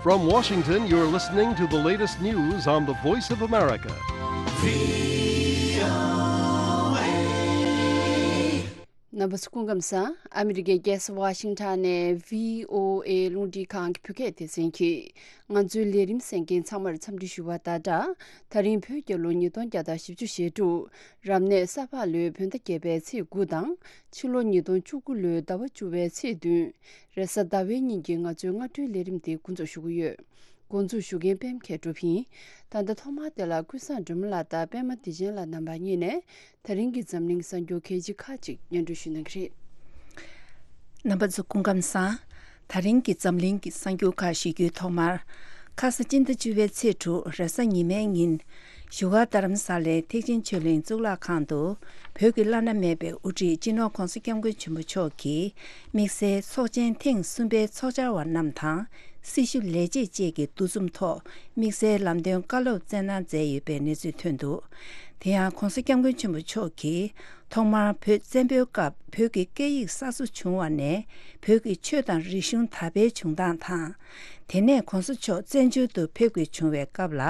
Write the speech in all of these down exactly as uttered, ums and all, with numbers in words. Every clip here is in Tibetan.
From Washington, you're listening to the latest news on the Voice of America. རྣམ་པ་ཚོ་སྐུ་ཁམས་བཟང་། ཨ་མི་རི་ཀའི་རྒྱལ་ས་ཝ་ཤིང་ཊོན་ནས་བྷི་ཨོ་ཨེ་རླུང་འཕྲིན་ཁང་གི་བོད་སྐད་སྡེ་ཚན་གྱིས་ང་ཚོའི་ལས་རིམ་གསན་མཁན་ཚང་མར་འཚམས་འདྲི་ཞུ་བ་དང་སྦྲགས། ད་རིང་བོད་རྒྱལ་ལོ་ཉིས་སྟོང་བརྒྱ་དང་བཞི་བཅུ་ཞེ་དྲུག་རབ་གནས་ས་ཕག་ལོའི་བོད་ཟླ་བརྒྱད་པའི་ཚེས་དགུ་དང་ཕྱི་ལོ་ཉིས་སྟོང་བཅུ་དགུ་ལོའི་ཟླ་བ་བཅུ་པའི་ཚེས་བདུན། རེས་གཟའ་ཟླ་བའི་ཉིན་གྱི་ང་ཚོའི་སྔ་དྲོའི་ལས་རིམ་འདི་འགོ་འཛུགས་ཞུ་གི་ཡོད། འགོ་འཛུགས་ཞུ་མཁན་པད་མ་མཁས་གྲུབ་ཡིན། ད་ལྟ་ཐོག་མར་དེ་ལ་ཀུན་བཟང་སྒྲོལ་མ་ལགས་དང་པད་མ་བདེ་ཆེན་ལགས་རྣམ་པ་གཉིས་ནས་ད་རིང་གི་འཛམ་གླིང་གསར་འགྱུར་གལ་ཆེ་ཁག་ཅིག་སྙན་སྒྲོན་ཞུ་གནང་གི་རེད། རྣམ་པ་ཚོ་སྐུ་ཁམས་བཟང་། ད་རིང་གི་འཛམ་གླིང་གི་གསར་འགྱུར་ཁག་ཞུ་རྒྱུའི་ཐོག་མར། ཁ་ས་སྤྱི་ཟླ་བཅུ་པའི་ཚེས་དྲུག་རེས་གཟའ་ཉི་མའི་ཉིན། བཞུགས་སྒར་རྡ་རམ་ས་ལའི་ཐེག་ཆེན་ཆོས་གླིང་གཙུག་ལག་ཁང་དུ། བོད་ཀྱི་བླ་ན་མེད་པའི་དབུ་ཁྲིད་སྤྱི་ནོར་༧གོང་ས་༧སྐྱབས་མགོན་ཆེན་པོ་མཆོག་གིས། དམིགས་བསལ་ཚོགས་ཆེན་ཐེངས་གསུམ་པའི་ཚོགས་བཅར་བ་རྣམས་དང་། སྲི་ཞུ་ལས་བྱེད་བཅས་ཀྱི་འདུ་འཛོམས་ཐོག་དམིགས་བསལ་ལམ་སྟོན་བཀའ་སློབ་སྩལ་གནང་མཛད་ཡོད་པའི་གནས་ཚུལ་ཐོན་འདུག་དེ་ཡང་༧གོང་ས་༧སྐྱབས་མགོན་ཆེན་པོ་མཆོག་གིས། ཐོག་མར་བོད་བཙན་པོའི་སྐབས་བོད་ཀྱི་སྐད་ཡིག་གསར་བཟོ་བྱུང་བ་ནས་བོད་ཀྱི་ཆོས་དང་རིག་གཞུང་དར་འཕེལ་བྱུང་སྟངས་དང་། དེ་ནས་༧གོང་ས་མཆོག་བཙན་བྱོལ་དུ་ཕེབས་དགོས་བྱུང་བའི་སྐབས་ལ་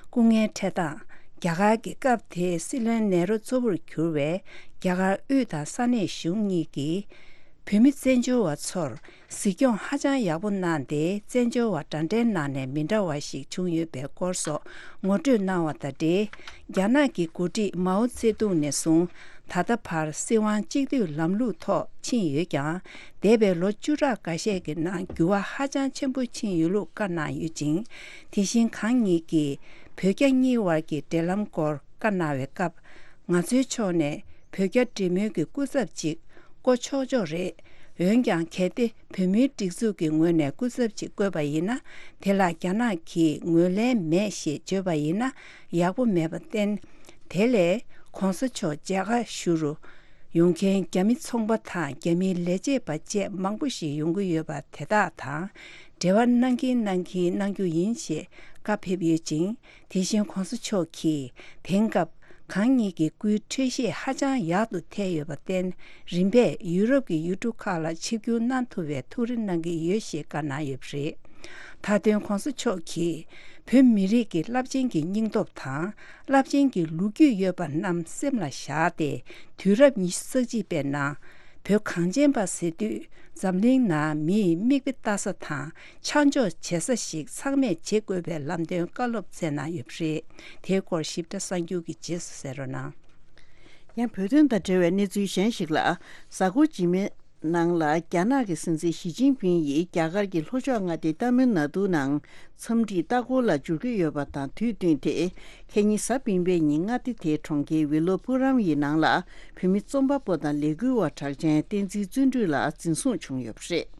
སྐུ་ངལ་འཕྲད་སྟངས། རྒྱ་གར་གྱི་སྐབས་དེའི་སྲིད་བློན་ནེ་རུ་གཙོ་བོར་གྱུར་བའི་རྒྱ་གར་དབུས་དང་ས་གནས་གཞུང་གཉིས་ཀྱིས། བོད་མི་བཙན་བྱོལ་བ་ཚོར་གཟིགས་སྐྱོང་ཧ་ཅང་ཡག་པོ་གནང་སྟེ། བཙན་བྱོལ་བ་འདྲ་འདྲའི་ནང་ནས་མི་འདྲ་བ་ཞིག་བྱུང་ཡོད་པའི་སྐོར་སོགས་ངོ་སྤྲོད་གནང་བ་དང་འབྲེལ། རྒྱ་ནག་གི་འགོ་ཁྲིད་མའོ་ཙེ་ཏུང་ནས་བཟུང་ད་ལྟ་བར་སྲིད་དབང་གཅིག་སྡུད་ལམ་ལུགས་ཐོག་ཕྱིན་ཡོད་ཀྱང་། འདས་པའི་ལོ་བཅུ་ཕྲག་འགའ་ཤས་ཀྱི་ནང་འགྱུར་བ་ཧ་ཅང་ཆེན་པོ་ཕྱིན་ཡོད་ལུགས་བཀའ་གནང་ཡོད་ཅིང་། དེ་བཞིན་གང་ཉིད་ཀྱིས་བོད་རྒྱ་གཉིས་དབར་གྱི་འབྲེལ་ལམ་སྐོར་བཀའ་གནང་བའི་སྐབས། ང་ཚོའི་ཕྱོགས་ནས་བོད་རྒྱ་འབྲེལ་མོལ་གྱི་སྐུ་ཚབ་ཅིག་བསྐོ་ཆོག་ཆོག་རེད། འོན་ཀྱང་གལ་ཏེ་བོད་མིའི་སྒྲིག་འཛུགས་ཀྱི་ངོས་ནས་སྐུ་ཚབ་ཅིག་བསྐོས་པ་ཡིན་ན། དེ་ལ་རྒྱ་ནག་གིས་ངོས་ལེན་མེད་ཞེས་བརྗོད་པ་ཡིན་ན་ཡག་པོ་མེད་པར་བརྟེན། དེ་ལས་༧གོང་ས་མཆོག་མཇལ་ཁ་ཞུ་རུ་ཡོང་མཁན་རྒྱ་མི་ཚོང་པ་དང་རྒྱ་མིའི་ལས་བྱེད་པ་བཅས་མང་པོ་ཞིག་ཡོང་གི་ཡོད་པ་དེ་དག་དང་འབྲེལ་བ་གནང་གིན་གནང་གིན་གནང་རྒྱུ་ཡིན་ཞེས་བཀའ་ཕེབས་ཡོད་ཅིང་། དེ་བཞིན་༧གོང་ས་མཆོག་གིས་དེང་སྐབས་གང་ཉིད་ཀྱི་སྐུའི་འཕྲོད་བཞེས་ཧ་ཅང་ཡག་ཏུ་ཐལ་ཡོད་པར་བརྟེན། རིམ་པས་ཡུ་རོབ་ཀྱི་ཡུལ་གྲུ་ཁག་ལ་ཆིབས་བསྒྱུར་གནང་ཐུབ་པའི་ཐུགས་རེ་གནང་གི་ཡོད་ཞེས་བཀའ་གནང་ཡོད་པ་རེད། མཐའ་དོན་༧གོང་ས་མཆོག་གིས་བོད་མི་རིགས་ཀྱི་རླབས་ཆེན་གྱི་སྙིང་སྟོབས་དང་། རླབས་ཆེན་གྱི་ལོ་རྒྱུས་ཡོད་པ་རྣམས་སེམས་ལ་བཞག་སྟེ། དུས་རབས་ཉི་ཤུ་རྩ་གཅིག་པའི་ནང་། བོད་གངས་ཅན་པ་ཟེར་དུས་འཛམ་གླིང་ནང་མི་ཡི་མིག་དཔེ་ལྟ་ས་དང་ཆ་འཇོག་བྱེད་ས་ཞིག་ཚང་མས་བྱེད་དགོས་པའི་ལམ་སྟོན་བཀའ་སློབ་སྩལ་གནང་ཡོད་པ་རེད། དེའི་སྐོར་ཞིབ་ཕྲ་གསར་འགྱུར་གྱི་རྗེས་སུ་གསན་རོགས་གནང་། ཡང་བོད་དོན་དང་འབྲེལ་བའི་གནས་ཚུལ་གཞན་ཞིག་ལ། གཟའ་འཁོར་རྗེས་མའི་ནང་ལ་རྒྱ་ནག་གི་སྲིད་འཛིན་ཞི་ཅིན་ཕིང་ཡིས་རྒྱ་གར་གྱི་ལྷོ་ཕྱོགས་མངའ་སྡེ་ཏཱ་མིལ་ནཱ་ཏུའི་ནང་འཚམས་འདྲིའི་ལྟ་སྐོར་ལ་འབྱོར་གྱི་ཡོད་པ་དང་དུས་བསྟུན་ཏེ། ཁ་ཉིན་གཟའ་སྤེན་པའི་ཉིན་མངའ་སྡེ་དེའི་གྲོང་ཁྱེར་ཝི་ལོ་པུ་རམ་ཡི་ནང་ལ་བོད་མི་རྩོམ་པ་པོ་དང་ལས་འགུལ་བ་གྲགས་ཅན་བསྟན་འཛིན་བརྩོན་འགྲུས་ལགས་འཛིན་བཟུང་བྱུང་ཡོད་པ་རེད།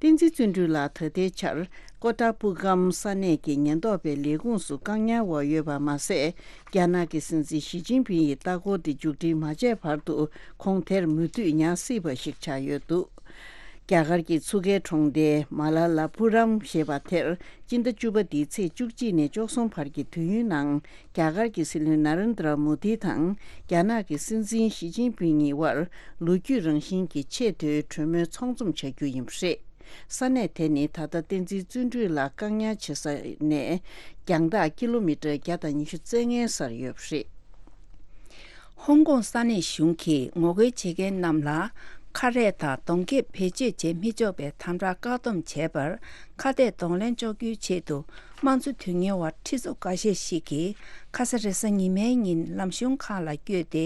བསྟན་འཛིན་བརྩོན་འགྲུས་ལགས་ད་ལྟའི་ཆར་ཀོ་ཏཱ་པུ་གམ་ས་གནས་ཀྱི་ཉེན་རྟོག་པའི་ལས་ཁུངས་སུ་བཀག་ཉར་འོག་ཡོད་པ་མ་ཟད། རྒྱ་ནག་གི་སྲིད་འཛིན་ཞི་ཅིན་ཕིང་ཡི་ལྟ་སྐོར་དེ་མཇུག་སྒྲིལ་མ་བྱས་བར་དུ་ཁོང་དེར་མུ་མཐུད་ཉར་སྲིད་པ་ཞིག་ཆགས་ཡོད་འདུག་རྒྱ་གར་གྱི་མཚོ་ཁའི་གྲོང་སྡེ་མ་ལ་ལ་པུ་རམ་ཞེས་པ་དེར་སྤྱི་ཟླ་བཅུ་པ་འདིའི་ཚེས་བཅུ་གཅིག་ནས་བཅུ་གསུམ་བར་གྱི་དུས་ཡུན་ནང་རྒྱ་གར་གྱི་སྲིད་བློན་ན་རེན་དྲ་མོ་དི་དང་རྒྱ་ནག་གི་སྲིད་འཛིན་ཞི་ཅིན་ཕིང་གཉིས་དབར་ལོ་རྒྱུས་རང་བཞིན་གྱི་ཆེས་མཐོའི་གྲོས་མོལ་ཚོགས་འཛོམས་བྱ་རྒྱུ་ཡིན་པ་རེད། ས་གནས་དེ་ནི་ད་ལྟ་བསྟན་འཛིན་བརྩོན་འགྲུས་ལགས་བཀག་ཉར་བྱེད་ས་ནས་རྒྱང་ཐག་ཀི་ལོ་མི་ཊར་བརྒྱ་དང་ཉི་ཤུ་རྩ་ལྔའི་སར་ཡོད་པ་རེད། ཧོང་ཀོང་ས་གནས་གཞུང་གིས་ངོ་རྒོལ་བྱེད་མཁན་རྣམས་ལ་ཁ་རས་དང་གདོང་ཁེབས་བེད་སྤྱོད་བྱེད་མི་ཆོག་པའི་དམ་དྲག་བཀག་སྡོམ་བྱས་པར་ཁ་གཏད་གདོང་ལེན་གཅོག་རྒྱུའི་ཆེད་དུ་དམངས་གཙོ་དོན་གཉེར་བ་ཁྲི་ཚོ་འགའ་ཤས་ཤིག་གིས་ཁ་ས་རེས་གཟའ་ཉི་མའི་ཉིན་ལམ་གཞུང་ཁག་ལ་བསྐྱོད་དེ་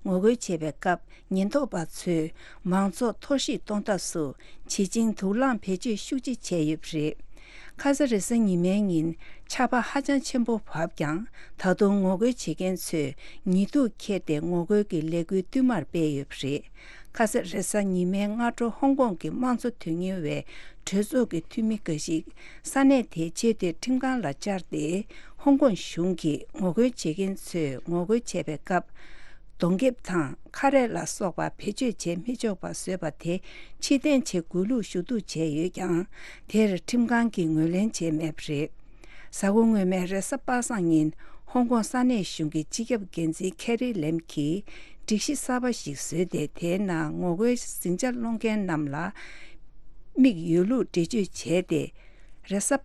ངོ་རྒོལ་བྱེད་པའི་སྐབས། ཉེན་རྟོག་པ་ཚོས་མང་ཚོགས་འཐོར་ཞིག་གཏོང་ཐབས་སུ་བྱེད་བཅིངས་དུག་རླངས་བེད་སྤྱོད་ཤུགས་ཆེ་བྱས་ཡོད་པ་རེད། ཁ་ས་རེས་གཟའ་ཉི་མའི་ཉིན་ཆར་པ་ཧ་ཅང་ཆེན་པོ་བབས་ཀྱང་། ད་དུང་ངོ་རྒོལ་བྱེད་མཁན་ཚོས་ཉི་གདུགས་ཁྱེར་ཏེ་ངོ་རྒོལ་གྱི་ལས་འགུལ་བསྟུད་མར་སྤེལ་ཡོད་པ་རེད། ཁ་ས་རེས་གཟའ་ཉི་མའི་སྔ་དྲོ་ཧོང་ཀོང་གི་དམངས་གཙོ་དོན་གཉེར་བའི་གྲོས་ཚོགས་ཀྱི་འཐུས་མི་འགའ་ཞིག་ས་གནས་དེའི་ཆེས་མཐོའི་ཁྲིམས་ཁང་ལ་བཅར་ཏེ། ཧོང་ཀོང་གཞུང་གིས་ངོ་རྒོལ་བྱེད་མཁན་ཚོས་ངོ་རྒོལ་བྱེད་པའི་སྐབས། གདོང་ཁེབས་དང་ཁ་རས་ལ་སོགས་པ་བེད་སྤྱོད་བྱེད་མི་ཆོག་པ་བཟོས་པ་དེ་ཕྱིར་འཐེན་བྱེད་དགོས་ལུགས་ཞུ་གཏུག་བྱས་ཡོད་ཀྱང་། དེར་ཁྲིམས་ཁང་གིས་ངོས་ལེན་བྱས་མེད་པ་རེད། གཟའ་འཁོར་སྔོན་མའི་རེས་གཟའ་པ་སངས་ཉིན་ཧོང་ཀོང་ས་གནས་གཞུང་གི་སྤྱི་ཁྱབ་འགན་འཛིན་ཁེ་རི་ལེམ་གྱིས་སྒྲིག་གཞི་གསར་པ་ཞིག་བཟོས་ཏེ། དེའི་ནང་ངོ་རྒོལ་ཟིང་ཆ་སློང་མཁན་རྣམས་ལ་དམིགས་ཡོད་ལུགས་འགྲེལ་བརྗོད་བྱས་ཏེ། རེས་གཟའ་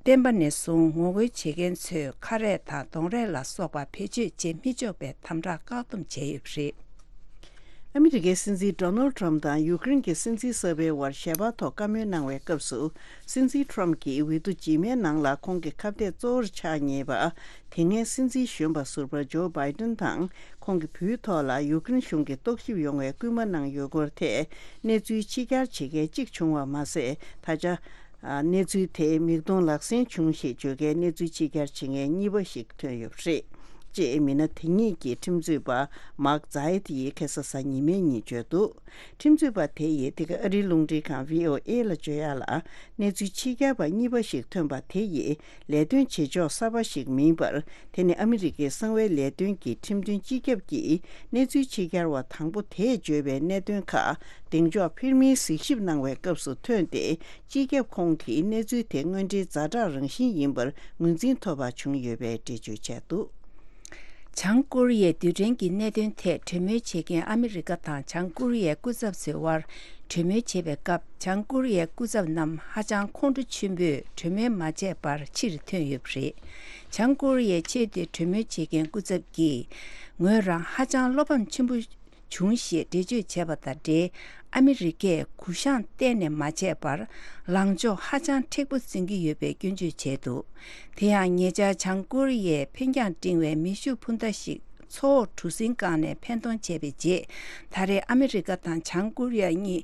བརྟན་པ་ནས་བཟུང་ངོ་རྒོལ་བྱེད་མཁན་ཚོས་ཁ་རས་དང་གདོང་རས་ལ་སོགས་པ་བེད་སྤྱོད་བྱེད་མི་ཆོག་པའི་དམ་དྲག་བཀག་སྡོམ་བྱས་ཡོད་པ་རེད། ཨ་མི་རི་ཀའི་སྲིད་འཛིན་ཌོ་ནལ་ཌི་ཊརམ་དང་ཡུཀ་རེན་གྱི་སྲིད་འཛིན་གསར་པའི་དབར་ཞལ་པར་ཐོག་བཀའ་མོལ་གནང་བའི་སྐབས་སུ། སྲིད་འཛིན་ཊརམ་གྱིས་འོས་བསྡུ་རྗེས་མའི་ནང་ལ་ཁོང་གི་ཁ་གཏད་གཙོ་བོར་ཆགས་ངེས་པ། དེ་སྔའི་སྲིད་འཛིན་གཞོན་པ་ཟུར་པ་ཇོ་བྷའི་ཏན་དང་ཁོང་གི་བུའི་ཐོག་ལ་ཡུཀ་རེན་གཞུང་གིས་རྟོག་ཞིབ་ཡོང་བའི་སྐུལ་མ་གནང་ཡོད་སྐོར་ཐད་གནས་ཚུལ་ཕྱི་གྱར་བྱེད་མཁན་གཅིག་བྱུང་བ་མ་ཟད། ད་ཆ་གནས་ཚུལ་དེ་མིག་མཐོང་ལག་ཟིན་བྱུང་ཞེས་བརྗོད་མཁན་གནས་ཚུལ་ཕྱི་གྱར་བྱེད་མཁན་གཉིས་པ་ཞིག་ཐོན་ཡོད་པ་རེད། ཅེས་མི་སྣ་དེ་གཉིས་ཀྱི་ཁྲིམས་རྩོད་པ་མཱག་ཛའེ་ཏི་ཡིས་ཁ་སང་གཟའ་ཉི་མའི་ཉིན་བརྗོད་འདུག་ཁྲིམས་རྩོད་པ་དེ་ཡིས་འདི་ག་ཨ་རིའི་རླུང་འཕྲིན་ཁང་བྷི་ཨོ་ཨེ་ལ་བརྗོད་ཡག་ལ། གནས་ཚུལ་ཕྱི་གྱར་པ་གཉིས་པ་ཞིག་ཐོན་པ་དེ་ཡིས་ལས་དོན་བྱེད་ཕྱོགས་གསར་པ་ཞིག་མིན་པར། དེ་ནི་ཨ་མི་རི་ཀའི་གསང་བའི་ལས་དོན་གྱི་ཁྲིམས་དོན་སྤྱི་ཁྱབ་ཀྱིས་གནས་ཚུལ་ཕྱི་གྱར་བ་དང་པོ་དེས་བརྗོད་པའི་གནད་དོན་ཁག་གདེང་འཇོག་ཕེར་མིན་གཟིགས་ཞིབ་གནང་བའི་སྐབས་སུ་ཐོན་ཏེ། སྤྱི་ཁྱབ་ཁོང་གིས་གནས་ཚུལ་དེ་དངོས་འབྲེལ་ཛ་དྲག་རང་བཞིན་ཡིན་པར་ངོས་འཛིན་ཐོབ་པ་བྱུང་ཡོད་པའི་འགྲེལ་བརྗོད་བྱས་འདུག་བྱང་ཀོ་རི་ཡའི་རྡུལ་ཕྲན་གྱི་གནད་དོན་ཐད་གྲོས་མོལ་བྱེད་མཁན་ཨ་མི་རི་ཀ་དང་བྱང་ཀོ་རི་ཡའི་སྐུ་ཚབ་ཚོའི་དབར་གྲོས་མོལ་བྱེད་པའི་སྐབས། བྱང་ཀོ་རི་ཡའི་སྐུ་ཚབ་རྣམས་ཧ་ཅང་ཁོང་ཁྲོ་ཆེན་པོས་གྲོས་མོལ་མ་བྱས་པར་ཕྱིར་ཐོན་ཡོད་པ་རེད། བྱང་ཀོ་རི་ཡའི་ཆེས་མཐོའི་གྲོས་མོལ་བྱེད་མཁན་སྐུ་ཚབ་ཀྱིས། ངོས་རང་ཧ་ཅང་བློ་ཕམ་ཆེན་པོ་བྱུང་ཞེས་འགྲེལ་བརྗོད་བྱས་པ་དང་འབྲེལ། ཨ་མི་རི་ཀས་གུ་བཤངས་གཏན་ནས་མ་བྱས་པར་ལངས་ཕྱོགས་ཧ་ཅང་མཁྲེགས་པོ་འཛིན་གྱི་ཡོད་པའི་སྐྱོན་བརྗོད་བྱས་འདུག་དེ་ཡང་ཉེ་ཆར་བྱང་ཀོ་རི་ཡས་འཕེན་རྒྱང་སྤྲིང་བའི་མེ་ཤུགས་འཕུར་མདའ་ཞིག་མཚོ་འོག་གྲུ་གཟིངས་བཀག་ནས་འཕེན་གཏོང་བྱས་པའི་རྗེས། ད་རེས་ཨ་མི་རི་ཀ་དང་བྱང་ཀོ་རི་ཡ་གཉིས་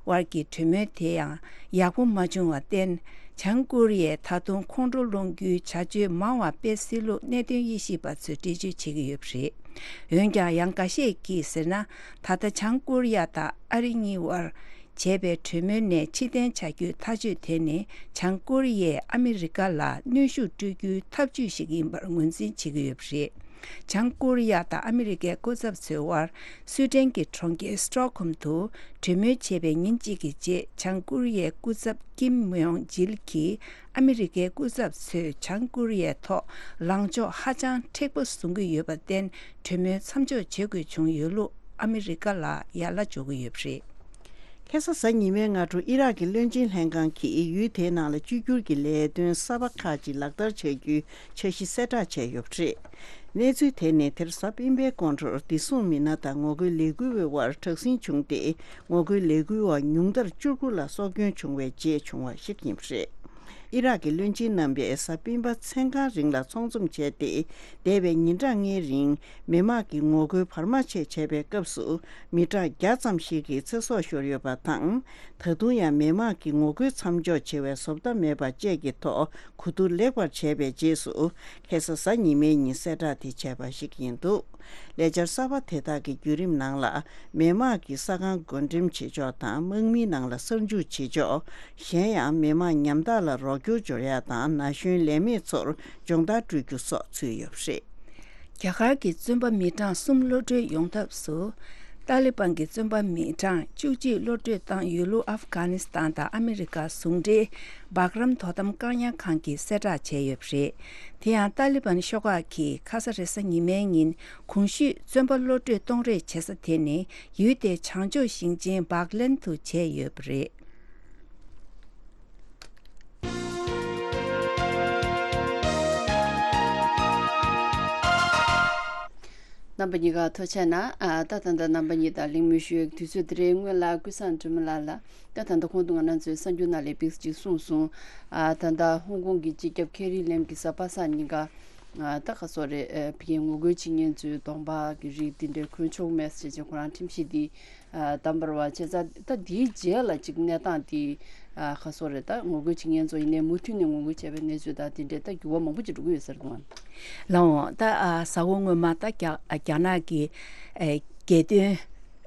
བར་གྱི་གྲོས་མོལ་དེ་ཡང་ཡག་པོ་མ་བྱུང་བར་བརྟེན། བྱང་ཀོ་རི་ཡས་ད་དུང་ཁོང་ཁྲོ་སློང་རྒྱུའི་བྱ་སྤྱོད་མང་བ་སྤེལ་སྲིད་ལུགས་གནད་དོན་དབྱེ་ཞིབ་པ་ཚོས་འགྲེལ་བརྗོད་བྱེད་ཀྱི་ཡོད་པ་རེད། འོན་ཀྱང་ཡང་འགའ་ཤས་ཀྱིས་ཟེར་ན། ད་ལྟ་བྱང་ཀོ་རི་ཡ་དང་ཨ་རི་གཉིས་བར་བྱས་པའི་གྲོས་མོལ་ནས་ཕྱིར་འཐེན་བྱ་རྒྱུའི་ཐག་གཅོད་དེ་ནི། བྱང་ཀོ་རི་ཡས་ཨ་མི་རི་ཀ་ལ་གནོན་ཤུགས་སྤྲོད་རྒྱུའི་ཐབས་ཇུས་ཤིག་ཡིན་པར་ངོས་འཛིན་བྱེད་ཀྱི་ཡོད་པ་རེད། བྱང་ཀོ་རི་ཡ་དང་ཨ་མི་རི་ཀའི་སྐུ་ཚབ་ཚོའི་དབར་སུའེ་ཏེན་གྱི་གྲོང་ཁྱེར་སི་ཊོག་ཧོམ་དུ་གྲོས་མོལ་བྱས་པའི་ཉིན་གཅིག་གི་རྗེས། བྱང་ཀོ་རི་ཡའི་སྐུ་ཚབ་ཀིམ་ཡོང་ཇིལ་གྱིས། ཨ་མི་རི་ཀའི་སྐུ་ཚབ་ཚོས་བྱང་ཀོ་རི་ཡའི་ཐོག་ལངས་ཕྱོགས་ཧ་ཅང་མཁྲེགས་པོ་བཟུང་གི་ཡོད་པར་བརྟེན། གྲོས་མོལ་མཚམས་འཇོག་བྱེད་དགོས་བྱུང་ཡོད་ལུགས་ཨ་མི་རི་ཀ་ལ་ཡ་ལ་འཇོག་གི་ཡོད་པ་རེད། ཁ་སང་གཟའ་ཉི་མའི་སྔ་དྲོ་ཨི་རག་གི་བློན་ཆེན་ལྷན་ཁང་གིས་ཡུལ་དེའི་ནང་ལ་བཅོས་བསྒྱུར་གྱི་ལས་དོན་གསར་པ་ཁག་ཅིག་ལག་བསྟར་བྱ་རྒྱུའི་འཆར་གཞི་གསལ་བསྒྲགས་བྱས་ཡོད་པ་རེད། གནས་ཚུལ་དེ་ནི་དེ་རིང་གཟའ་སྤེན་པའི་དགོང་དྲོར་བདེ་སྲུང་མི་སྣ་དང་ངོ་རྒོལ་ལས་འགུལ་བའི་དབར་དྲག་ཟིང་བྱུང་སྟེ། ངོ་རྒོལ་ལས་འགུལ་བ་ཉུང་མཐར་བཅུ་དགུ་ལ་སྲོག་སྐྱོན་བྱུང་བའི་རྗེས་བྱུང་བ་ཞིག་ཡིན་པ་རེད། ཨི་རག་གི་བློན་ཆེན་རྣམ་པས་གཟའ་སྤེན་པ་མཚན་གང་རིང་ལ་ཚོགས་འཛོམས་བྱས་ཏེ། འདས་པའི་ཉིན་གྲངས་ལྔའི་རིང་མི་དམངས་ཀྱི་ངོ་རྒོལ་བར་མ་ཆད་བྱས་པའི་སྐབས་སུ། མི་གྲངས་བརྒྱ་ཙམ་ཞིག་གི་ཚེ་སྲོག་ཤོར་ཡོད་པ་དང་། ད་དུང་ཡང་མི་དམངས་ཀྱི་ངོ་རྒོལ་མཚམས་འཇོག་བྱེད་པའི་བཟོ་ལྟ་མེད་པ་བཅས་ཀྱི་ཐོག་གོ་བསྡུར་ལེགས་པར་བྱས་པའི་རྗེས་སུ། ཁ་སང་གཟའ་ཉི་མའི་ཉིན་གསལ་བསྒྲགས་དེ་བྱས་པ་ཞིག་ཡིན་འདུག་ལས་འཆར་གསར་པ་དེ་དག་གི་བརྒྱུད་རིམ་ནང་ལ། མི་དམངས་ཀྱི་ས་ཁང་བགོ་འགྲེམས་བྱེད་ཕྱོགས་དང་། དམག་མིའི་ནང་ལ་གསར་འཇུག་བྱེད་ཕྱོགས། གཞན་ཡང་མི་དམངས་ཉམ་ཐག་ལ་རོགས་སྐྱོར་སྦྱོར་ཡག་དང་། ན་གཞོན་ལས་མེད་ཚོར་སྦྱོང་བརྡར་སྤྲོད་རྒྱུ་སོགས་ཚུད་ཡོད་པ་རེད། རྒྱ་གར་གྱི་བཙོན་པ་མི་གྲངས་གསུམ་གློད་གྲོལ་ཡོང་ཐབས་སུ། ཏཱ་ལི་བན་གྱི་བཙོན་པ་མི་གྲངས་བཅུ་གཅིག་གློད་གྲོལ་བཏང་ཡོད་ལུགས་ཨབ་གྷ་ནི་སི་ཐན་དང་ཨ་མི་རི་ཀ་ཟུང་འབྲེལ་སྦག་རམ་དོ་དམ་བཀག་ཉར་ཁང་གིས་གསལ་བསྒྲགས་བྱས་ཡོད་པ་རེད། དེ་ཡང་ཏཱ་ལི་བན་ཤོག་ཁག་གིས་ཁ་ས་རེས་གཟའ་ཉི་མའི་ཉིན་གོང་ཞུས་བཙོན་པ་གློད་གྲོལ་གཏོང་རེས་བྱེད་ས་དེ་ནི་ཡུལ་དེའི་བྱང་ཕྱོགས་ཞིང་ཆེན་བག་ལན་དུ་བྱས་ཡོད་པ་རེད། རྣམ་པ་གཉིས་ཀ་ཐུགས་རྗེ་གནང་། ཨ། ད་ད་ལྟ་རྣམ་པ་གཉིས་དང་གླེང་མོལ་ཞུ་ཡག་དུས་ཚོད་དེ་རེད། སྔོན་ལ་ཀུན་བཟང་དྲི་མ་ལགས་ལ། ད་ད་ལྟ་གོང་དུ་ང་རང་ཚོའི་གསར་འགྱུར་ནང་ལ་ཕེབས་ཅིག་གསུངས་སོང་། ཨ། ད་ལྟ་ཧོང་ཀོང་གི་སྤྱི་ཁྱབ་ཁེ་རི་ལེམ་གྱིས་གཟའ་པ་སངས་ཉིན་ཀ། ཨ། ད་ག་སོ་རེད། ཨ། ཕ་གིའི་ངོ་རྒོལ་བྱེད་མཁན་ཚོའི་གདོང་པ་གི་རིགས་འདི་འདྲ་གོན་ཆོག་མེད་ཟེར་བྱས་ཁོ་རང་ཁྲིམས་གཞི་འདི། ཨ། བསྡམས་པ་རེད་པ། བྱས་ཙང་ད་འདིའི་རྗེས་ལ་ཅིག་གནས་སྟངས་འདི། ཨ། ག་སོ་རེད། ད་ངོ་རྒོལ་བྱེད་མཁན་ཚོ་ཡིན་ནའི་མུ་མཐུད་ནས་ངོ་རྒོལ་བྱས་པའི་གནས་ཚུལ་དང་འདི་འདྲའི་ད་འགྱུར་བ་མང་པོ་ཅིག་འགྲོ་གི་ཡོད་ས་རེད་དགོངས། ལགས་འོང་། ད། ཨ། གཟའ་འཁོར་སྔོན་མ་ད་རྒྱ་རྒྱ་ནག་གི། ཨ། རྒྱལ་དོན།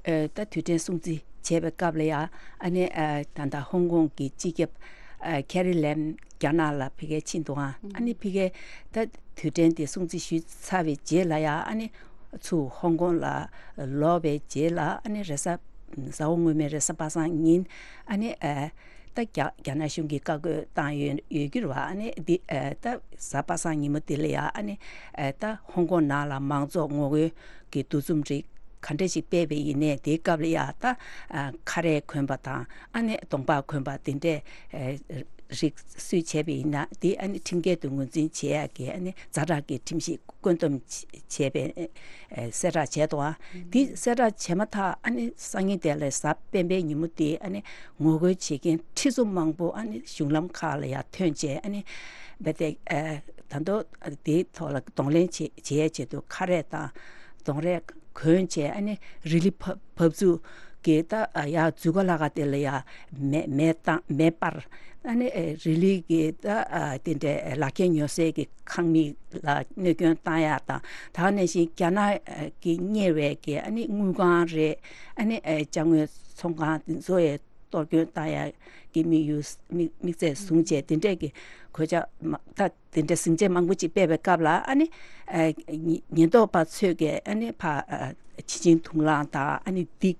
ཨ། ད་དུས་དྲན་སྲུང་བརྩི་བྱས་པའི་སྐབས་ལ་ཡ། ཨ་ནི། ཨ། ད་ལྟ་ཧོང་ཀོང་གི་སྤྱི་ཁྱབ། ཨ། ཁེ་རི་ལེམ་རྒྱ་ནག་ལ་ཕ་གིར་ཕྱིན་འདུག་ཨང་། ཨ་ནི་ཕ་གིར་ད་དུས་དྲན་དེ་སྲུང་བརྩི་ཞུས་ཚར་བའི་རྗེས་ལ་ཡ། ཨ་ནི་ཚུར་ཧོང་ཀོང་ལ་ལོག་པའི་རྗེས་ལ། ཨ་ནི་རེས་གཟའ། གཟའ་འཁོར་སྔོན་མའི་རེས་གཟའ་པ་སངས་ཉིན། ཨ་ནི། ཨ། ད་རྒྱ་རྒྱ་ནག་གཞུང་གིས་བཀའ་བཀོད་བཏང་ཡོད་ཡོད་རྒྱུ་རེད་པ། ཨ་ནི་འདི། ཨ། ད་གཟའ་པ་སངས་ཉིན་མོ་འདི་ལ་ཡ། ཨ་ནི། ཨ། ད་ཧོང་ཀོང་ནང་ལ་མང་ཚོགས་ངོ་རྒོལ་གྱི་འདུ་འཛོམས་རིགས་ ག་འདྲ་ཞིག་སྤེལ་བ་ཡིན་ནའི་དེའི་སྐབས་ལ་ཡ་ད་ཨ་ཁ་རས་གོན་པ་དང་ཨ་ནི་གདོང་པགས་གོན་པ་དེ་འདྲས་ཨ་རིགས་སུས་བྱས་པ་ཡིན་ན་དེ་ཨ་ནི་ཁྲིམས་འགལ་དུ་ངོས་འཛིན་བྱེད་ཡག་གི་ཨ་ནི་ཛ་དྲག་གི་ཁྲིམས་གཞི་བཀོད་འདོམས་བྱས་པའི་ཨ་གསལ་བསྒྲགས་བྱས་འདུག་ཨ། དེ་གསལ་བསྒྲགས་བྱས་མ་ཐག་ཨ་ནི་སང་ཉིན་དེ་ལ་གཟའ་སྤེན་པའི་ཉིན་མོ་དེ་ཨ་ནི་ངོ་རྒོལ་བྱེད་མཁན་ཁྲི་ཚོ་མང་པོ་ཨ་ནི་གཞུང་ལམ་ཁག་ལ་ཡར་ཐོན་བྱས་ཨ་ནི་རྦད་དེ་ཨ་ད་དུང་དེའི་ཐོག་ལ་གདོང་ལེན་བྱེད་བྱེད་ཡས་ཆེད་དུ་ཁ་རས་དང་གདོང་རས་གོན་བྱས་ཨ་ནི་རི་ལི་བབས་བབས་ཚུགས་ཀྱི་ད་ཡར་འཛུལ་སྒོ་ལྷ་ཁང་དེ་ལ་ཡར་མེ་མེ་བཏང་མེ་སྤར་ཨ་ནི་རི་ལི་གི་ད་དེ་འདྲའི་ལག་ཁྱེར་ཉོ་སའི་གི་ཁང་མིག་ལ་གནོད་སྐྱོན་བཏང་ཡག་དང་ད་ག་ནང་བཞིན་རྒྱ་ནག་གི་གཉེར་བའི་གི་ཨ་ནི་དངུལ་ཁང་རེད་ཨ་ནི་ཅ་དངོས་ཚོང་ཁང་དེ་ཚོ་ཡི་གཏོར་སྐྱོན་བཏང་ཡག་གི་དམིགས་ཡུལ་དམིགས་དམིགས་ཚད་བཟུང་བྱས་དེ་འདྲས་ཀྱི་གོད་ཆག་མ་ད་དེ་འདྲས་ཟིང་ཆ་མང་པོ་ཅིག་སྤེལ་བའི་སྐབས་ལ་ཨ་ནི་ཨ་ཉེན་ཉེན་རྟོག་པ་ཚོས་ཀྱིས་ཨ་ནི་ཕ་ཨ་ཕྱི་ཆིངས་དུག་རླངས་དང་ཨ་ནི་འདི་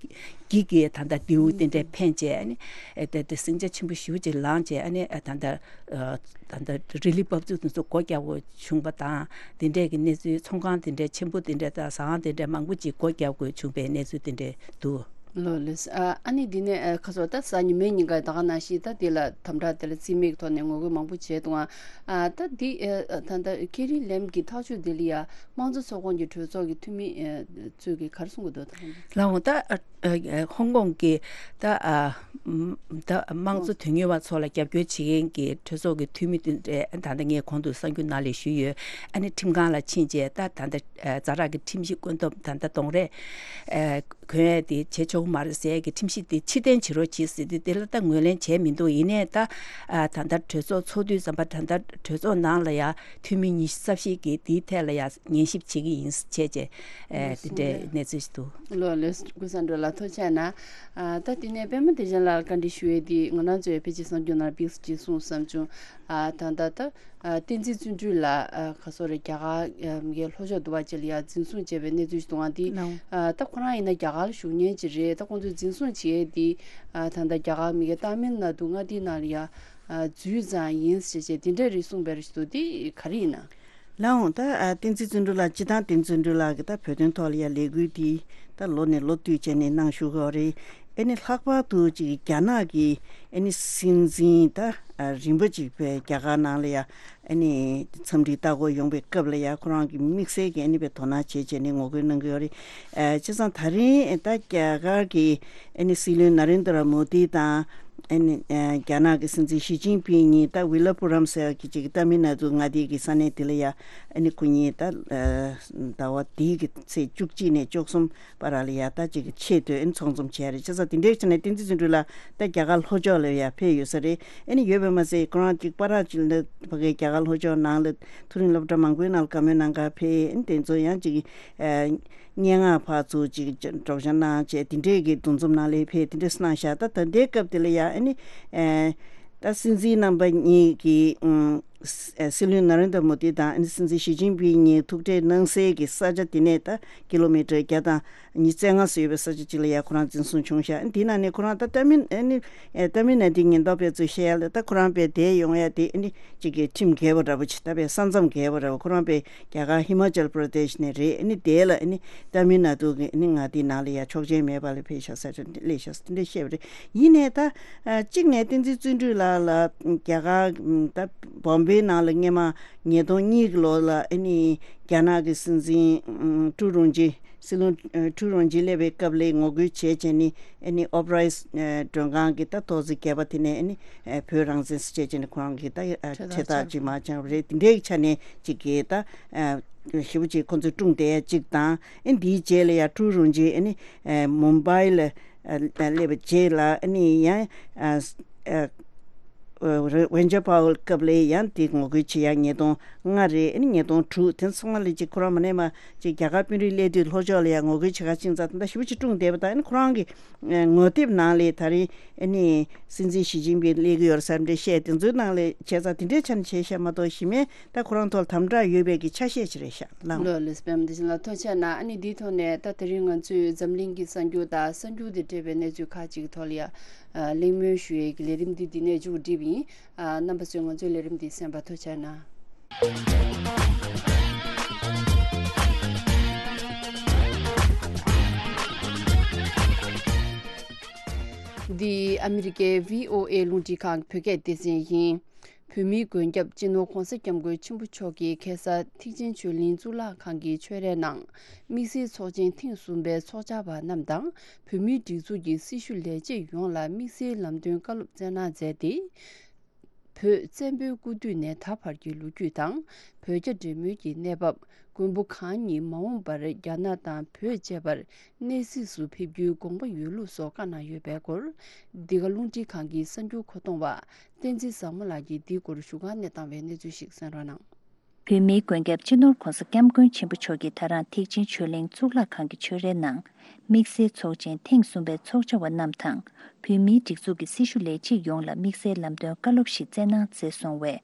འགྱིག་གི་ད་ལྟ་རྡེའུ་དེ་འདྲས་འཕེན་བྱས་ཨ་ནི་ཨ་དེ་དེ་ཟིང་ཆ་ཆེན་པོ་ཞེ་པོ་ཅིག་ལངས་བྱས་ཨ་ནི་ཨ་ད་ལྟ་ཨ་ད་ལྟ་རི་ལི་བབས་ཚུགས་དེ་ཚོ་སྒོ་རྒྱག་དགོས་བྱུང་བ་དང་དེ་འདྲས་ཀྱི་གནས་ཚུལ་ཚོང་ཁང་དེ་འདྲས་ཆེན་པོ་དེ་འདྲས་དང་ཟ་ཁང་དེ་འདྲས་མང་པོ་ཅིག་སྒོ་རྒྱག་དགོས་བྱུང་བའི་གནས་ཚུལ་དེ་འདྲས་འདུག་ལོ་ལེས། ཨ་ཨ་ནི་འདི་ནས་ཨ་ཁ་སོ་ད་གཟའ་ཉི་མའི་ཉིན་ཀ་ད་ག་ནང་བཞིན་ད་འདི་ལ་དམ་དྲག་དེ་ལ་རྩིས་མེད་ཀྱི་ཐོག་ནས་ངོ་རྒོལ་མང་པོ་བྱས་འདུག་ཨ་ད་འདི་ཨ་ད་ད་ཁེ་རི་ལེམ་གྱི་ཐག་གཅོད་འདི་ལ་ཡ་དམངས་གཙོ་ཚོགས་ཁོངས་ཀྱི་གྲོས་ཚོགས་ཀྱི་འཐུས་མི་ཨ་ཚོས་ཀྱིས་ག་རེ་གསུང་གི་འདུག་ད་ལའོ་ད་ཨ་ཨ་ཧོང་ཀོང་གི་ད་ཨ་ད་དམངས་གཙོ་དོན་གཉེར་བ་ཚོ་ལ་རྒྱབ་སྐྱོར་བྱེད་མཁན་གྱི་གྲོས་ཚོགས་ཀྱི་འཐུས་མི་དེ་འདྲས་ད་ལྟ་ངས་གོང་དུ་གསར་འགྱུར་ནང་ལ་ཞུས་ཡོད། ཨ་ནི་ཁྲིམས་ཁང་ལ་ཕྱིན་རྗེས་ད་ད་ལྟ་ཛ་དྲག་གི་ཁྲིམས་གཞི་བཀོད་འདོམས་ད་ལྟ་གདོང་རས་གོན་ཡས་དེ་བྱེད་ཆོག་གི་མ་རེད་ཟེར་ཡས་ཀྱི་ཁྲིམས་གཞི་དེ་ཕྱིར་འཐེན་བྱེད་རོགས་གྱིས་ཟེར་ཏེ་དེ་ལ་ད་ངོས་ལེན་བྱས་མི་འདུག་ཡིན་ནའི་ད་ད་ལྟ་གྲོས་ཚོགས་ཚོགས་དུས་ཙམ་པ་ད་ལྟ་གྲོས་ཚོགས་ནང་ལ་ཡ་འཐུས་མི་ཉི་ཤུ་རྩ་བཞི་གིས་དེའི་ཐད་ལ་ཡ་ཉན་ཞིབ་བྱེད་ཀྱི་ཡིན་བྱས་རྗེས་དེ་འདྲའི་གནས་ཚུལ་ཞིག་འདུག་ལོ་ལོས་ཀུན་བཟང་འགྲོ་ལ་ཐུགས་རྗེ་གནང་། ད་དེ་ནས་པད་མ་བདེ་ཆེན་ལགས་བཀའ་འདྲི་ཞུ་ཡས་དེ་ང་རང་ཚོའི་ཕལ་ཆེར་གསར་འགྱུར་ནང་ཕིགས་ཅིག་གསུངས་བསམ་བྱུང་། ད་ལྟ་ད། ཨ་བསྟན་འཛིན་བརྩོན་འགྲུས་ལགས་ཨ་ག་སོ་རེད་རྒྱ་གར་ཨ་མི་སྒེར་ལྷོ་ཕྱོགས་འདུལ་བ་ཅིག་ལ་ཡང་འཛིན་བཟུང་བྱས་པའི་གནས་ཚུལ་ཞིག་འདུག་ཨང་དེ་ལའོ། ཨ་ད་ཁོ་རང་ཡིན་ན་རྒྱ་གར་ལ་བཞུགས་མཁན་ཅིག་རེད། ད་ཁོང་ཚོས་འཛིན་བཟུང་བྱས་དེ་ཨ་ད་ལྟ་རྒྱ་གར་མི་སྒེར་ཏཱ་མིལ་ནཱ་དུ་མངའ་སྡེའི་ནང་ལ་ཡང་ཨ་འཛུལ་ཙང་ཡིན་ཞེས་བྱས་དེ་འདྲ་རེད་གསུངས་པའི་རེད་ཞུ་དེ་ག་རེ་ཡིན་ན། ལའོ། ད་ཨ་བསྟན་འཛིན་བརྩོན་འགྲུས་ལགས་སྤྱི་བཏང་བསྟན་འཛིན་བརྩོན་འགྲུས་ལགས་ཀྱི་ད་བོད་དོན་ཐོག་ལ་ཡང་ལས་འགུལ་འདི་ད་ལོ་ནས་ལོ་བསྟུད་བྱས་ནས་གནང་བཞུགས་ཡོད་རེད། ཨ་ནི་ལྷག་པར་དུ་ཅིག་རྒྱ་ནག་གི་ཨ་ནི་སྲིད་འཛིན་ད་ཨ་རིམ་པ་ཅིག་བས་རྒྱ་གར་ནང་ལ་ཡ་ཨ་ནི་འཚམས་འདྲི་ལྟ་སྐོར་ཡོང་པའི་སྐབས་ལ་ཡ་ཁོ་རང་གི་དམིགས་བསལ་གྱི་ཨ་ནི་བས་དོ་སྣང་བྱེད་བྱས་ནས་ངོ་རྒོལ་གནང་གི་ཡོད་རེད། ཨ་བྱས་ཙང་ད་རིང་ད་རྒྱ་གར་གི་ཨ་ནི་སྲིད་བློན་ན་རེན་དྲ་མོ་དི་དང་ཨ་ནི་ཨ་རྒྱ་ནག་གི་སྲིད་འཛིན་ཞི་ཅིན་ཕིང་གཉིས་ད་ཝི་ལ་པུ་རམ་ཟེར་གྱི་ཅིག་ཏཱ་མིལ་ནཱ་ཏུ་མངའ་སྡེ་གི་ས་གནས་དེ་ལ་ཡ་ཨ་ནི་ཁོ་གཉིས་ད་ཨ་ཟླ་བ་འདིའི་གི་ཚེས་བཅུ་གཅིག་ནས་བཅུ་གསུམ། བར་ལ་ཡ་ད་ཅིག་ཆེད་དུ་ཨ་ནི་ཚོགས་འཛོམས་བྱས་རེད། བྱས་ཙང་དེ་འདྲའི་ཆ་ནས་བསྟན་འཛིན་བརྩོན་འགྲུས་ལགས་ད་རྒྱ་གར་ལྷོ་ཕྱོགས་ལ་ཡ་ཕེབས་ཡོད་ས་རེད། ཨ་ནི་ཡོད་པ་མ་ཟད་ཁོ་རང་ཅིག་པར་ཅིག་ལ་ཕ་གིའི་རྒྱ་གར་ལྷོ་ཕྱོགས་ནང་ལ་མཐོ་རིམ་སློབ་གྲྭ་མང་པོའི་ནང་ལ་བཀའ་མོལ་གནང་གར་ཕེབས། ཨ་ནི་དེ་ཚོ་ཡང་ཅིག་ཨ་སྙན་ངག་ཕར་ཚུར་ཅིག་སྒྲོག་སྦྱང་གནང་བྱས་དེ་འདྲའི་གི་འདུ་འཛོམས་ནང་ལ་ཕེབས་དེ་འདྲ་གནང་ཤག་ད་ད་ལྟའི་སྐབས་དེ་ལ་ཡ་ཨ་ནི་ཨ་ད་སྲིད་འཛིན་རྣམ་པ་གཉིས་ཀྱིས་ཨ་སྲིད་བློན་ན་རེན་དྲ་མོ་དི་དང་ཨ་ནི་སྲིད་འཛིན་ཞི་ཅིན་ཕིང་གཉིས་ཐུག་འཕྲད་གནང་སའི་གི་ས་ཆ་དེ་ནས་ད་ཀི་ལོ་མི་ཊར་བརྒྱ་དང་ཉི་ཤུ་རྩ་ལྔ་ཙམ་ཡོད་པའི་ས་ཆ་ཅིག་ལ་ཡ་ཁོ་རང་འཛིན་བཟུང་བྱུང་ཤག་དེའི་ནང་ནས་ཁོ་རང་ད་ཏཱ་མིལ་ཨ་ནི་ཨེ་ཏཱ་མིལ་ནཱ་ཏུའི་ཉེན་རྟོག་པས་ཚུར་བཤད་ཡ་ལ་ད་ཁོ་རང་དཔེ་བསྡད་ཡོང་ཡ་དེ་ཨ་ནི་གཅིག་གི་ཁྲིམས་འགལ་བ་འདྲ་པོ་ཅིག་ད་དཔེ་ས་མཚམས་འགལ་བ་འདྲ་པོ། ཁོ་རང་དཔེ་རྒྱ་གར་ཧི་མ་ཅལ་པྲ་དེཤ་ནས་རེད། ཨ་ནི་དེ་ལ་ཨ་ནི་ཏཱ་མིལ་ནཱ་ཏུ་གི་ཨ་ནི་མངའ་སྡེའི་ནང་ལ་ཡ་ཆོག་མཆན་མེད་པ་ལ་ཕེབས་ཤག་ས་ཆ་སླེབས་ཤག་དེ་འདྲ་བཤད་པ་རེད། ཡིན་ནའི་ད་ཨ་གཅིག་ནས་བསྟན་འཛིན་བརྩོན་འགྲུས་ལགས་ལ་རྒྱ་གར་ད་བོམ་བེའི་ནང་ལ་སྔས་མ་ཉིས་སྟོང་གཉིས་ཀྱི་ལོ་ལ་ཨ་ནི་རྒྱ་ནག་གི་སྲིད་འཛིན་ཀྲུའུ་རུང་ཅི་སྲིད་བློན་ཨ་ཀྲུའུ་རུང་ཅི་སླེབས་པའི་སྐབས་ལ་ངོ་རྒོལ་བྱས་བྱས་ནས་ཨ་ནི་ཨོབ་རའི་སི་མགྲོན་ཁང་གི་ད་ཐོག་བརྩེགས་བརྒྱད་པ་དེ་ནས་ཨ་ནི་ཨ་བོད་རང་བཙན་ཟེར་བྱས་བྱས་ནས་ཁོ་རང་གི་ད་ཨ་ཁྲལ་ཁྲལ་ཐག་ཐག་ཅིག་ཅིག་མར་བཅངས་པ་རེད། དེ་འདྲའི་ཆ་ནས་ཅིག་གི་ད་ཨ་ཞེ་པོ་ཅིག་ཁོ་ཚོས་དཀྲུགས་བསྡད་ཡ་ཅིག་དང་། ཨ་འདིའི་རྗེས་ལ་ཡ་ཀྲུའུ་རུང་ཅི་ཨ་ནི་ཨ་མུམ་བྷའི་ལ་ཨ་སླེབས་པའི་རྗེས་ལ་ཨ་ནི་ཡང་ཨ་ཨ་ཝེན་ཇར་པའོ་སྐབས་ལ་ཡང་དེ་ངོ་རྒོལ་བྱེད་ཡ་ཉིས་སྟོང་ལྔ་རེད། ཨ་ནི་ཉིས་སྟོང་དྲུག་དེ་ཚང་མ་ལ་ཅིག་ཁོ་རང་མ་ནས་མ་ཅིག་རྒྱ་གར་དཔོན་རིགས་སླེབས་དུས་ལྷོ་ཕྱོགས་ལ་ཡང་ངོ་རྒོལ་བྱེད་ག་ཕྱིན་ཙང་ད་ལྟ་ཞེ་པོ་ཅིག་དཀྲུགས་བསྡད་པ་དང་། ཨ་ནི་ཁོ་རང་གི་ངོ་དེབ་ནང་ལ་ད་རིང་ཨ་ནི་སྲིད་འཛིན་ཞི་ཅིན་ཕིང་སླེབས་ཀྱི་ཡོད་རེད་ཟེར་འདྲ་བཤད། དེ་ཚོའི་ནང་ལ་བྱས་ཙང་དེ་འདྲའི་ཆ་ནས་བྱས་ཤག་མ་གཏོགས་གཞི་མེད། ད་ཁོ་རང་ཐོག་དམ་དྲག་ཡོད་པའི་གི་ཆ་ཤས་ཅིག་རེད་ཤག་ལགས། ལོ་ལེགས་པད་མ་བདེ་ཆེན་ལགས་ཐུགས་རྗེ་གནང་། ཨ་ནི་འདིའི་ཐོག་ནས་ད་དེ་རིང་ང་ཚོས་འཛམ་གླིང་གི་གསར་འགྱུར་དང་གསར་འགྱུར་དང་འབྲེལ་བའི་གནས་ཚུལ་ཁག་ཅིག་གི་ཐོག་ལ་ཡ་གླེང་མོལ་ཞུ་ཡས་ཀྱི་ལས་རིམ་འདི་འདི་ནས་མཇུག་བསྒྲིལ་བ་ཡིན། རྣམ་པ་ཚོས་ང་ཚོའི་ལས་རིམ་འདི་གསན་པར་ཐུགས་རྗེ་གནང་། འདི་ཨ་མི་རི་ཀའི་བྷི་ཨོ་ཨེ་རླུང་འཕྲིན་ཁང་གི་བོད་སྐད་སྡེ་ཚན་ཡིན། བོད་མིའི་མགོན་སྐྱབས་སྤྱི་ནོར་༧གོང་ས་༧སྐྱབས་མགོན་ཆེན་པོ་མཆོག་གིས་ཁ་སང་ཐེག་ཆེན་ཆོས་གླིང་གཙུག་ལག་ཁང་གི་ཆོས་རའི་ནང་དམིགས་བསལ་ཚོགས་ཆེན་ཐེངས་གསུམ་པའི་ཚོགས་བཅར་བ་རྣམས་དང་། བོད་མིའི་སྒྲིག་འཛུགས་ཀྱི་སྲི་ཞུ་ལས་བྱེད་ཡོངས་ལ་དམིགས་བསལ་ལམ་སྟོན་བཀའ་སློབ་སྩལ་གནང་མཛད་དེ། བོད་བཙན་པོའི་སྐུ་དུས་ནས་ད་བར་གྱི་ལོ་རྒྱུས་དང་། བོད་རྒྱ་འབྲེལ་མོལ་གྱི་གནས་བབ། མགོན་པོ་གང་ཉིད་མ་འོངས་པར་རྒྱ་ནག་དང་བོད་བཅས་པར་གནས་གཟིགས་སུ་ཕེབས་རྒྱུའི་དགོངས་པ་ཡོད་ལུགས་སོགས་བཀའ་གནང་ཡོད་པའི་སྐོར། འདི་ག་རླུང་འཕྲིན་ཁང་གི་གསར་འགྱུར་མཁོ་གཏོང་བ་བསྟན་འཛིན་བཟང་མོ་ལགས་ཀྱིས་འདིའི་སྐོར་ཞུ་སྒང་ནས་བཏང་བའི་གནས་ཚུལ་ཞིག་གསན་རོགས་གནང་། བོད་མིའི་མགོན་སྐྱབས་སྤྱི་ནོར་༧གོང་ས་༧སྐྱབས་མགོན་ཆེན་པོ་མཆོག་གིས་ད་རང་ཐེག་ཆེན་ཆོས་གླིང་གཙུག་ལག་ཁང་གི་ཆོས་རའི་ནང་། དམིགས་བསལ་ཚོགས་ཆེན་ཐེངས་གསུམ་པའི་ཚོགས་བཅར་བ་རྣམས་དང་། བོད་མིའི་སྒྲིག་འཛུགས་ཀྱི་སྲི་ཞུ་ལས་བྱེད་ཡོངས་ལ་དམིགས་བསལ་ལམ་སྟོན་བཀའ་སློབ་ཞིག་སྩལ་གནང་མཛད་སོང་བས།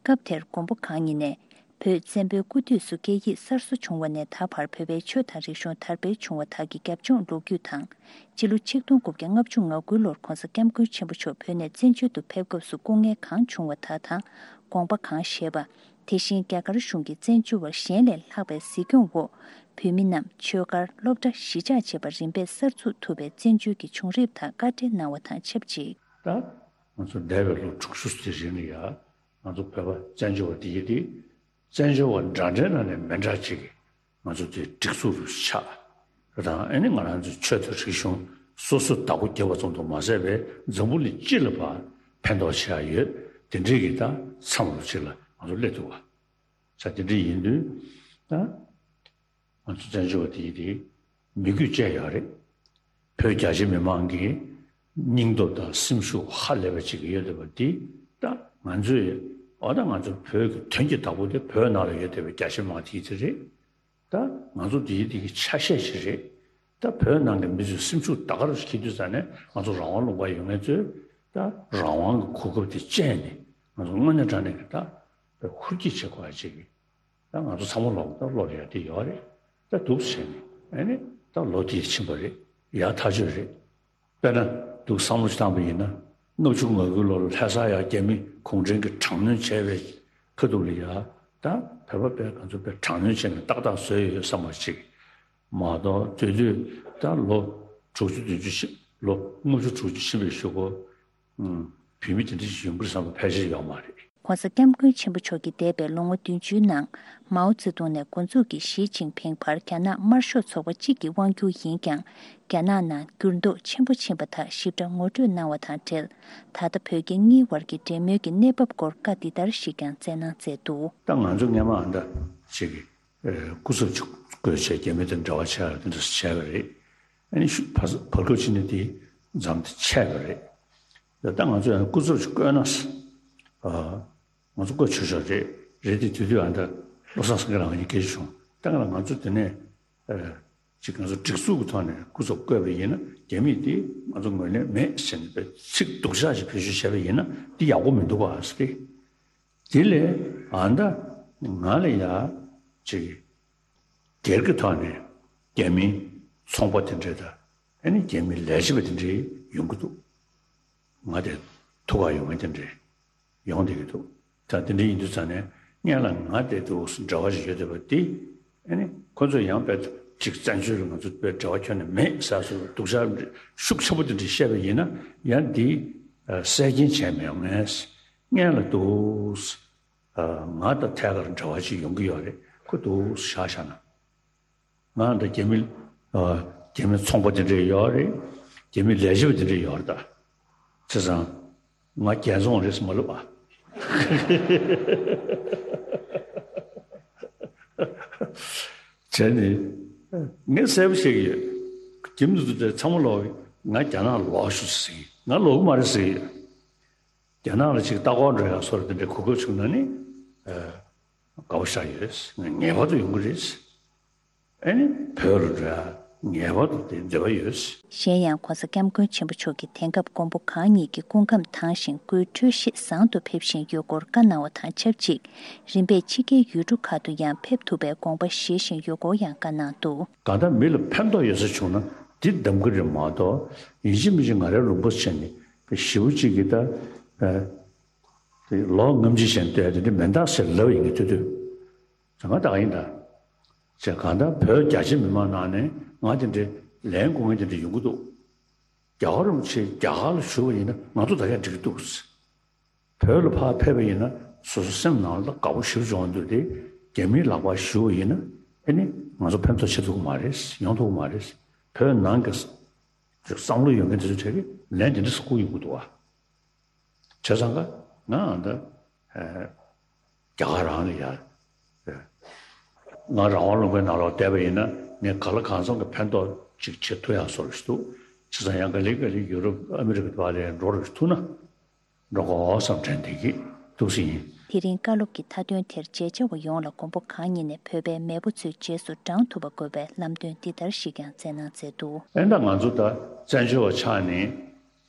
སྐབས་དེར་མགོན་པོ་གང་ཉིད་ནས། བོད་བཙན་པོའི་སྐུ་དུས་སུ་སྐད་ཡིག་གསར་བཟོ་བྱུང་བ་ནས་ད་བར་བོད་པའི་ཆོས་དང་རིག་གཞུང་དར་སྤེལ་བྱུང་བ་དག་གི་རྒྱབ་ལྗོངས་ལོ་རྒྱུས་དང་། སྤྱི་ལོ་ཆིག་སྟོང་དགུ་བརྒྱ་ལྔ་བཅུ་ང་དགུ་ལོར་༧གོང་ས་༧སྐྱབས་མགོན་ཆེན་པོ་མཆོག་བོད་ནས་བཙན་བྱོལ་དུ་ཕེབས་སྐབས་སུ་སྐུ་ངལ་གང་བྱུང་བ་དག་དང་། དགོངས་པ་གང་བཞེས་པ། དེ་བཞིན་རྒྱ་གར་གཞུང་གིས་བཙན་བྱོལ་བར་གཞན་ལས་ལྷག་པའི་གཟིགས་སྐྱོང་འོག་བོད་མི་རྣམས་ཆོས་སྒར་སློབ་གྲྭ་གཞིས་ཆགས་བཅས་པ་རིམ་པས་གསར་འཛུགས་ཐུབ་པའི་བཙན་བྱོལ་གྱི་བྱུང་རིམ་དག་བཀའ་འགྲེལ་གནང་བ་དང་ཆབས་ཅིག་ད་ང་ཚོ་འདས་པའི་ལོ་དྲུག་ཅུ་དེ་རིང་ལ་ཡ་ང་ཚོ་བོད་པ་བཙན་བྱོལ་བ་དེ་ཡི་དེ་བཙན་བྱོལ་བ་འདྲ་འདྲའི་ནང་ནས་མི་འདྲ་ཅིག་གི་ང་ཚོ་དེ་སྒྲིག་འཛུགས་རུ་ཆགས་དང་། ཨ་ནི་ང་རང་ཚོའི་ཆོས་དང་རིག་གཞུང་སོ་སོའི་བདག་པོ་རྒྱབ་པ་ཙམ་དུ་མ་ཟད་པའི་འཛམ་བུ་གླིང་སྤྱི་ལ་ཕར་ཕན་ཐོགས་བྱེད་ཡ་ཡོད། དེ་འདྲའི་གི་ད་མཚམས་རུ་ཅིག་ལ་ང་ཚོ་སླེབས་ཐུབ་པ་ས་དེ་འདྲ་ཡིན་དུས་ད། ང་ཚོ་བཙན་བྱོལ་བ་དེ་ཡིན་དེ་མི་རྒྱུད་བཅས་ཡོད་རེད། བོད་རྒྱ་ཆེ་མི་མང་གི་སྙིང་སྟོབས་དང་སེམས་ཤུགས་ཧ་ལས་པ་ཅིག་ཡོད་བསྡད་པ་འདི་ད་ང་ཚོས་འོ་ད་ང་ཚོ་བོད་ཀྱི་དོན་གྱི་བདག་པོ་དེ་བོད་ནང་ལ་ཡོད་བསྡད་པའི་རྒྱ་ཆེ་མི་མང་དེ་ཡིན་དེ་རེད། ད་ང་ཚོ་དེ་ཡིན་དེ་གི་ཆ་ཤས་ཤིག་རེད། ད་བོད་ནང་གི་མི་ཚོའི་སེམས་ཤུགས་ད་ག་རུ་ཁྱེར་དུས་ཙ་ནས་ང་ཚོ་རང་དབང་ལུང་པ་ཡོད་མཁན་ཚོས་ད་རང་དབང་གི་གོ་སྐབས་དེ་སྤྱད་ནས་ང་ཚོ་དངོས་གནས་དྲང་གནས་ཀྱི་ད་ཧུར་སྐྱེད་བྱེད་དགོས་ཡ་ཅིག་གི་ད་ང་ཚོ་ཚང་མ་ལོག་ད་ལོག་ཡ་དེ་ཡོད་རེད། ད་འདུག་བྱས་ནས་ཨ་ནི་ད་ལོ་དེ་ཕྱིན་པ་རེད། ཡ་ཐག་ཆོད་རེད། དཔེར་ན་འདུག་བསམ་བློ་ཞིག་བཏང་པ་ཡིན་ན་ལྔ་བཅུ་ང་དགུ་ལོ་ལ་ལྷ་ས་ཡ་རྒྱ་མི་གུང་ཁྲན་གྱིས་དྲག་གནོན་བྱས་པའི་ཁ་ཐུག་ལ་ཡ་ད་བོད་པ་དཔེ་ང་ཚོ་དཔེ་དྲག་གནོན་བྱས་ནས་ཏག་ཏག་བཟོས་ཡོད་བསམ་པ་ཅིག་མ་གཏོགས་དེ་དུས་ད་ལོ་དྲུག་ཅུ་བདུན་ཅུ་ཕྱིན་ལོ་ལྔ་བཅུ་དྲུག་ཅུ་ཕྱིན་པའི་གཞུག་གུ། བོད་མི་དེ་འདྲ་ཞིག་ཡོང་གི་རེད་བསམ་པ་ཕལ་ཆེར་ཡོད་མ་རེད། ༸གོང་ས་༸སྐྱབས་མགོན་ཆེན་པོ་མཆོག་གིས་འདས་པའི་ལོ་ངོ་བདུན་ཅུའི་ནང་མའོ་ཙེ་ཏུང་ནས་འགོ་འཛུགས་ཀྱིས་ཞི་ཅིན་ཕིང་བར་རྒྱ་ནག་དམར་ཤོག་ཚོགས་པ་གཅིག་གི་དབང་སྒྱུར་ཡིན་ཀྱང་། རྒྱ་ནག་ནང་འགྱུར་ལྡོག་ཆེན་པོ་ཕྱིན་པ་དག་ཞིབ་ཕྲ་ངོ་སྤྲོད་གནང་བ་དང་འབྲེལ། ད་ལྟ་བོད་རྒྱ་གཉིས་བར་གྱི་འབྲེལ་མོལ་གྱི་གནས་བབ་སྐོར་བཀའ་འདི་ལྟར་ཞིག་ཀྱང་སྩལ་གནང་མཛད་འདུག་ད་ང་ཚོ་སྔས་མ་ཨ་འདྲ་ཅིག་གི་སྐུ་ཚབ་ཅིག་བསྐོས་བྱས་རྒྱ་མི་དང་འབྲེལ་བ་བྱས་ཡ་དེ་འདྲ་བྱས་པ་རེད། ཨ་ནི་ཤུ་བར་བར་སྐབས་ཕྱི་ནས་དེ་མཚམས་དེ་ཆད་པ་རེད། ད་ལྟ་ང་ཚོ་ཡང་སྐུ་ཚབ་ཅིག་བསྐོས་ན་ཨ་ང་ཚོ་བསྐོས་ཆོག་ཆོག་རེད། རེད་དེ་དུས་དུས་ཨ་འདྲ་བློ་བཟང་སེང་གེ་ལགས་ང་གཉིས་སྐད་ཆ་བྱུང་། ད་ང་ལ་ང་ཚོ་དེ་ནས་ཨ་ཅིག་ང་ཚོ་སྒྲིག་འཛུགས་ཀྱི་ཐོག་ནས་སྐུ་ཚབ་བསྐོས་པ་ཡིན་ན་རྒྱ་མིས་དེ་ང་ཚོ་ངོས་ལེན་མེད་ཟེར་ནས་ཚིག་སྡུག་ཅག་ཅིག་བེད་སྤྱོད་བྱས་པ་ཡིན་ན་དེ་ཡག་པོ་མི་འདུག་ག་ཟེར་ཏེ། དེ་ལས་ཨ་མདའ་ང་ལ་ཡ་ཅིག་སྒེར་གྱི་ཐོག་ནས་རྒྱ་མིའི་ཚོང་པ་དེ་འདྲས་དང་ཨ་ནི་རྒྱ་མིའི་ལས་བྱེད་པ་དེ་འདྲས་ཡོང་གི་འདུག་ང་དེ་ཐུག་ག་ཡོང་མཁན་དེ་འདྲས་ཡོང་བསྡད་ཀྱི་འདུག་ད་དེ་འདྲས་ཡིན་དུས་ཙང་ནས་སྔོན་ལ་ང་དེ་དུ་འབྲེལ་བ་ཞིག་ཡོད་བསྡད་པ་དེ་ཨ་ནི་ཁོ་ཚོས་ཡང་དཔེ་ཅིག་བཙན་བྱོལ་ལ་ང་ཚོ་དཔེ་འབྲེལ་བ་ཁྱོན་ནས་མེད་ཟེར་སོ་སྡུག་ཅག་ཤུགས་ཆེན་པོ་དེ་འདྲས་བཤད་པ་ཡིན་ན་ཡང་འདི་གསལ་རྐྱེན་བྱས་མི་ཡོང་ངས། སྔོན་ལ་འདུག་ང་དང་ཐད་ཀར་འབྲེལ་བ་ཅིག་ཡོང་གི་ཡོད་རེད། ཁོ་འདུག་བཞག་བཞག་ན། ང་དང་རྒྱ་མི་རྒྱ་མི་ཚོང་པ་དེ་འདྲས་ཡོད་རེད། རྒྱ་མི་ལས་བྱེད་པ་དེ་འདྲས་ཡོད་རེད་ད། བྱས་ཙང་ང་རྒྱལ་བཙོང་རེད་ཟེར་མ་ལབ་ཨ། བྱས་ནས་ངས་གསལ་པོ་བཤད་ཀྱི་ཡོད། རྒྱ་མི་དེ་ཚོ་ཚང་མ་ལོག་ང་རྒྱ་ནག་ལོག་ཤོག་ཟེར་གྱི། ང་ལོག་གི་མ་རེད་ཟེར་གྱི་ཡོད། རྒྱ་ནག་ལ་ཅིག་ལྟ་སྐོར་འགྲོ་ཡག་སོགས་དེ་འདྲའི་གོ་སྐབས་བྱུང་ན་ནི་དགའ་པོ་ཞེ་དྲག་ཡོད། ངེས་པར་དུ་ཡོང་གི་རེད། ཨ་ནི་བོད་ལ་འགྲོ་ཡག་ངེས་པར་དུ་དེ་འདོད་པ་ཡོད། གཞན་ཡང་༸གོང་ས་༸སྐྱབས་མགོན་ཆེན་པོ་མཆོག་གིས་དེང་སྐབས་མགོན་པོ་གང་ཉིད་ཀྱི་སྐུ་ཁམས་དྭངས་ཤིང་སྐུའི་འཕྲོད་བཞེས་བཟང་དུ་ཕེབས་བཞིན་ཡོད་སྐོར་བཀའ་གནང་བ་དང་ཆབས་ཅིག་རིམ་པས་ཕྱི་རྒྱལ་ཡུལ་གྲུ་ཁག་ཏུ་ཡང་ཕེབས་ཐུབ་པའི་དགོངས་པ་བཞེས་བཞིན་ཡོད་སྐོར་ཡང་བཀའ་གནང་འདུག་གང་ལྟར་མི་ལ་ཕན་ཐོགས་ཡོད་ས་བྱུང་ན་འདི་གདམ་གྱི་རེད་མ་གཏོགས་ཡིན་གཅིག་མིན་གཅིག་ང་རའི་ལུང་པ་བྱས་ནས་ཞེ་པོ་གཅིག་གིས་ད་ཨ་དེ་ལོ་ངམ་གཅིག་བྱས་ནས་ལྟོས་དེ་འདྲ་མེད་ད་ཟེར་ལབ་ཡིན་གྱི་ཐུབ་ཐུབ་ང་ད་ག་ཡིན་ད། ཅེས་གང་ལྟར་བོད་རྒྱ་ཆེ་མི་མང་ནང་ནས་ང་དེ་འདྲའི་ལན་དགོས་མཁན་དེ་འདྲ་ཡོང་གི་འདུག་རྒྱལ་བ་རིན་པོ་ཆེ་རྒྱ་གར་ལ་བཞུགས་པ་ཡིན་ན་ང་ཚོ་ད་གས་འགྲིག་གི་འདུག། བོད་ལ་ཕར་ཕེབས་པ་ཡིན་ན་སོ་སོ་སེམས་ནང་ལ་དགའ་པོ་ཞེ་པོ་བྱུང་འདུག་སྟེ། རྒྱ་མིའི་ལག་པར་བཞུགས་པ་ཡིན་ན་ཨེ་ནི་ང་ཚོ་ཕན་ཐོགས་བྱེད་ཐུབ་ཀྱི་མ་རེད། ཡོང་ཐུབ་ཀྱི་མ་རེད། བོད་ནང་གི་བསམ་བློ་ཡོད་མཁན་དེ་ཚོ་གྲས་ཀྱིས་ལན་དེ་འདྲ་ཞིག་བསྐུར་ཡོང་གི་འདུག་བ། བྱས་ཙང་ཀ་ང་ད་ཨ་རྒྱ་གར་རང་ལ་ཡ། ང་རང་དབང་ལུང་པའི་ནང་ལོགས་བསྡད་པ་ཡིན་ན་ངས་གང་ལ་གང་འཚམ་གྱི་ཕན་ཐོགས་ཅིག་བྱེད་ཐུབ་ཡག་བཟོ་འདྲ་ཞིག་འདུག། བྱས་ཙང་ཡང་ག་ལེ་ག་ལེ་ཡུ་རོབ་ཨ་མི་རི་ཀ་དེ་པ་ལ་འགྲོ་འདྲ་ཞིག་ཐུག་ན་འགྲོ་དགོས་བསམ་དྲན་བསྡད་ཀྱི་འདུག་ཟེར་ཡིན། དེ་རིང་བཀའ་སློབ་ཀྱི་མཐའ་དོན་དེར་མཇལ་བཅར་བ་ཡོངས་ལ་མགོན་པོ་གང་ཉིད་ནས་བོད་པའི་མེས་པོ་ཚོའི་རྗེས་སུ་འབྲང་ཐུབ་པ་དགོས་པའི་ལམ་སྟོན་འདི་ལྟར་ཞིག་ཀྱང་མཛད་གནང་མཛད་འདུག། ཨེ་ད་ང་ཚོ་ད་བཙན་བྱོལ་བ་ཆགས་ནས་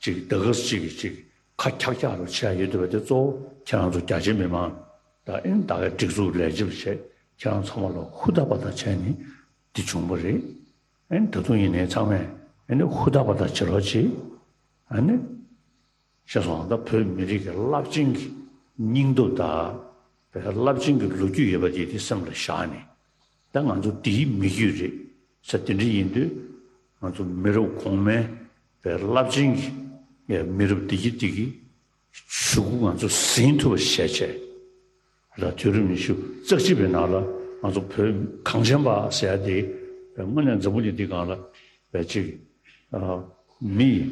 ཅིག་ད་ག་ཅིག་གི་ཅིག་ཁ་འཁྱག་འཁྱག་རུ་ཆགས་ཡོད་འདུག་པ་དེ་གཙོ་བོ་ཁྱེད་རང་ཚོ་རྒྱ་ཆེ་མི་མང་ད་ཨེ་ད་གའི་སྒྲིག་འཛུགས་ལས་བྱེད་པ་བྱས་ཁྱེད་རང་ཚང་མ་ལ་ཧུར་ཐག་པ་ཐག་བྱས་ནས་འདི་བྱུང་བ་རེད། ཨེ་ད་དུང་ཡིན་ནའི་ཚང་མས་ཨེ་ནི་ཧུར་ཐག་པ་ཐག་བྱེད་རོགས་གྱིས། ཨ་ནི། ཤེས་སོང་། ད་བོད་མི་རིགས་ཀྱི་རླབས་ཆེན་གྱི་སྙིང་སྟོབས་དང་། བོད་རླབས་ཆེན་གྱི་ལོ་རྒྱུས་ཡོད་པ་དེ་དེ་སེམས་ལ་བཞག་ནས། ད་ང་ཚོ་དེའི་མི་རྒྱུད་རེད་ཟེར་དེ་འདྲ་ཡིན་དུས། ང་ཚོ་མི་རབས་གོང་མའི་བོད་རླབས་ཆེན་གྱི་མི་རབས་བདེ་སྐྱིད་དེ་གི་གཞུག་གུ་ང་ཚོ་ཟིན་ཐུབ་པ་བྱས་བྱས། ལ་དུས་རབས་ཉི་ཤུ་རྩ་གཅིག་པའི་ནང་ལ་ང་ཚོ་བོད་གངས་ཅན་པ་ཟེར་ཡ་དེ་དངོས་གནས་འཛམ་བུ་གླིང་འདི་སྒང་ལ་བས་ཅིག་མི་ཡི་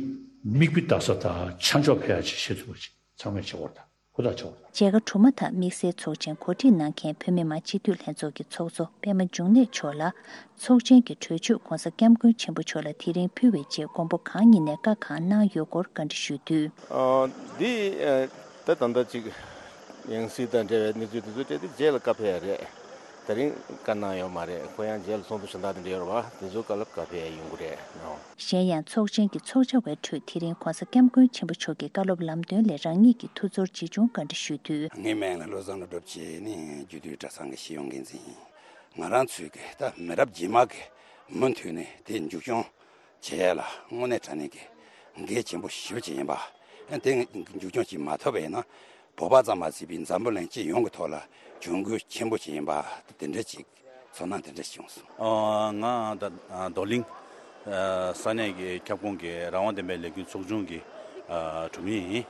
མིག་དཔེ་ལྟ་ས་དང་ཆ་འཇོག་ཕེ་ཡ་ཅིག་བྱེད་ཐུབ་པ་ཅིག་ཚང་མས་བྱེད་དགོས་རེད། ད་ཧུར་ཐག་བྱེད་དགོས་རེད། མཇལ་ཁ་གྲུབ་མ་ཐག་དམིགས་བསལ་ཚོགས་ཆེན་གོ་སྒྲིག་གནང་མཁན་བོད་མི་མང་སྤྱི་འཐུས་ལྷན་ཚོགས་ཀྱི་ཚོགས་གཙོ་པད་མ་འབྱུང་གནས་མཆོག་ལ། ཚོགས་ཆེན་གྱི་གྲོས་ཆོད་༧གོང་ས་༧སྐྱབས་མགོན་ཆེན་པོ་མཆོག་ལ་དེ་རིང་ཕུལ་བའི་རྗེས་མགོན་པོ་གང་ཉིད་ནས་བཀའ་གང་གནང་ཡོད་སྐོར་བཀའ་འདྲི་ཞུས་དུས། ཨ། འདི་ཨ། ད་ད་ལྟ་ཅིག་ཡང་སྲིད་དང་འབྲེལ་བའི་གནས་ཚུལ་དེ་ཚོ་སྤྲད་དེ་རྗེས་ལ་བཀའ་ཕེབས་ཡ་རེད། དེ་རིང་བཀའ་གནང་ཡོད་མ་རེད། ཁོ་ཡང་རྗེས་ལ་ཚོགས་འདུ་གཞན་དག་དེ་འདྲ་ཡོད་རེད་བ། དེ་ཚོ་སྐབས་ལ་བཀའ་ཕེབས་ཡ་ཡོང་གི་རེད་ནོ། གཞན་ཡང་ཚོགས་ཆེན་གྱི་ཚོགས་བཅར་བའི་ཁྲོད་དེ་རིང་༧གོང་ས་༧སྐྱབས་མགོན་ཆེན་པོ་མཆོག་གི་བཀའ་སློབ་ལམ་སྟོན་ལས་རང་ཉིད་ཀྱི་ཐུགས་ཚོར་ཇི་བྱུང་བཀའ་འདྲི་ཞུས་དུས། ངའི་མིང་ལ་བློ་བཟང་བློ་གྲོས་བྱས་ནས་རྒྱུད་སྟོད་གྲྭ་ཚང་གི་སྤྱི་ཡོངས་འགན་འཛིན་ཡིན། ང་རང་ཚོའི་གི་ད་མི་རབས་རྗེས་མ་གི་མུ་མཐུད་ནས་དེ་མཇུག་སྐྱོང་བྱེད་ཡ་ལ་དངོས་གནས་དྲང་གནས་ཀྱི་འགན་ཆེན་པོ་ཞེ་པོ་ཅིག་ཡིན་པ། དེ་མཇུག་སྐྱོང་བྱེད་མ་ཐུབ་པ་ཡིན་ན་བོད་པ་ཙམ་མ་ཟད་པའི་འཛམ་བུ་གླིང་སྤྱི་ཡོངས་ཀྱི་ཐོག་ལ་གྱོང་གུད་ཆེན་པོ་ཅིག་ཡིན་པ་དེ་འདྲ་ཅིག་ཚོར་སྣང་དེ་འདྲ་བྱུང་སོང་། ཨ། ང་ད་རྡོར་གླིང་ས་གནས་ཀྱི་ཁྱབ་ཁོངས་ཀྱི་རང་དབང་ལྡན་པའི་ལས་འགུལ་ཚོགས་ཆུང་གི་གྲུབ་མི་ཡིན།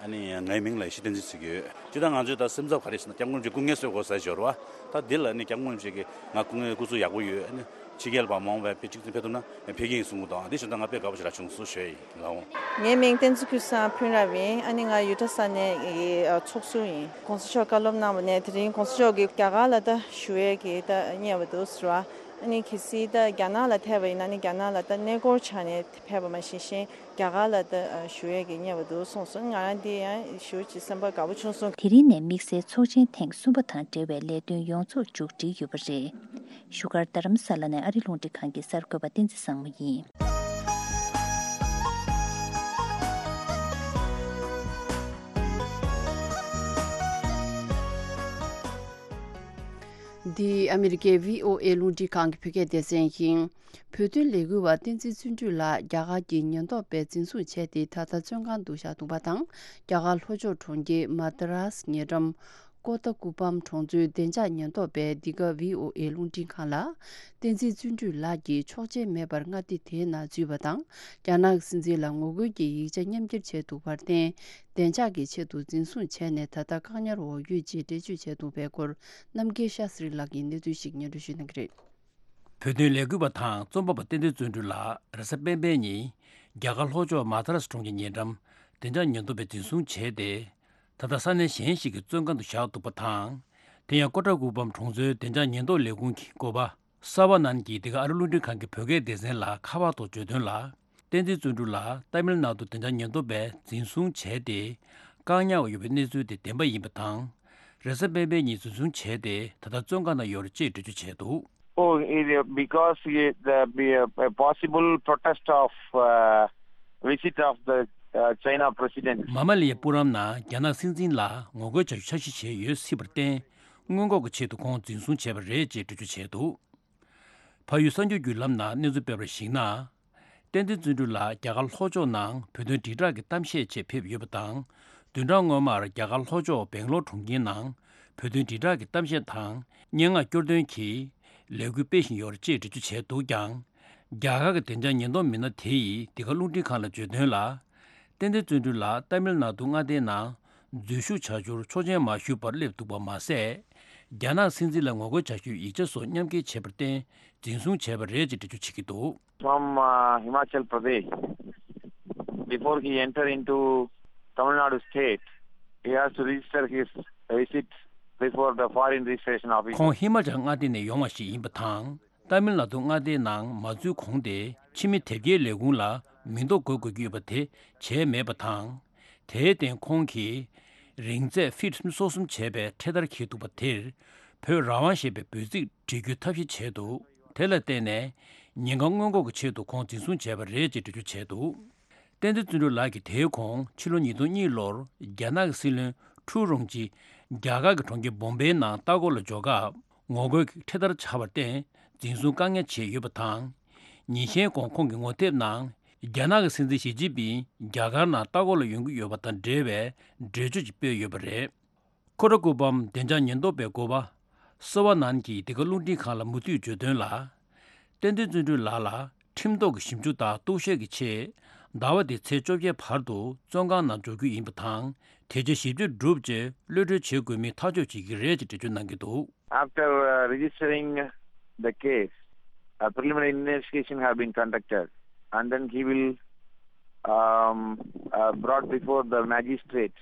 ཨ་ནི་ངའི་མིང་ལ་ཡེ་ཤེས་བསྟན་འཛིན་ཟེར་གྱི་ཡོད། སྤྱིར་བཏང་ང་ཚོས་ད་སེམས་འཚབ་ག་རེ་ཟེར་ན་སྐྱབས་མགོན་རིན་པོ་ཆེ་སྐུ་ངལ་གསོ་དགོས་ཟེར་ཞོར་བ། ད་འདི་ལ་ནི་སྐྱབས་མགོན་རིན་པོ་ཆེ་གིས་ང་སྐུ་ངལ་སྐུ་གཟུགས་ཡག་པོ་ཡོད། ཨ་ནི་ཕྱི་རྒྱལ་བ་མང་བས་ཕེབས་གཅིག་མཚུངས་ཕེབས་ཐུབ་ན་ཕེབས་ཀྱི་ཡིན་གསུང་གི་འདུག། ཨ། འདི་ཞོར་ད་ང་དཔེ་དགའ་པོ་ཞིག་རག་བྱུང་སོང་ཞུ་ཡ་ཡིན་ལགས་འོང་། ངའི་མིང་བསྟན་འཛིན་ཀུན་བཟང་ཕུན་རབ་ཡིན། ཨ་ནི་ང་ཡུ་ཊ་ས་གནས་ཀྱི་ཚོགས་ཟུར་ཡིན། གོང་ས་མཆོག་བཀའ་སློབ་གནང་བ་ནས་དེ་རིང་གོང་ས་མཆོག་གིས་རྒྱ་གར་ལ་ད་བཞུགས་ཡས་ཀྱི་ད་བསྙད་པ་འདུག་ཟེར་བ། ཨ་ནི་གལ་སྲིད་ད་རྒྱ་ནག་ལ་ཐེ་བ་ཡིན་ན་ནི་རྒྱ་ནག་ལ་ད་གནས་སྐོར་ཆགས་ནས་ཕེབས་པ་མ་ཤེས་ཤིང་། རྒྱ་གར་ལ་ད་བཞུགས་ཡས་ཀྱི་བསྙད་པ་འདུག་གསུངས་སོང་། ང་རང་འདི་ཡང་ཞེ་པོ་ཅིག་སེམས་པ་དགའ་པོ་བྱུང་སོང་། དེ་རིང་ནས་དམིགས་བསལ་ཚོགས་ཆེན་ཐེངས་གསུམ་པ་དང་འབྲེལ་བའི་ལས་དོན་ཡོངས་རྫོགས་མཇུག་སྒྲིལ་ཡོད་པ་རེད། བཞུགས་སྒར་རྡ་རམ་ས་ལ་ནས་ཨ་རི་རླུང་འཕྲིན་ཁང་གི་གསར་འགོད་པ་བསྟན་འཛིན་བཟང་མོ་ཡིན། འདི་ཨ་མི་རི་ཀའི་བྷི་ཨོ་ཨེ་རླུང་འཕྲིན་ཁང་གི་བོད་སྐད་སྡེ་ཚན་ཡིན། བོད་དོན་ལས་འགུལ་བ་བསྟན་འཛིན་བརྩོན་འགྲུས་ལགས་རྒྱ་གར་གྱི་ཉེན་རྟོག་པས་འཛིན་བཟུང་བྱས་ཏེ་ད་ལྟ་བཙོན་ཁང་དུ་བཞག་འདུག་པ་དང་། རྒྱ་གར་ལྷོ་ཕྱོགས་གྲོང་ཁྱེར་མ་དཱ་རཱས་ཉེ་འགྲམ་ཀོ་ཏ་ཀུ་པམ་གྲོང་ཚོའི་བདེ་འཇགས་ཉེན་རྟོག་པས་འདི་ག་བྷི་ཨོ་ཨེ་རླུང་འཕྲིན་ཁང་ལ། བསྟན་འཛིན་བརྩོན་འགྲུས་ལགས་ཀྱིས་ཆོག་མཆན་མེད་པར་མངའ་སྡེ་དེའི་ནང་འཛུལ་བ་དང་། རྒྱ་ནག་གི་སྲིད་འཛིན་ལ་ངོ་རྒོལ་གྱི་ཡིག་ཆ་མཉམ་འཁྱེར་བྱས་འདུག་པར་བརྟེན། བདེ་འཇགས་ཀྱི་ཆེད་དུ་འཛིན་བཟུང་བྱས་ནས་ད་ལྟ་བཀག་ཉར་འོག་ཡོད་ཅེས་འགྲེལ་བརྗོད་བྱས་འདུག་པའི་སྐོར། རྣམ་རྒྱལ་ཤཱ་སི་རི་ལགས་ཀྱིས་གནས་ཚུལ་ཞིག་སྙན་སྒྲོན་ཞུ་གནང་གི་རེད། བོད་དོན་ལས་འགུལ་བ་དང་རྩོམ་པ་པ་བསྟན་འཛིན་བརྩོན་འགྲུས་ལགས་རེས་གཟའ་སྤེན་པའི་ཉིན་རྒྱ་གར་ལྷོ་ཕྱོགས་མ་དཱ་རཱས་གྲོང་ཁྱེར་ཉེ་འགྲམ་བདེ་འཇགས་ཉེན་རྟོག་པས་འཛིན་བཟུང་བྱས་ཏེ། ད་ལྟ་ས་གནས་གཞན་ཞིག་གི་བཙོན་ཁང་དུ་བཞག་འདུག་པ་དང་། དེ་ཡང་ཀོ་ཏྲ་ཀུ་པམ་གྲོང་ཚོའི་བདེ་འཇགས་ཉེན་རྟོག་ལས་ཁུངས་ཀྱི་འགོ་པ་སར་བ་ནན་གྱིས་འདི་ག་ཨ་རི་རླུང་འཕྲིན་ཁང་གི་བོད་སྐད་སྡེ་ཚན་ལ་ཁ་པར་ཐོག་བརྗོད་དོན་ལ། བསྟན་འཛིན་བརྩོན་འགྲུས་ལགས་ཏཱ་མིལ་ནཱ་ཌུ་བདེ་འཇགས་ཉེན་རྟོག་པས་འཛིན་བཟུང་བྱས་ཏེ། བཀག་ཉར་འོག་ཡོད་པའི་གནས་ཚུལ་དེ་བདེན་པ་ཡིན་པ་དང་། རེས་གཟའ་སྤེན་པའི་ཉིན་འཛིན་བཟུང་བྱས་ཏེ་ད་ལྟ་བཙོན་ཁང་ནང་ཡོད་རེད་ཅེས་འགྲེལ་བརྗོད་བྱས་འདུག། Oh, it, uh, because it, uh, be a, a possible protest of, uh, visit of the, uh, China president. མ་མ་ལི་ཡའི་སྤུ་རམ་ནང་རྒྱ་ནག་སྲིད་འཛིན་ལ་ངོ་རྒོལ་བྱ་རྒྱུ་འཆར་གཞི་བྱས་ཡོད་སྲིད་པར་བརྟེན། སྔོན་འགོག་གི་ཆེད་དུ་ཁོང་འཛིན་བཟུང་བྱས་པ་རེད་ཅེས་འགྲེལ་བརྗོད་བྱས་འདུག། ཕ་ཡུལ་གསར་འགྱུར་བརྒྱུད་ལམ་ནང་གནས་ཚུལ་སྤེལ་བར་གཞིགས་ན། བསྟན་འཛིན་བརྩོན་འགྲུས་ལགས་རྒྱ་གར་ལྷོ་ཕྱོགས་ནང་བོད་དོན་དྲིལ་བསྒྲགས་ཀྱི་གཏམ་བཤད་ཆེད་ཕེབས་ཡོད་པ་དང་། བདུན་ཕྲག་སྔོན་མར་རྒྱ་གར་ལྷོ་ཕྱོགས་སྦེང་ལོར་གྲོང་ཁྱེར་ནང་བོད་དོན་དྲིལ་བསྒྲགས་ཀྱི་གཏམ་བཤད་དང་སྙན་ངག་སྐྱོར་འདོན་གྱི་ལས་འགུལ་སྤེལ་བཞིན་ཡོད་རེད་ཅེས་འགྲེལ་བརྗོད་བྱས་འདུག་ཀྱང་། རྒྱ་གར་གྱི་བདེ་འཇགས་ཉེན་རྟོག་མི་སྣ་དེ་ཡིས་འདི་ག་རླུང་འཕྲིན་ཁང་ལ་བརྗོད་དོན་ལ། ཏན་ཏན་བརྩོན་འགྲུས་ལགས་ཏཱ་མིལ་ནཱ་ཏུ་མངའ་སྡེའི་ནང་འཛུལ་ཞུགས་བྱ་རྒྱུར་ཆོག་མཆན་མ་ཞུས་པར་སླེབས་འདུག་པ་མ་ཟད། རྒྱ་ནག་སྲིད་འཛིན་ལ་ངོ་རྒོལ་བྱ་རྒྱུའི་ཡིག་ཆ་སོགས་མཉམ་འཁྱེར་བྱས་པར་བརྟེན་འཛིན་བཟུང་བྱས་པ་རེད་ཅེས་འགྲེལ་བརྗོད་བྱེད་ཀྱི་འདུག། From uh, Himachal Pradesh, before he enter into Tamil Nadu state, he has to register his receipt before the foreign registration office. ཁོང་ཧི་མ་ཅལ་མངའ་སྡེ་ནས་ཡོང་བ་ཞིག་ཡིན་པ་དང་། ཏཱ་མིལ་ནཱ་ཏུ་མངའ་སྡེའི་ནང་མ་འཛུལ་གོང་དེ་ཕྱི་མི་དེབ་སྐྱེལ་ལས་ཁུངས་ལ་མིང་ཐོ་འགོད་དགོས་ཀྱི་ཡོད་པ་དེ་བྱས་མེད་པ་དང་། དེའི་སྟེང་ཁོང་གིས་རིང་ཚད་ཕིཊ་སོ་གསུམ་བྱས་པའི་འཕྲེད་དར་འཁྱེར་འདུག་པ་དེར་བོད་རང་དབང་ཞེས་པའི་འབོད་ཚིག་བྲིས་རྒྱུའི་ཐབས་ཤེས་བྱས་འདུག། དེ་ལ་བརྟེན་ནས་ཉེན་ཁ་སྔོན་འགོག་གི་ཆེད་དུ་ཁོང་འཛིན་བཟུང་བྱས་པ་རེད་ཅེས་འགྲེལ་བརྗོད་བྱས་འདུག། བསྟན་འཛིན་བརྩོན་འགྲུས་ལགས་ཀྱིས་དེའི་གོང་ཕྱི་ལོ་ཉིས་སྟོང་གཉིས་ལོར་རྒྱ་ནག་གི་སྲིད་བློན་ཁྲུའུ་རོང་ཅི་རྒྱ་གར་གྱི་གྲོང་ཁྱེར་བོམ་བེའི་ནང་ལྟ་སྐོར་ལ་འབྱོར་སྐབས་ངོ་རྒོལ་གྱི་འཕྲེད་དར་འཕྱར་བར་བརྟེན་འཛིན་བཟུང་བཀག་ཉར་བྱས་ཡོད་པ་དང་། ཉིན་ཤས་གོང་ཁོང་གི་ངོ་དེབ་ནང་རྒྱ་ནག་གི་སྲིད་འཛིན་ཞི་ཅིན་ཕིང་རྒྱ་གར་ནང་ལྟ་སྐོར་ལ་ཡོང་གི་ཡོད་པ་དང་འབྲེལ་བའི་འགྲེལ་བརྗོད་ཅིག་སྤེལ་ཡོད་པ་རེད། ཁོ་ར་སྐུ་པམ་བདེ་འཇགས་ཉེན་རྟོག་པའི་འགོ་པ་སི་ཝ་ནན་གྱིས་འདི་ག་རླུང་འཕྲིན་ཁང་ལ་མུ་མཐུད་བརྗོད་དོན་ལ། བསྟན་འཛིན་བརྩོན་འགྲུས་ལགས་ལ་ཁྲིམས་ཐོག་གི་ཞིབ་འཇུག་དང་རྟོག་ཞིབ་ཀྱི་ཆེད་ཟླ་བ་འདིའི་ཚེས་བཅོ་བརྒྱད་བར་དུ་བཙོན་ཁང་ནང་འཇོག་རྒྱུ་ཡིན་པ་དང་། དེ་རྗེས་ཞིབ་དཔྱོད་གྲུབ་རྗེས་གློད་གྲོལ་བྱེད་དགོས་མིན་ཐག་གཅོད་བྱེད་ཀྱི་རེད་ཅེས་འགྲེལ་བརྗོད་གནང་གི་འདུག། After uh, registering the case, a preliminary investigation have been conducted, and then he will um, uh, brought before the magistrate,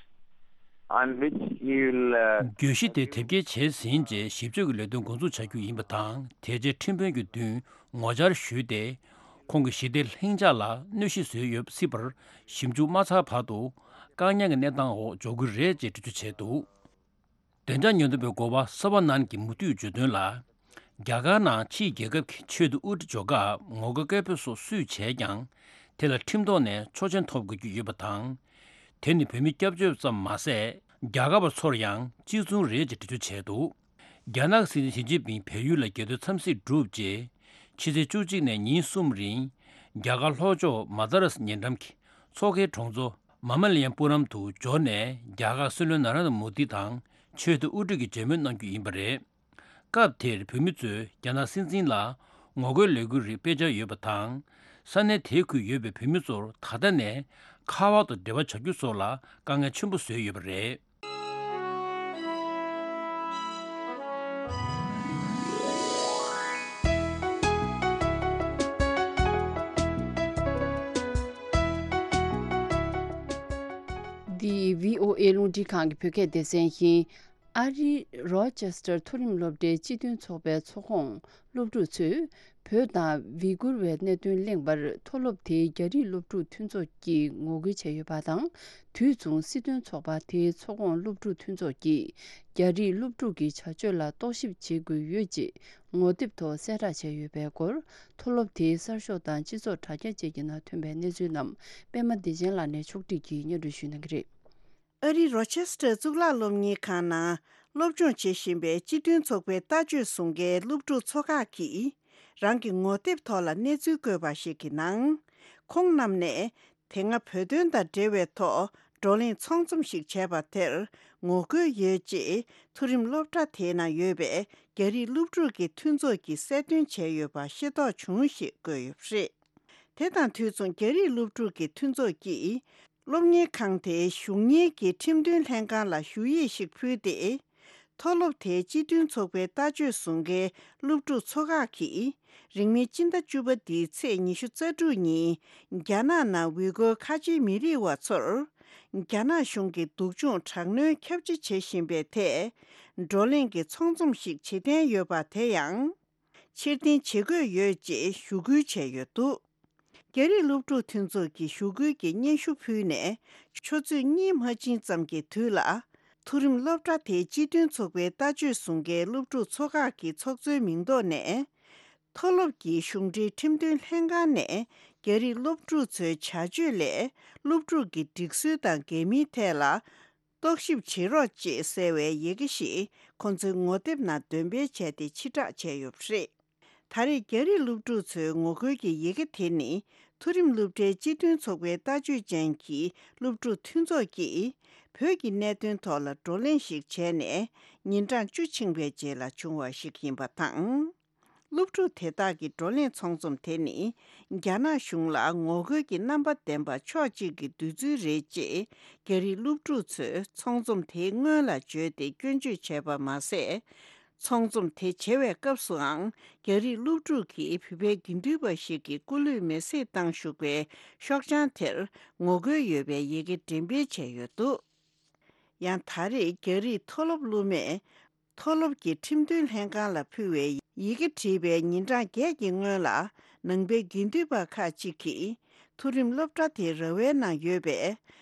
on which he will uh, བརྗོད་གཞི་དེ་དེབ་སྐྱེལ་བྱས་ཟིན་རྗེས་ཞིབ་དཔྱོད་ཀྱི་ལས་དོན་འགོ་འཛུགས་བྱ་རྒྱུ་ཡིན་པ་དང་། དེ་རྗེས་ཁྲིམས་དཔོན་གྱི་མདུན་ངོ་བཅར་ཞུས་ཏེ། ཁོང་གི་ཞི་བདེ་ལྷིང་འཇགས་ལ་གནོད་གཞི་བཟོས་ཡོད་སྲིད་པར་ཞིབ་འཇུག་མ་ཚར་བར་དུ་བཀག་ཉར་གྱི་གནས་སྟངས་འོག་འཇོག་གི་རེད་ཅེས་འགྲེལ་བརྗོད་བྱས་འདུག། བདེ་འཇགས་ཉེན་རྟོག་པའི་འགོ་པ་སོ་བྷ་ནན་གྱིས་མུ་མཐུད་བརྗོད་དོན་ལ། རྒྱ་གར་ནང་ཕྱིའི་རྒྱལ་ཁབ་ཀྱི་ཆེད་དུ་དབུ་ཁྲིད་འཇོག་སྐབས་ངོ་རྒོལ་སྐད་འབོད་སོགས་སུས་བྱས་ཀྱང་། དེ་ལ་ཁྲིམས་ཐོག་ནས་ཆོག་མཆན་ཐོབ་དགོས་ཀྱི་ཡོད་པ་དང་། དེ་ནི་བོད་མི་སྐྱབས་བཅོལ་ཙམ་མ་ཟད། རྒྱ་གར་བ་ཚོར་ཡང་གཅིག་མཚུངས་རེད་ཅེས་འགྲེལ་བརྗོད་བྱས་འདུག། རྒྱ་ནག་སྲིད་འཛིན་ཞི་ཅིན་ཕིང་བལ་ཡུལ་ལ་རྒྱལ་དོན་འཚམས་གཟིགས་གྲུབ་རྗེས། ཕྱི་ཚེས་བཅུ་གཅིག་ནས་ཉིན་གསུམ་རིང་། རྒྱ་གར་ལྷོ་ཕྱོགས་མ་དཱ་རཱས་ཉེ་འགྲམ་གྱི་མཚོ་ཁའི་གྲོང་ཚོ་མ་མ་ལི་ཡམ་པུ་རམ་དུ་འབྱོར་ནས། རྒྱ་གར་སྲིད་བློན་ན་རེན་དྲ་མོ་དི་དང་ཆེད་དུ་དབུ་ཁྲིད་ཀྱི་མཇལ་མོལ་གནང་རྒྱུ་ཡིན་པ་རེད། སྐབས་དེར་བོད་མི་ཚོས་རྒྱ་ནག་སྲིད་འཛིན་ལ་ངོ་རྒོལ་ལས་འགུལ་རིགས་སྤེལ་འཆར་ཡོད་པ་དང་། ས་གནས་དེའི་ཁུལ་ཡོད་པའི་བོད་མི་ཚོར་ད་ལྟ་ནས་ཁ་པར་དུ་འབྲེལ་བ་བྱ་རྒྱུ་སོགས་ལ་དཀའ་ངལ་ཆེན་པོ་བཟོས་ཡོད་པ་རེད། འདི་བྷི་ཨོ་ཨེ་རླུང་འཕྲིན་ཁང་གི་བོད་སྐད་སྡེ་ཚན་ཡིན། ཨ་རིའི་རོ་ཅེ་སི་ཊར་མཐོ་རིམ་སློབ་གྲྭའི་སྤྱི་མཐུན་ཚོགས་པའི་ཚོགས་ཁོངས་སློབ་ཕྲུག་ཚོས་བོད་དང་ཝི་གུར་བའི་གནད་དོན་གླེང་བར་མཐོ་སློབ་དེའི་རྒྱ་རིགས་སློབ་ཕྲུག་མཐུན་ཚོགས་ཀྱིས་ངོ་རྒོལ་བྱས་ཡོད་པ་དང་། དུས་མཚུངས་སྲིད་དོན་ཚོགས་པ་དེའི་ཚོགས་ཁོངས་སློབ་ཕྲུག་མཐུན་ཚོགས་ཀྱིས་རྒྱ་རིགས་སློབ་ཕྲུག་གི་བྱ་སྤྱོད་ལ་རྟོག་ཞིབ་བྱེད་དགོས་ཡོད་ཅེས་ངོ་དེབ་ཐོག་གསལ་བསྒྲགས་བྱས་ཡོད་པའི་སྐོར། མཐོ་སློབ་དེའི་གསར་ཤོག་དང་སྤྱི་ཚོགས་དྲ་རྒྱ་བཅས་ཀྱི་ནང་ཐོན་པའི་གནས་ཚུལ་རྣམས་པད་མ་བདེ་ཆེན་ལགས་ནས་ཕྱོགས་སྒྲིག་གིས་སྙན་སྒྲོན་ཞུ་གནང་གི་རེད། ཨ་རིའི་རོ་ཆེ་སི་ཊར་གཙུག་ལག་སློབ་གཉེར་ཁང་ནང་སློབ་སྦྱོང་བྱེད་བཞིན་པའི་སྤྱི་མཐུན་ཚོགས་པའི་ལྟ་སྤྱོད་བཟུང་མཁན་སློབ་ཕྲུག་ཚོ་ཁག་གིས་རང་གི་ངོ་དེབ་ཐོག་ལ་གནས་ཚུལ་བཀོད་པ་ཞིག་གི་ནང་། ཁོང་རྣམས་ནས་དེ་སྔ་བོད་དོན་དང་འབྲེལ་བའི་ཐོག་བགྲོ་གླེང་ཚོགས་འཛོམས་ཤིག་བྱས་པ་དེར་ངོ་རྒོལ་ཡོད་ཅེས་མཐོ་རིམ་སློབ་གྲྭ་དེའི་ནང་ཡོད་པའི་རྒྱ་རིགས་སློབ་ཕྲུག་གི་མཐུན་ཚོགས་ཀྱིས་གསལ་སྟོན་བྱས་ཡོད་པ་ཤེས་རྟོགས་བྱུང་ཞེས་བཀོད་ཡོད་པ་རེད། དེ་དང་དུས་མཚུངས་རྒྱ་རིགས་སློབ་ཕྲུག་གི་མཐུན་ཚོགས་ཀྱིས། སློབ་གཉེར་ཁང་དེའི་གཞུང་གཉེར་གྱི་ཁྲིམས་དོན་ལྷན་ཁང་ལ་ཞུ་ཡིག་ཞིག་ཕུལ་ཏེ། མཐོ་སློབ་དེའི་སྤྱི་མཐུན་ཚོགས་པའི་ལྟ་སྤྱོད་བཟུང་མཁན་སློབ་ཕྲུག་ཚོ་ཁག་གིས། རིང་མིན་སྤྱི་ཟླ་བཅུ་པ་འདིའི་ཚེས་ཉི་ཤུ་རྩ་དྲུག་ཉིན། རྒྱ་ནག་ནང་ཝི་གོར་ཁ་ཆེའི་མི་རིགས་བ་ཚོར། རྒྱ་ནག་གཞུང་གིས་སྡུག་སྦྱོང་དྲག་གནོན་ཁྱབ་ཆེ་བྱེད་བཞིན་པའི་ཐད། བགྲོ་གླེང་གི་ཚོགས་འཛོམས་ཤིག་བྱེད་འཐེན་ཡོད་པ་དེ་ཡང་། ཕྱིར་འཐེན་བྱེད་དགོས་ཡོད་ཅེས་ཞུ་སྐུལ་བྱས་ཡོད་འདུག། རྒྱ་རིགས་སློབ་ཕྲུག་མཐུན་ཚོགས་ཀྱིས་ཞུ་སྐུལ་གྱི་སྙན་ཞུ་ཕུལ་ནས། ཆུ་ཚོད་གཉིས་མ་ཕྱིན་ཙམ་གྱི་དུས་ལ། མཐོ་རིམ་སློབ་གྲྭ་དེའི་སྤྱི་མཐུན་ཚོགས་པའི་ལྟ་སྤྱོད་བཟུང་མཁན་སློབ་ཕྲུག་ཚོ་ཁག་གི་ཚོགས་གཙོའི་མིང་ཐོག་ནས། མཐོ་སློབ་ཀྱི་གཞུང་འབྲེལ་ཁྲིམས་དོན་ལྷན་ཁང་ནས། རྒྱ་རིགས་སློབ་ཕྲུག་ཚོའི་བྱ་སྤྱོད་ལས། སློབ་ཕྲུག་གི་སྒྲིག་སྲོལ་དང་འགལ་མིན་ཐད་ལ། རྟོག་ཞིབ་བྱེད་རོགས་ཅེས་གསལ་བའི་ཡི་གེ་ཞིག་ཁོང་ཚོའི་ངོ་དེབ་ནང་འདོན་སྤེལ་བྱས་ཏེ་ཕྱིར་བསྒྲགས་བྱས་ཡོད་པ་རེད། ད་རེས་རྒྱ་རིགས་སློབ་ཕྲུག་ཚོའི་ངོ་རྒོལ་གྱི་ཡི་གེ་དེ་ནི། མཐོ་རིམ་སློབ་གྲྭའི་སྤྱི་མཐུན་ཚོགས་པའི་ལྟ་སྤྱོད་ཅན་གྱི་སློབ་ཕྲུག་མཐུན་ཚོགས་ཀྱིས། བོད་ཀྱི་གནད་དོན་ཐོག་ལ་བགྲོ་གླེང་ཞིག་བྱས་ནས། ཉིན་གྲངས་བཅུ་ཕྱིན་པའི་རྗེས་ལ་བྱུང་བ་ཞིག་ཡིན་པ་དང་། སློབ་ཕྲུག་དེ་དག་གི་བགྲོ་གླེང་ཚོགས་འཛོམས་དེ་ནི། རྒྱ་ནག་གཞུང་ལ་ངོ་རྒོལ་གྱི་རྣམ་པ་ལྡན་པ་ཕྱོགས་གཅིག་གི་བདུད་རྩི་རེད་ཅེས། རྒྱ་རིགས་སློབ་ཕྲུག་ཚོས་ཚོགས་འཛོམས་དེའི་སྔོན་ལ་བརྗོད་དེ་སྐྱོན་བརྗོད་བྱས་པ་མ་ཟད། ཚོགས་འཛོམས་དེ་བྱེད་པའི་སྐབས་སུའང་། རྒྱ་རིགས་སློབ་ཕྲུག་གིས་བོད་པའི་དགེ་འདུན་པ་ཞིག་གི་སྐུ་ལུས་མེ་བསྲེགས་བཏང་བཞུགས་པའི་ཤོག་བྱང་དེར་ངོ་རྒོལ་ཡོད་པའི་ཡི་གེ་འགྲེམས་སྤེལ་བྱས་ཡོད་འདུག་ཡང་ད་རེས་རྒྱ་རིགས་མཐོ་སློབ་སློབ་མས། མཐོ་སློབ་ཀྱི་ཁྲིམས་དོན་ལྷན་ཁང་ལ་ཕུལ་བའི་ཡི་གེ་བྲིས་པའི་ཉིན་གྲངས་བརྒྱད་ཀྱི་སྔོན་ལ། ནང་པའི་དགེ་འདུན་པ་ཁག་ཅིག་གིས། མཐོ་རིམ་སློབ་གྲྭ་དེའི་ར་བའི་ནང་ཡོད་པའི།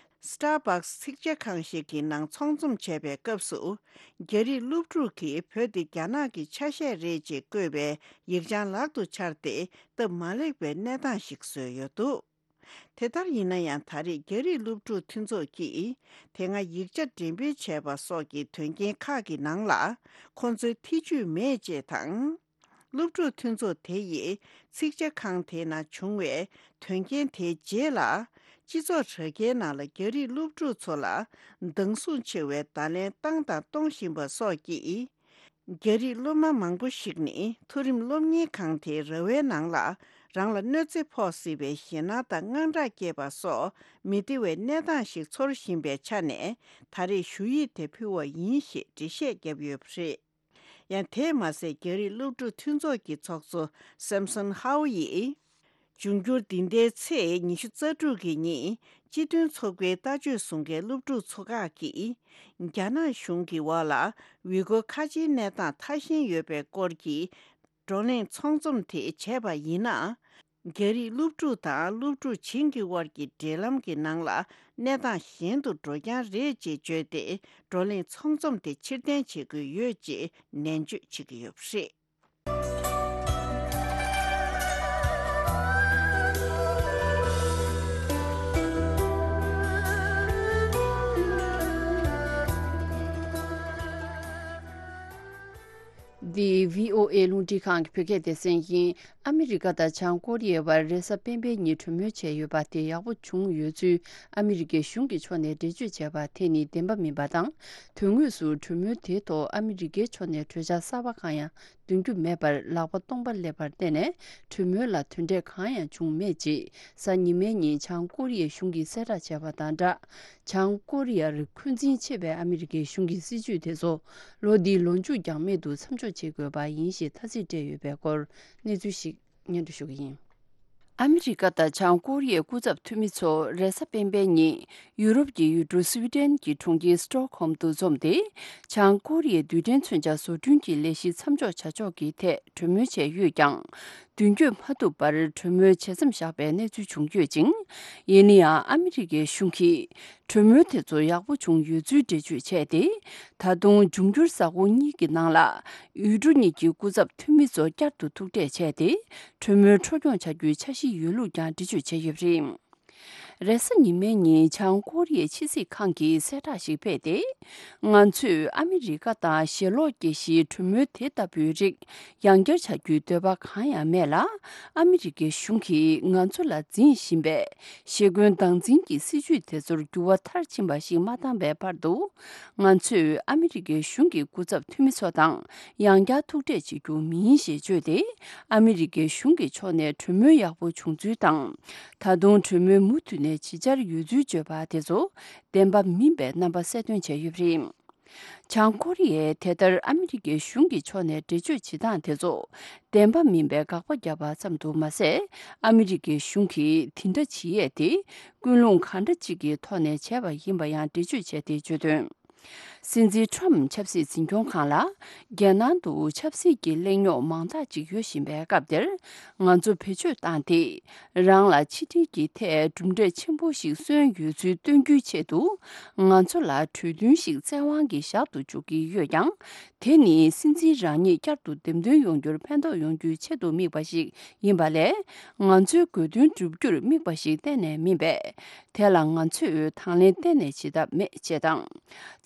Starbucks ཚིག་ཇ་ཁང་ཞིག་གི་ནང་ཚོགས་འཛོམས་བྱས་པའི་སྐབས་སུ། རྒྱ་རིགས་སློབ་ཕྲུག་གིས་བོད་དེ་རྒྱ་ནག་གི་ཆ་ཤས་རེད་ཅེས་བཀོད་པའི་ཡིག་བྱང་ལག་ཏུ་འཆར་ཏེ། སྟབས་མ་ལེགས་པའི་གནས་སྟངས་ཤིག་བཟོས་ཡོད་འདུག་དེ་ལྟར་ཡིན་ན་ཡང་། ད་རེས་རྒྱ་རིགས་སློབ་ཕྲུག་མཐུན་ཚོགས་ཀྱིས་དེ་སྔ་ཡིག་ཆ་འགྲེམས་སྤེལ་བྱས་པ་སོགས་ཀྱི་དོན་རྐྱེན་ཁག་གི་ནང་ལ་ཁོང་ཚོའི་ཐེ་ཇུས་མེད་ཅེས་དང་། སློབ་ཕྲུག་མཐུན་ཚོགས་དེ་ཡིས་ཚིག་ཇ་ཁང་དེའི་ནང་བྱུང་བའི་དོན་རྐྱེན་དེའི་རྗེས་ལ། སྤྱི་ཚོགས་དྲ་རྒྱའི་ནང་ལ་རྒྱ་རིགས་སློབ་ཕྲུག་ཚོ་ལ་སྡང་ཟུག་ཆེ་བའི་བརྡ་ལན་བཏང་དང་གཏོང་བཞིན་པ་སོགས་ཀྱིས། རྒྱ་རིགས་སློབ་མ་མང་པོ་ཞིག་ནི་མཐོ་རིམ་སློབ་གཉེར་ཁང་དེའི་ར་བའི་ནང་ལ་རང་ལ་གནོད་འཚེ་ཕོག་སྲིད་པའི་ཞེད་སྣང་དང་དངངས་སྐྲག་སྐྱེས་པ་སོགས་མི་བདེ་བའི་གནས་སྟངས་ཤིག་ཚོར་བཞིན་པའི་ཆ་ནས། ད་རེས་ཞུ་ཡིག་དེ་ཕུལ་བ་ཡིན་ཞེས་འགྲེལ་བཤད་བརྒྱབ་ཡོད་པ་རེད། ཡང་དེས་མ་ཟད། རྒྱ་རིགས་སློབ་ཕྲུག་མཐུན་ཚོགས་ཀྱི་ཚོགས་གཙོ་Samson Hau ཡིས། འབྱུང་འགྱུར་འདི་ཟླའི་ཚེས་ཉི་ཤུ་རྩ་དྲུག་གི་ཉིན། སྤྱི་མཐུན་ཚོགས་པའི་ལྟ་སྤྱོད་བཟུང་མཁན་སློབ་ཕྲུག་ཚོ་ཁག་གིས། རྒྱ་ནག་གཞུང་གི་འོག་ལ་ཝི་གོ་ཁ་ཆེའི་གནས་སྟངས་ཐ་ཞན་ཡོད་པའི་སྐོར་གྱི་བགྲོ་གླེང་ཚོགས་འཛོམས་དེ་བྱས་པ་ཡིན་ན། རྒྱ་རིགས་སློབ་ཕྲུག་དང་སློབ་ཕྲུག་གཞན་གྱི་དབར་གྱི་འབྲེལ་ལམ་གྱི་ནང་ལ་གནས་སྟངས་གཞན་དུ་འགྲོ་རྐྱང་རེད་ཅེས་བརྗོད་དེ། བགྲོ་གླེང་ཚོགས་འཛོམས་དེ་ཕྱིར་འཐེན་བྱེད་དགོས་ཡོད་ཅེས་ནན་བརྗོད་བྱེད་ཀྱི་ཡོད་པ་རེད། འདི་བྷི་ཨོ་ཨེ་རླུང་འཕྲིན་ཁང་གི་བོད་སྐད་སྡེ་ཚན་ཡིན། ཨ་མི་རི་ཀ་དང་བྱང་ཀོ་རི་ཡའི་བར་རེས་གཟའ་སྤེན་པའི་ཉིན་གྲོས་མོལ་བྱས་ཡོད་པ་དེ་ཡག་པོ་བྱུང་ཡོད་ཚུལ་ཨ་མི་རི་ཀའི་གཞུང་གི་ཕྱོགས་ནས་འགྲེལ་བརྗོད་བྱས་པ་དེ་ནི་བདེན་པ་མིན་པ་དང་། དོན་དངོས་སུ་གྲོས་མོལ་དེའི་ཐོག་ཨ་མི་རི་ཀའི་ཕྱོགས་ནས་གྲོས་འཆར་གསར་པ་གང་ཡང་འདོན་རྒྱུ་མེད་པར་ལག་པ་སྟོང་པ་སླེབས་པར་བརྟེན་ནས། གྲོས་མོལ་ལ་དོན་འབྲས་གང་ཡང་བྱུང་མེད་ཅེས་གཟའ་ཉི་མའི་ཉིན་བྱང་ཀོ་རི་ཡའི་གཞུང་གིས་གསལ་བསྒྲགས་བྱས་པ་དང་སྦྲགས། བྱང་ཀོ་རི་ཡར་འཁོན་འཛིན་ཆེ་བའི་ཨ་མི་རི་ཀའི་གཞུང་གི་སྲིད་ཇུས་དེ་ཚོ་ལོ་འདིའི་ལོ་མཇུག་འགྱངས་མེད་དུ་མཚམས་འཇོག་བྱེད་དགོས་པ་ཡིན་ཞེས་ཐ་ཚིག་སྤྲད་ཡོད་པའི་སྐོར་གནས་ཚུལ་ཞིག་སྙན་སྒྲོན་ཞུ་གི་ཡིན། ཨ་མི་རི་ཀ་དང་བྱང་ཀོ་རི་ཡའི་སྐུ་ཚབ་འཐུས་མི་ཚོ་རེས་གཟའ་སྤེན་པའི་ཉིན་ཡུ་རོབ་ཀྱི་ཡུལ་གྲུ་སུའི་ཌེན་གྱི་གྲོང་ཁྱེར་སི་ཏྲོག་ཧོམ་དུ་འཛོམས་ཏེ། བྱང་ཀོ་རི་ཡའི་རྡུལ་ཕྲན་མཚོན་ཆ་བཟོ་སྐྲུན་གྱི་ལས་གཞི་མཚམས་འཇོག་བྱ་ཕྱོགས་ཀྱི་ཐད་གྲོས་མོལ་བྱས་ཡོད་ཀྱང་། མདུན་སྐྱོད་མ་ཐུབ་པར་གྲོས་མོལ་བྱེད་མཚམས་བཞག་པའི་གནས་ཚུལ་བྱུང་ཡོད་ཅིང་། ཡིན་ན་ཡང་ཨ་མི་རི་ཀའི་གཞུང་གིས་གྲོས་མོལ་དེ་ཚོ་ཡག་པོ་བྱུང་ཡོད་ཚུལ་འགྲེལ་བརྗོད་བྱས་ཏེ། ད་དུང་འབྱུང་འགྱུར་གཟའ་འཁོར་གཉིས་ཀྱི་ནང་ལ་ཡུལ་གྲུ་གཉིས་ཀྱི་སྐུ་ཚབ་འཐུས་མི་ཚོ་བསྐྱར་དུ་ཐུག་འཕྲད་བྱས་ཏེ། གྲོས་མོལ་འཕྲོ་སྐྱོང་བྱ་རྒྱུའི་འཆར་གཞི་ཡོད་ལུགས་ཀྱང་འགྲེལ་བརྗོད་བྱས་ཡོད་པ་རེད། རེས་གཟའ་ཉི་མའི་ཉིན་བྱང་ཀོ་རི་ཡའི་ཕྱི་སྲིད་ཁང་གིས་གསལ་བསྒྲགས་ཤིག་སྤེལ་ཏེ། ང་ཚོས་ཨ་མི་རི་ཀ་དང་ཞེ་ལོག་སྐྱེ་གཞིའི་གྲོས་མོལ་དེ་ལྟ་བུའི་རིགས་ཡང་བསྐྱར་བྱ་རྒྱུའི་འདོད་པ་གང་ཡང་མེད་ལ། ཨ་མི་རི་ཀའི་གཞུང་གིས་ང་ཚོ་ལ་འཛིན་བཞིན་པའི་ཞེ་འཁོན་སྟངས་འཛིན་གྱི་སྲིད་ཇུས་དེ་ཚོར་འགྱུར་བ་མཐར་ཕྱིན་པ་ཞིག་མ་བཏང་བའི་བར་དུ། ང་ཚོས་ཨ་མི་རི་ཀའི་གཞུང་གི་སྐུ་ཚབ་འཐུས་མི་ཚོ་དང་ཡང་བསྐྱར་ཐུག་འཕྲད་བྱེད་རྒྱུ་མིན་ཞེས་བརྗོད་དེ། ཨ་མི་རི་ཀའི་གཞུང་གི་ཕྱོགས་ནས་གྲོས་མོལ་ཡག་པོ་བྱུང་ཚུལ་དང་། ད་དུང་གྲོས་མོལ་མུ་མཐུད་ནས་བྱེད་འཆར་ཡོད་ཚུལ་བརྗོད་པ་དེ་ཚོ་བདེན་པ་མིན་པའི་རྣམ་པ་གསལ་སྟོན་བྱས་ཡོད་པ་རེད། བྱང་ཀོ་རི་ཡས་དེ་ལྟར་ཨ་མི་རི་ཀའི་གཞུང་གི་ཕྱོགས་ནས་འགྲེལ་བརྗོད་བྱེད་སྟངས་དེ་ཚོ་བདེན་པ་མིན་པའི་དགག་པ་བརྒྱབ་པ་ཙམ་དུ་མ་ཟད། ཨ་མི་རི་ཀའི་གཞུང་གིས་དེ་འདྲ་བྱེད་ཡས་དེ་ཀུན་སློང་གང་འདྲ་ཅིག་གི་ཐོག་ནས་བྱས་པ་ཡིན་པ་ཡང་འགྲེལ་བརྗོད་བྱས་ཏེ་བརྗོད་དོན། སྲིད་འཛིན་ཁྲོམ་ཆབ་སྲིད་འཛིན་སྐྱོང་ཁང་ལ། རྒྱལ་ནང་དུ་ཆབ་སྲིད་ཀྱི་གླེང་རྙོག་མང་དག་ཅིག་ཡོད་བཞིན་པའི་སྐབས་དེར། ང་ཚོ་བེད་སྤྱོད་བཏང་སྟེ། རང་ལ་ཕྱི་འབྲེལ་གྱི་ཐད་གྲུབ་འབྲས་ཆེན་པོ་ཞིག་སོན་ཡོད་ཚུལ་སྟོན་རྒྱུའི་ཆེད་དུ། ང་ཚོ་ལ་གྲོས་མཐུན་ཞིག་བཙན་དབང་གིས་བཞག་ཏུ་འཇུག་གི་ཡོད་ཀྱང་། དེ་ནི་སྲིད་འཛིན་རང་ཉིད་བསྐྱར་དུ་འདེམས་ཐོན་ཡོང་རྒྱུར་ཕན་ཐོགས་ཡོང་རྒྱུའི་ཆེད་དུ་དམིགས་པ་ཞིག་ཡིན་པ་ལས། ང་ཚོའི་དགོས་འདུན་བསྒྲུབ་རྒྱུར་དམིགས་པ་ཞིག་གཏན་ནས་མིན་པས། དེ་ལ་ང་ཚོས་དང་ལེན་གཏན་ནས་བྱེད་ཐབས་མེད་ཅེས་དང་།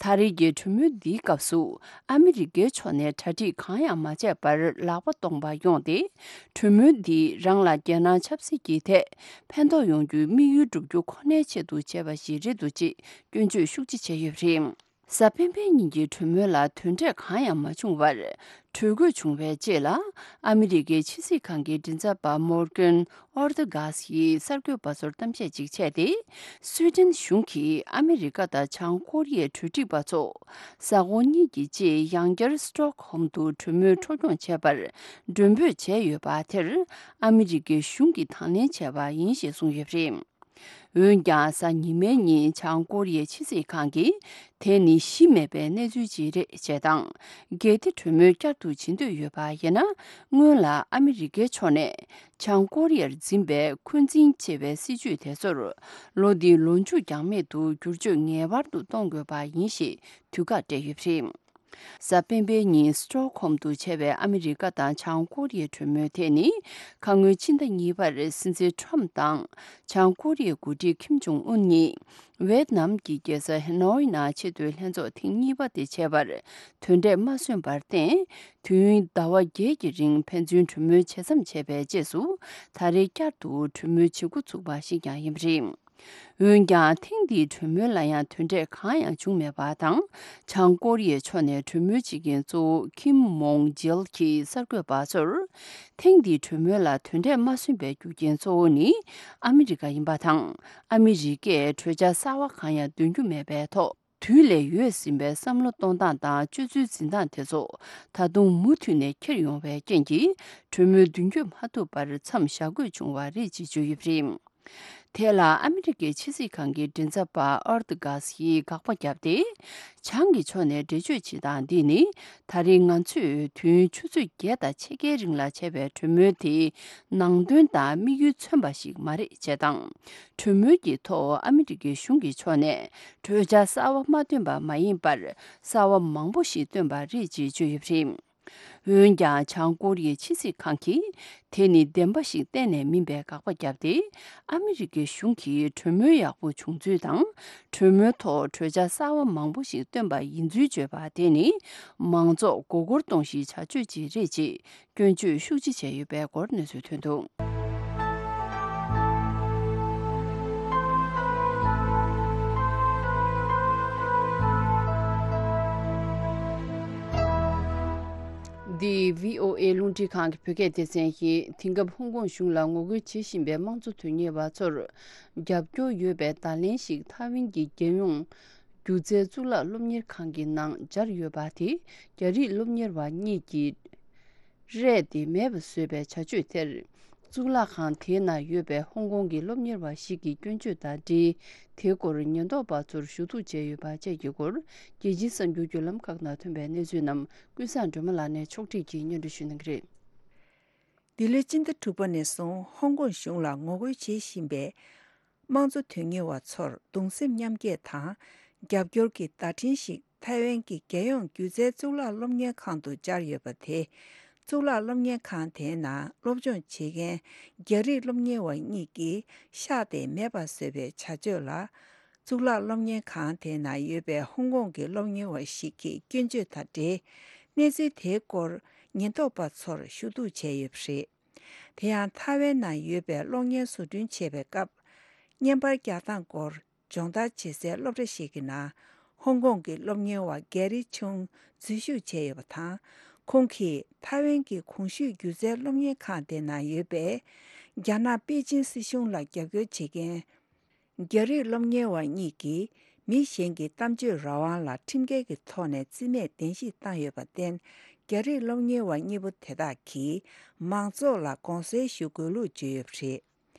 ད་རེས་ཀྱི་གྲོས་མོལ་འདིའི་སྐབས་སུ། ཨ་མི་རི་ཀའི་ཕྱོགས་ནས་གྲ་སྒྲིག་གང་ཡང་མ་བྱས་པར་ལག་པ་སྟོང་པ་ཡོང་སྟེ། གྲོས་མོལ་འདིས་རང་ལ་རྒྱལ་ནང་ཆབ་སྲིད་ཀྱི་ཐད་ཕན་ཐོགས་ཡོང་རྒྱུའི་དམིགས་ཡུལ་བསྒྲུབ་རྒྱུ་ཁོ་ནའི་ཆེད་དུ་བྱས་པ་ཞིག་རེད་འདུག་ཅེས་སྐྱོན་བརྗོད་ཤུགས་ཆེ་བྱས་ཡོད་པ་རེད། གཟའ་སྤེན་པའི་ཉིན་གྱི་གྲོས་མོལ་ལ་དོན་འབྲས་གང་ཡང་མ་བྱུང་བར། གྲོས་འགོད་བྱུང་བའི་རྗེས་ལ། ཨ་མི་རི་ཀའི་ཕྱི་སྲིད་ཁང་གི་མགྲིན་ཚབ་པ་མོར་ཀན་ཨོར་ཏི་གྷ་སི་ཡིས་གསར་འགོད་པ་ཚོར་གཏམ་བཤད་ཅིག་བྱས་ཏེ། སུའེ་ཏེན་གཞུང་གིས་ཨ་མི་རི་ཀ་དང་བྱང་ཀོ་རི་ཡའི་གྲོས་སྒྲིག་པ་ཚོ། གཟའ་འཁོར་གཉིས་ཀྱི་རྗེས་ཡང་བསྐྱར་སི་ཏོག་ཧོམ་དུ་གྲོས་མོལ་འཕྲོ་སྐྱོང་བྱས་པར་མགྲོན་འབོད་བྱས་ཡོད་པ་དེར། ཨ་མི་རི་ཀའི་གཞུང་གིས་དང་ལེན་བྱས་པ་ཡིན་ཞེས་གསུངས་ཡོད་པ་རེད། འོན་ཀྱང་། གཟའ་ཉི་མའི་ཉིན་བྱང་ཀོ་རི་ཡའི་ཕྱི་སྲིད་ཁང་གིས། དེ་ནི་གཞི་མེད་པའི་གནས་ཚུལ་ཅིག་རེད་ཅེས་དང་། གལ་ཏེ་གྲོས་མོལ་བསྐྱར་དུ་བྱེད་འདོད་ཡོད་པ་ཡིན་ན། སྔོན་ལ་ཨ་མི་རི་ཀའི་ཕྱོགས་ནས། བྱང་ཀོ་རི་ཡར་འཛིན་པའི་འཁོན་འཛིན་ཆེ་བའི་སྲིད་ཇུས་དེ་ཚོར། ལོ་འདིའི་ལོ་མཇུག་འགྱངས་མེད་དུ་བསྒྱུར་བཅོས་ངེས་པར་དུ་གཏོང་དགོས་པ་ཡིན་ཞེས་དུས་བཀག་སྤྲད་ཡོད་པ་རེད། གཟའ་སྤེན་པའི་ཉིན་སི་ཏོག་ཧོམ་དུ་བྱས་པའི་ཨ་མི་རི་ཀ་དང་བྱང་ཀོ་རི་ཡའི་གྲོས་མོལ་དེ་ནི། ཁ་སྔོན་ཕྱི་ཟླ་གཉིས་པར་སྲིད་འཛིན་ཁྲོམ་དང་། བྱང་ཀོ་རི་ཡའི་འགོ་ཁྲིད་ཁིམ་ཇོང་ཨུན་གཉིས། ཝེད་ནམ་གྱི་རྒྱལ་ས་ཧེ་ནོའི་ནང་ཆེས་མཐོའི་ལྷན་ཚོགས་ཐེངས་གཉིས་པ་དེ་བྱས་པར། དོན་འབྲས་མ་སོན་པར་བརྟེན། དུས་ཡུན་ཟླ་བ་བརྒྱད་ཀྱི་རིང་ཕན་ཚུན་གྲོས་མོལ་བྱེད་མཚམས་ཆད་པའི་རྗེས་སུ། ད་རེས་བསྐྱར་དུ་གྲོས་མོལ་བྱེད་འགོ་ཚུགས་པ་ཞིག་ཀྱང་ཡིན་པ་རེད། འོན་ཀྱང་། ཐེངས་འདིའི་གྲོས་མོལ་ལ་ཡང་དོན་འབྲས་གང་ཡང་བྱུང་མེད་པ་དང་། བྱང་ཀོ་རི་ཡའི་ཕྱོགས་ནས་གྲོས་མོལ་བྱེད་མཁན་གཙོ་བོ་ཁིམ་མོང་ཇེལ་གྱིས་གསར་འགོད་པ་ཚོར། ཐེངས་འདིའི་གྲོས་མོལ་ལ་དོན་འབྲས་མ་སོན་པའི་རྒྱུ་རྐྱེན་གཙོ་བོ་ནི། ཨ་མི་རི་ཀ་ཡིན་པ་དང་། ཨ་མི་རི་ཀས་གྲོས་འཆར་གསར་བ་གང་ཡང་འདོན་རྒྱུ་མེད་པའི་ཐོག་དུས་ལས་ཡོལ་ཟིན་པའི་བསམ་བློ་གཏོང་སྟངས་དང་སྤྱོད་ཚུལ་འཛིན་སྟངས་དེ་ཚོ། ད་དུང་མུ་མཐུད་ནས་འཁྱེར་ཡོང་བའི་རྐྱེན་གྱིས། གྲོས་མོལ་མདུན་སྐྱོད་མ་ཐུབ་པར་མཚམས་བཞག་དགོས་བྱུང་བ་རེད་ཅེས་བརྗོད་ཡོད་པ་རེད། དེ་ལ་ཨ་མི་རི་ཀའི་ཕྱི་སྲིད་ཁང་གི་མགྲིན་ཚབ་པ་ཨོར་ཏི་གྷ་སི་ཡིས་དགག་པ་བརྒྱབ་སྟེ། བྱང་གི་ཕྱོགས་ནས་འགྲེལ་བརྗོད་བྱེད་སྟངས་འདི་ནི། ད་རེས་ང་ཚོས་དུས་ཡུན་ཆུ་ཚོད་བརྒྱད་དང་ཕྱེད་ཀའི་རིང་ལ་བྱས་པའི་གྲོས་མོལ་དེའི་ནང་དོན་དང་དམིགས་ཡུལ་མཚོན་པ་ཞིག་མ་རེད་ཅེས་དང་། གྲོས་མོལ་གྱི་ཐོག་ཨ་མི་རི་ཀའི་གཞུང་གི་ཕྱོགས་ནས་གྲོས་འཆར་གསར་བ་མ་བཏོན་པ་མ་ཡིན་པར། གསར་བ་མང་པོ་ཞིག་བཏོན་པ་རེད་ཅེས་བརྗོད་ཡོད་པ་རེད། འོན་ཀྱང་། བྱང་ཀོ་རི་ཡའི་ཕྱི་སྲིད་ཁང་གིས། དེ་ནི་བདེན་པ་ཞིག་གཏན་ནས་མིན་པའི་དགག་པ་བརྒྱབ་སྟེ། ཨ་མི་རི་ཀའི་གཞུང་གིས་གྲོས་མོལ་ཡག་པོ་བྱུང་ཚུལ་དང་། གྲོས་མོལ་ཐོག་གྲོས་འཆར་གསར་བ་མང་པོ་ཞིག་བཏོན་པ་ཡིན་ཚུལ་བརྗོད་པ་དེ་ནི། མང་ཚོགས་མགོ་སྐོར་གཏོང་གཞིའི་བྱ་སྤྱོད་ཅིག་རེད་ཅེས། སྐྱོན་བརྗོད་ཤུགས་ཆེ་བྱས་ཡོད་པའི་སྐོར་གནས་ཚུལ་ཐོན་འདུག། འདི་བྷི་ཨོ་ཨེ་རླུང་འཕྲིན་ཁང་གི་བོད་སྐད་སྡེ་ཚན་ཡིན། དེང་སྐབས་ཧོང་ཀོང་གཞུང་ལ་ངོ་རྒོལ་བྱེད་བཞིན་པའི་དམངས་གཙོ་དོན་གཉེར་བ་ཚོར་རྒྱབ་སྐྱོར་ཡོད་པའི་བརྡ་ལན་ཞིག་ཐའེ་ཝན་གྱི་རྒྱལ་ཡོངས་སྒྱུ་རྩལ་གཙུག་ལག་སློབ་གཉེར་ཁང་གི་ནང་སྦྱར་ཡོད་པ་དེ། རྒྱ་རིགས་སློབ་གཉེར་བ་གཉིས་ཀྱིས་རས་དེ་མེད་པ་བཟོས་པའི་བྱ་སྤྱོད་དེར། གཙུག་ལག་ཁང་དེའི་ནང་ཡོད་པའི་ཧོང་ཀོང་གི་སློབ་གཉེར་བ་ཞིག་གིས་སྐྱོན་བརྗོད་དང་འབྲེལ། དེའི་སྐོར་ཉེན་རྟོག་པ་ཚོར་ཞུ་གཏུག་བྱས་ཡོད་པ་བཅས་ཀྱི་སྐོར། རྒྱལ་སྤྱིའི་གསར་འགྱུར་བརྒྱུད་ལམ་ཁག་ནང་ཐོན་པའི་གནས་ཚུལ་རྣམས་ཀུན་བཟང་སྒྲོལ་མ་ལགས་ནས་ཕྱོགས་སྒྲིག་གིས་སྙན་སྒྲོན་ཞུ་གནང་གི་རེད། འདི་ལོའི་སྤྱི་ཟླ་དྲུག་པ་ནས་བཟུང་ཧོང་ཀོང་གཞུང་ལ་ངོ་རྒོལ་བྱེད་བཞིན་པའི་དམངས་གཙོ་དོན་གཉེར་བ་ཚོར་གདུང་སེམས་མཉམ་སྐྱེད་དང་རྒྱབ་སྐྱོར་གྱི་བརྡ་འཕྲིན་ཞིག་ཐའེ་ཝན་གྱི་རྒྱལ་ཡོངས་སྒྱུ་རྩལ་གཙུག་ལག་སློབ་གཉེར་ཁང་དུ་སྦྱར་ཡོད་པ་དེ། གཙུག་ལག་སློབ་གཉེར་ཁང་དེའི་ནང་སློབ་སྦྱོང་བྱེད་མཁན་རྒྱ་རིགས་སློབ་གཉེར་བ་གཉིས་ཀྱིས་ཤག་དེ་མེད་པ་བཟོས་པའི་བྱ་སྤྱོད་ལ། གཙུག་ལག་སློབ་གཉེར་ཁང་དེའི་ནང་ཡོད་པའི་ཧོང་ཀོང་གི་སློབ་གཉེར་བ་ཞིག་གིས་སྐྱོན་བརྗོད་དང་འབྲེལ། གནས་ཚུལ་དེའི་སྐོར་ཉེན་རྟོག་པ་ཚོར་ཞུ་གཏུག་བྱས་ཡོད་པ་རེད། དེ་ཡང་ཐའེ་ཝན་ནང་ཡོད་པའི་གློག་བརྙན་བཟོ་སྐྲུན་བྱེད་པའི་སྐབས། བརྙན་པར་རྒྱག་སྟངས་སྐོར་སྦྱོང་བརྡར་བྱེད་སའི་སློབ་གྲྭ་ཞིག་གི་ནང་། ཧོང་ཀོང་གི་སློབ་གཉེར་བ་གེ་རི་ཆུང་འཛུལ་ཞུགས་བྱས་ཡོད་པ་དང་། ཁོང་གིས་ཐའེ་ཝན་གྱི་གོང་ཞུས་སྒྱུ་རྩལ་སློབ་གཉེར་ཁང་དེ་ནང་ཡོད་པའི། རྒྱ་ནག་པེ་ཅིན་སྲིད་གཞུང་ལ་རྒྱབ་སྐྱོར་བྱེད་མཁན། རྒྱ་རིགས་སློབ་གཉེར་བ་གཉིས་ཀྱིས་མི་གཞན་གྱི་གཏམ་བརྗོད་རང་དབང་ལ་ཁྲིམས་འགལ་གྱི་ཐོག་ནས་རྩིས་མེད་གདན་ཞུ་བཏང་ཡོད་པར་བརྟེན། རྒྱ་རིགས་སློབ་གཉེར་བ་གཉིས་པོ་དེ་དག་གིས་མང་ཚོགས་ལ་དགོངས་སེལ་ཞུ་དགོས་ལུགས་བརྗོད་ཡོད་པ་རེད།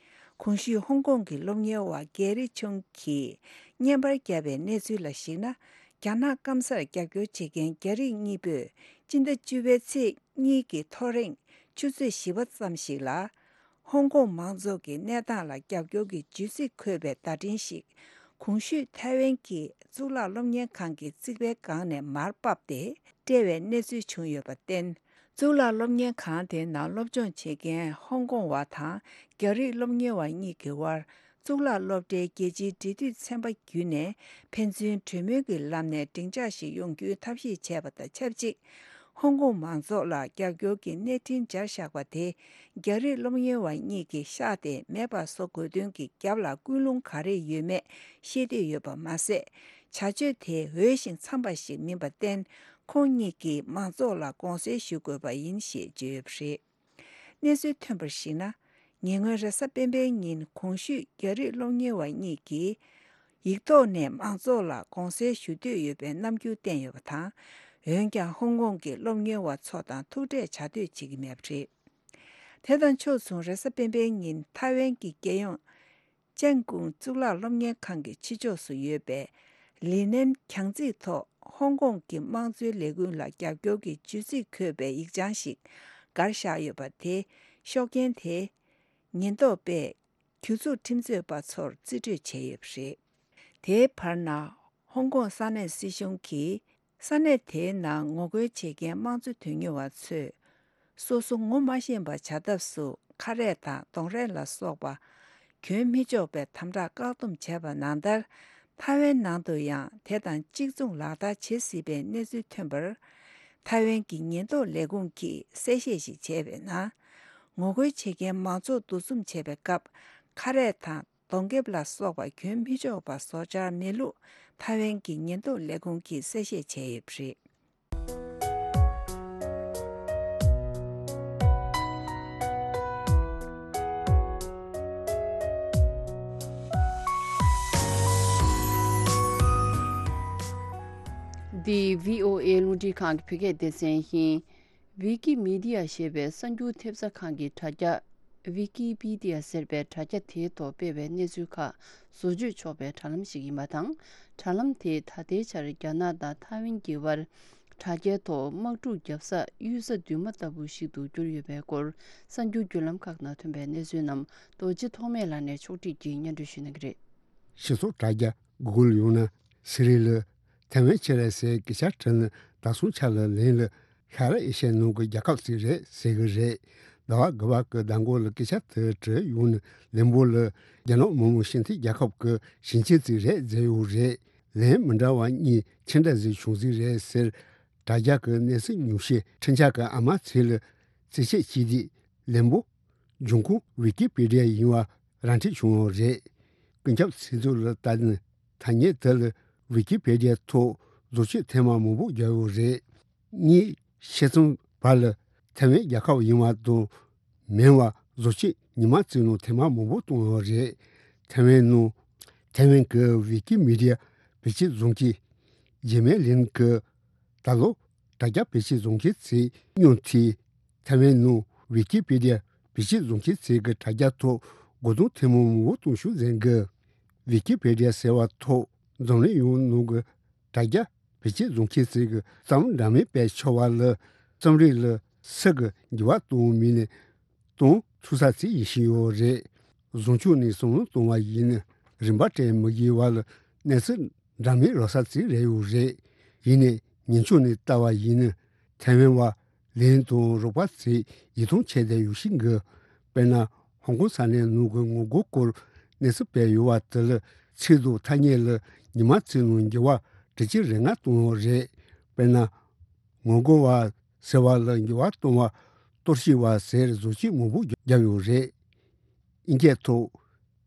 གོང་ཞུས་ཧོང་ཀོང་གི་སློབ་གཉེར་བ་གེ་རི་ཆུང་གིས་བརྙན་པར་བརྒྱབ་པའི་གནས་ཚུལ་ལ་གཞིགས་ན། རྒྱ་ནག་སྐམ་སར་རྒྱབ་སྐྱོར་བྱེད་མཁན་རྒྱ་རིགས་གཉིས་པོས་སྤྱི་ཟླ་བཅུ་པའི་ཚེས་གཉིས་ཀྱི་ཐོ་རེངས་ཆུ་ཚོད་བཞི་པ་ཙམ་ཞིག་ལ། ཧོང་ཀོང་མང་ཚོགས་ཀྱི་གནས་སྟངས་ལ་རྒྱབ་སྐྱོར་གྱི་བརྗོད་ཚིག་འཁོད་པའི་བརྡ་འཕྲིན་ཞིག་གོང་ཞུས་ཐའེ་ཝན་གྱི་གཙུག་ལག་སློབ་གཉེར་ཁང་གི་རྩིག་པའི་སྒང་ནས་མར་ཕབ་སྟེ་སྤྲད་པའི་གནས་ཚུལ་བྱུང་ཡོད་པར་བརྟེན། གཙུག་ལག་སློབ་གཉེར་ཁང་དེའི་ནང་སློབ་སྦྱོང་བྱེད་མཁན་ཧོང་ཀོང་བ་དང་རྒྱ་རིགས་སློབ་གཉེར་བ་གཉིས་ཀྱི་དབར། གཙུག་ལག་སློབ་གྲྭའི་རྒྱལ་སྤྱིའི་འབྲེལ་མཐུད་ཚན་པ་བརྒྱུད་ནས་ཕན་ཚུན་གྲོས་མོལ་གྱི་ལམ་ནས་སྡིངས་ཆ་ཞིག་ཡོང་རྒྱུའི་ཐབས་ཤེས་བྱས་པ་དང་ཆབས་ཅིག་ཧོང་ཀོང་མང་ཚོགས་ལ་རྒྱབ་སྐྱོར་གྱི་གནས་འཕྲིན་སྦྱར་བཞག་པ་དེ། རྒྱ་རིགས་སློབ་གཉེར་བ་གཉིས་ཀྱིས་ཤག་དེ་མེད་པ་བཟོ་དགོས་དོན་གྱི་རྒྱབ་ལ་ཀུན་སློང་ག་རེ་ཡོད་མེད་ཤེས་འདོད་ཡོད་པ་མ་ཟད། བྱ་སྤྱོད་དེ་འོས་ཤིང་འཚམས་པ་ཞིག་མིན་པར་བརྟེན། ཁོང་གཉིས་ཀྱིས་མང་ཚོགས་ལ་དགོངས་སེལ་ཞུ་དགོས་པ་ཡིན་ཞེས་བརྗོད་ཡོད་པ་རེད། གནས་ཚུལ་ཐོན་པར་གཞིགས་ན། ཉེ་སྔོན་རེས་གཟའ་སྤེན་པའི་ཉིན་གོང་ཞུས་རྒྱ་རིགས་སློབ་གཉེར་བ་གཉིས་ཀྱིས་ཡིག་ཐོག་ནས་མང་ཚོགས་ལ་དགོངས་སེལ་ཞུ་འདོད་ཡོད་པའི་རྣམ་འགྱུར་བསྟན་ཡོད་པ་དང་། འོན་ཀྱང་ཧོང་ཀོང་གི་སློབ་གཉེར་བ་ཚོ་དང་ཐུག་འཕྲད་བྱ་འདོད་བྱེད་ཀྱི་མེད་པ་རེད། དེ་དང་ཕྱོགས་མཚུངས་རེས་གཟའ་སྤེན་པའི་ཉིན་ཐའེ་ཝན་གྱི་རྒྱལ་ཡོངས་ཅན་ཀུང་གཙུག་ལག་སློབ་གཉེར་ཁང་གི་ཕྱི་ཕྱོགས་སུ་ཡོད་པའི་ལི་ནན་གྱང་རྩིག་ཐོག་ཧོང་ཀོང་གི་དམངས་གཙོའི་ལས་འགུལ་ལ་རྒྱབ་སྐྱོར་གྱི་བརྗོད་ཚིག་འཁོད་པའི་ཡིག་བྱང་ཞིག་བསྒར་བཞག་ཡོད་པ་དེ། ཤོག་རྐྱེན་དེས་ཉེན་རྟོག་པས་གྱོད་འཛུགས་ཁྲིམས་རྩོད་པ་ཚོར་རྩིས་སྤྲོད་བྱས་ཡོད་པ་རེད། དེའི་བར་ན། ཧོང་ཀོང་ས་གནས་སྲིད་གཞུང་གིས། ས་གནས་དེའི་ནང་ངོ་རྒོལ་བྱེད་མཁན་དམངས་གཙོ་དོན་གཉེར་བ་ཚོས་སོ་སོ་ངོ་མ་ཤེས་པ་བྱ་ཐབས་སུ་ཁ་རས་དང་གདོང་རས་ལ་སོགས་པ་གྱོན་མི་ཆོག་པའི་དམ་དྲག་བཀག་སྡོམ་བྱས་པ་ནང་ལྟར། ཐའེ་ཝན་ནང་དུ་ཡང་དེ་དང་གཅིག་མཚུངས་ལག་བསྟར་བྱེད་སྲིད་པའི་གནས་ཚུལ་ཐོན་པར། ཐའེ་ཝན་གྱི་ཉེན་རྟོག་ལས་ཁུངས་ཀྱིས་གསལ་བཤད་ཞིག་བྱས་པའི་ནང་། ངོ་རྒོལ་བྱེད་མཁན་མང་ཚོགས་འདུ་འཛོམས་བྱེད་པའི་སྐབས་ཁ་རས་དང་། གདོང་ཁེབས་ལ་སོགས་པ་གྱོན་མི་ཆོག་པ་བཟོ་འཆར་མེད་ལུགས་ཐའེ་ཝན་གྱི་ཉེན་རྟོག་ལས་ཁུངས་ཀྱིས་གསལ་བཤད་བྱས་ཡོད་པ་རེད། འདི་བྷི་ཨོ་ཨེ་རླུང་འཕྲིན་ཁང་གི་བོད་སྐད་སྡེ་ཚན་ཡིན། ཝི་ཀི་མི་ཌི་ཡ་ཞེས་པའི་གསར་འགྱུར་ཐེབས་རྩ་ཁང་གི་དྲ་རྒྱ། ཝི་ཀི་པི་ཌི་ཡ་ཟེར་བའི་དྲ་རྒྱ་དེའི་ཐོག་སྤེལ་བའི་གནས་ཚུལ་ཁག་བཟོ་བཅོས་ཆོག་པའི་དྲ་ལམ་ཞིག་ཡིན་པ་དང་། དྲ་ལམ་དེས་ད་ལྟའི་ཆར་རྒྱ་ནག་དང་ཐའེ་ཝན་གྱི་བར་དྲ་རྒྱའི་ཐོག་དམག་འཁྲུག་བརྒྱབ་ས་གཡུལ་ས་མདུན་མ་ལྟ་བུ་ཞིག་ཏུ་གྱུར་ཡོད་པའི་སྐོར། གསར་འགྱུར་བརྒྱུད་ལམ་ཁག་ནང་ཐོན་པའི་གནས་ཚུལ་རྣམས་རྡོ་རྗེ་ཐོགས་མེད་ལགས་ནས་ཕྱོགས་སྒྲིག་གིས་སྙན་སྒྲོན་ཞུ་གནང་གི་རེད། སྤྱི་ཚོགས་དྲ་རྒྱ་གུ་གུལ་ཡང་ན་སི་རི་ལ་ཐའེ་ཝན་ཕྱིར་ལ་ཟེར་སྐད་ཆ་དྲིས་ན། ད་སོང་ཆ་ལ་ལན་ལ་ཤར་ཨེ་ཤ་ཡའི་ནང་གི་རྒྱལ་ཁབ་ཅིག་རེད་ཟེར་གི་རེད། ཟླ་བ་དགུ་པ་གི་ཟླ་འགོ་ལ་སྐད་ཆ་དེ་དྲིས་ཡོང་ན། ལན་པོ་ལ་རྒྱ་ནག་མི་དམངས་སྤྱི་མཐུན་རྒྱལ་ཁབ་ཀྱི་ཞིང་ཆེན་ཅིག་རེད་ཟེར་ཡོད་རེད། ལན་མི་འདྲ་བ་གཉིས་ཅི་འདྲ་ཟིག་བྱུང་ཟིག་རེད་ཟེར། དྲ་རྒྱ་གི་གནས་ཚུལ་ཉུང་ཤས་ཁྲིམས་འཆར་གྱི་ཨ་མ་ཚེ་ལ་རྩིས་བཤེར་བྱས་དུས། ལན་པོ་འབྱུང་ཁུངས་ཝི་ཀི་པི་ཌི་ཡ་ཡིན་པ་ར་འཕྲོད་བྱུང་བ་རེད། ཀུན་ཁྱབ་ཚིག་མཛོད་ལ་ལྟ་ན། ཐ་སྙད་དེ་ལ་ཝི་ཀི་པི་ཌི་ཡ་ཐོག་བཟོ་བཅོས་ཐེངས་མ་མང་པོ་བརྒྱབ་ཡོད་རེད། གཉིས། ཕྱེད་ཙམ་བར་ལ་ཐའེ་ཝན་རྒྱལ་ཁབ་ཡིན་པ་དང་མིན་པ་བཟོ་བཅོས་ཉི་མ་རྩིས་ནང་ཐེངས་མ་མང་པོ་བཏང་ཡོད་རེད། ཐའེ་ཝན་ནང་། ཐའེ་ཝན་གྱི་ཝི་ཀི་མི་ཌི་ཡ་བེད་སྤྱོད་བཟུང་མཁན་ཇེ་མེ་ལིན་གྱིས། ད་ལོ་དྲ་རྒྱ་བེད་སྤྱོད་བཟུང་མཁན་ཚོའི་སྙིང་ཐིག་ཐའེ་ཝན་ནང་ཝི་ཀི་པི་ཌི་ཡ་བེད་སྤྱོད་བཟུང་མཁན་ཚོའི་གི་དྲ་རྒྱ་ཐོག་སྒོ་རྡུང་ཐེངས་མ་མང་པོ་གཏོང་ཤུགས་འཛིན་གི། ཝི་ཀི་པི་ཌི་ཡ་ཟེར་བ་ཐོག་འཛམ་གླིང་ཡོངས་ནང་གི་དྲ་རྒྱ་བེད་སྤྱོད་བཟུང་མཁན་ཚོའི་གི་རྩ་བ་འདྲ་མིན་དཔེ་ཆ་བ་ལ་རྩོམ་རིག་ལ་སུ་གི་འགྱུར་བ་གཏོང་མིན་ནས་གཏོང་ཐུབ་ས་ཅིག་ཡིན་བཞིན་ཡོད་རེད། བཟང་ཕྱོགས་ནས་བསམ་བློ་གཏོང་བ་ཡིན་ན་རིན་པ་སྤྲད་མི་དགོས་པ་ལ་གནས་ཚུལ་འདྲ་མིན་རག་ས་ཅིག་རེད་ཡོད་རེད། ཡིན་ནའི་ཉེས་ཕྱོགས་ནས་ལྟ་བ་ཡིན་ན་ཐའེ་ཝན་པ་ལིན་དང་རོགས་པ་ཚོས་ཡིད་ཐང་ཆད་བསྡད་ཡོད་བཞིན་གི། དཔེར་ན་ཧོང་ཀོང་ས་གནས་ནང་གི་ངོ་རྒོལ་སྐོར་གནས་ཚུལ་སྤེལ་ཡོད་པ་དེ་ལ་ཚིག་དང་ཐ་སྙད་ལ་ཉི་མ་རྩིས་ནང་འགྱུར་བ་དྲུག་ཅུ་རེ་ལྔ་བཏང་ཡོད་རེད། དཔེར་ན། ངོ་རྒོལ་བ་ཟེར་བ་ལ་འགྱུར་བ་གཏོང་བ་གཏོར་བཤིག་པ་ཟེར་བཟོ་བཅོས་མང་པོ་བརྒྱབ་ཡོད་རེད། དབྱིན་སྐད་ཐོག་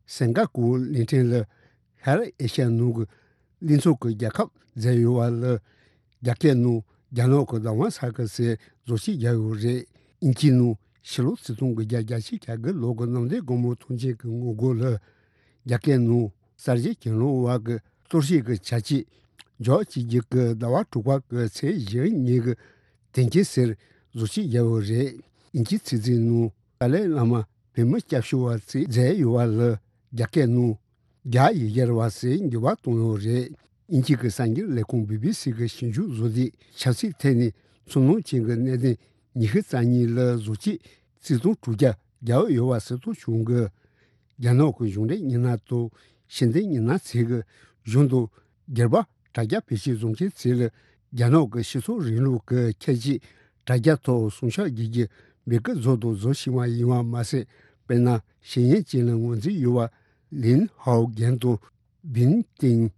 སིང་ག་པུར་གླིང་ཕྲན་ལ་ཤར་ཨེ་ཤ་ཡའི་ནང་གི་གླིང་ཚོམ་གྱི་རྒྱལ་ཁབ་མཛད་ཡོད་པ་ལ་རྒྱ་སྐད་ནང་རྒྱ་ནག་གི་ཟླ་བ་ས་གི་ཟེར་བཟོ་བཅོས་བརྒྱབ་ཡོད་རེད། དབྱིན་ཇིའི་ནང་ཕྱི་ལོ་ཆིག་སྟོང་དགུ་བརྒྱ་བརྒྱད་ཅུ་གྱ་དགུ་ལོ་གི་གནམ་བདེ་སྒོ་མོ་ཐང་ཆེན་གྱི་ངོ་རྒོལ་ལ་རྒྱ་སྐད་ནང་གསར་བརྗེ་གྱེན་ལོག་པ་གི་གཏོར་བཤིག་གི་བྱ་སྤྱོད་འཇོག་བྱེད་རྒྱུ་གི་ཟླ་བ་དྲུག་པ་གི་ཚེས་བཞི་ཉིན་གྱི་དོན་རྐྱེན་ཟེར་བཟོ་བཅོས་བརྒྱབ་ཡོད་རེད། དབྱིན་ཇིའི་ཚིག་མཛོད་ནང་ཏཱ་ལའི་བླ་མ་བོད་མི་སྐྱབས་ཞུ་བ་ཚོས་མཛད་ཡོད་པ་ལ་རྒྱ་སྐད་ནང་རྒྱ་ཡིག་སྦྱར་བ་ཟེར་འགྱུར་བ་བཏང་ཡོད་རེད། དབྱིན་ཇི་གི་གསར་འགྱུར་ལས་ཁུངས་བི་བི་སི་གི་ཞིབ་འཇུག་བཟོ་དེས་ཆབ་སྲིད་ཐད་ནས་ཚོར་སྣང་ཅན་གྱི་གནད་དོན་ཉི་ཤུ་རྩ་གཉིས་ལ་བཟོ་བཅོས་རྩིས་ཐོ་དྲུག་བརྒྱ་བརྒྱབ་ཡོད་པ་གསལ་སྟོན་བྱུང་གི། རྒྱ་ནག་གི་གཞུང་འབྲེལ་མི་སྣ་དང་ཕྱི་འབྲེལ་མི་སྣ་ཚོས་ཀྱི་གཞུང་དང་སྒེར་པ་དྲ་རྒྱ་བེད་སྤྱོད་བཟོ་མཁན་ཚོ་ལ་རྒྱ་ནག་གི་སྤྱི་ཚོགས་རིང་ལུགས་ཀྱི་ཁྱད་ཆོས་དྲ་རྒྱ་ཐོག་སྲུང་སྐྱོབ་བྱེད་རྒྱུ་འབོད་སྐུལ་བཟོ་དང་བཟོ་བཞིན་པ་ཡིན་པ་མ་ཟད། དཔེར་ན་ཤེས་ཡོན་ཅན་ལ་ངོས་འཛིན་ཡོད་པ་ལིན་ཧའོ་རྒན་དང་བིན་ཏིང་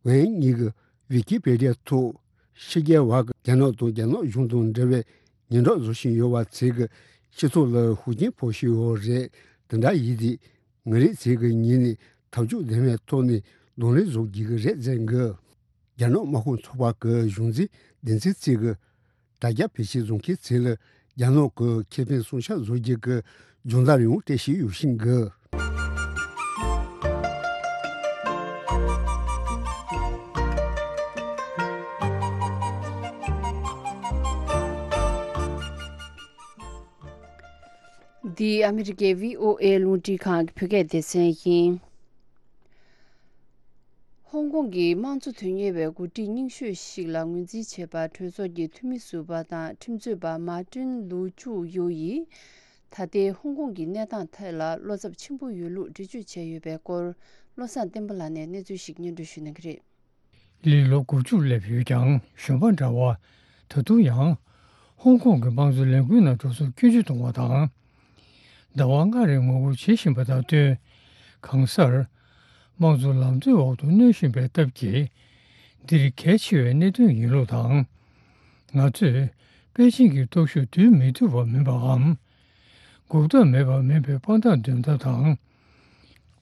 ཝན་གཉིས་ཀྱི་ཝི་ཀི་པེ་ཌི་ཡ་ཐོག་ཕྱི་རྒྱལ་བ་གི་རྒྱ་ནག་དང་རྒྱ་ནག་གཞུང་དང་འབྲེལ་བའི་སྙན་གྲགས་བཟོ་བཞིན་ཡོད་པ་ཚོས་ཀྱི་སྤྱི་ཚོགས་ལ་ཤུགས་རྐྱེན་ཕོག་བཞིན་ཡོད་རེད། དེ་འདྲ་ཡིན་དུས་ང་རང་ཚོས་ཀྱི་ངོས་ནས་ཐབས་ཇུས་ལྡན་པའི་ཐོག་ནས་གདོང་ལེན་བཟོ་དགོས་ཀྱི་རེད་ཟེར་གི། རྒྱ་ནག་དམག་དཔུང་ཚོགས་པ་གི་གཞུང་འཛིན་བདེན་ཚིག་གཙིགས་གི་དྲ་རྒྱ་བེད་སྤྱོད་བཟུང་མཁན་ཚོ་ལ་རྒྱ་ནག་གི་ཁེ་ཕན་སྲུང་སྐྱོབ་བཟོ་རྒྱུ་གི་སྦྱོང་བརྡར་ཡང་སྤྲད་བཞིན་ཡོད་བཞིན་གི། འདི་ཨ་མི་རི་ཀའི་བྷི་ཨོ་ཨེ་རླུང་འཕྲིན་ཁང་གི་བོད་སྐད་སྡེ་ཚན་ཡིན། ཧོང་ཀོང་གི་དམངས་གཙོ་དོན་གཉེར་བའི་འགོ་ཁྲིད་རྙིང་ཤོས་ཤིག་ལ་ངོས་འཛིན་བྱས་པ་གྲོས་ཚོགས་ཀྱི་འཐུས་མི་ཟུར་པ་དང་ཁྲིམས་རྩོད་པ་མཱ་ཀྲིན་ལུའུ་ཅུའུ་ཡོ་ཡིས། ད་ལྟའི་ཧོང་ཀོང་གི་གནས་སྟངས་ཐད་ལ་བློ་འཚབ་ཆེན་པོ་ཡོད་ལུགས་འགྲེལ་བརྗོད་བྱས་ཡོད་པའི་སྐོར། བློ་བཟང་བསྟན་པ་ལགས་ནས་གནས་ཚུལ་ཞིག་སྙན་སྒྲོན་ཞུ་གནང་གི་རེད། ལི་ལོ་དགུ་བཅུ་སླེབས་ཡོད་ཀྱང་གཞོན་པ་འདྲ་བ། ད་དུང་ཡང་ཧོང་ཀོང་གི་དམངས་གཙོ་ལས་འགུལ་ནང་འགྲོ་སོང་སྐྱོན་བརྗོད་གཏོང་བ་དང་། ཟླ་བ་ལྔ་རིང་ངོ་རྒོལ་བྱེད་བཞིན་པ་དང་བསྟུན། གང་སར་དམངས་གཙོ་ལམ་སྟོན་འོག་ཏུ་གནོན་བཞིན་པའི་སྟབས་ཀྱིས། འདིར་གལ་ཆེ་བའི་གནད་དོན་ཡིན་ལུགས་དང་། ང་ཚོས་པེ་ཅིང་གི་སྟོབས་ཤུགས་བསྡུར་མི་ཐུབ་པ་མིན་པའམ། འགོག་ཐབས་མེད་པ་མིན་པའི་དཔང་རྟགས་འདོན་ཐབས་དང་།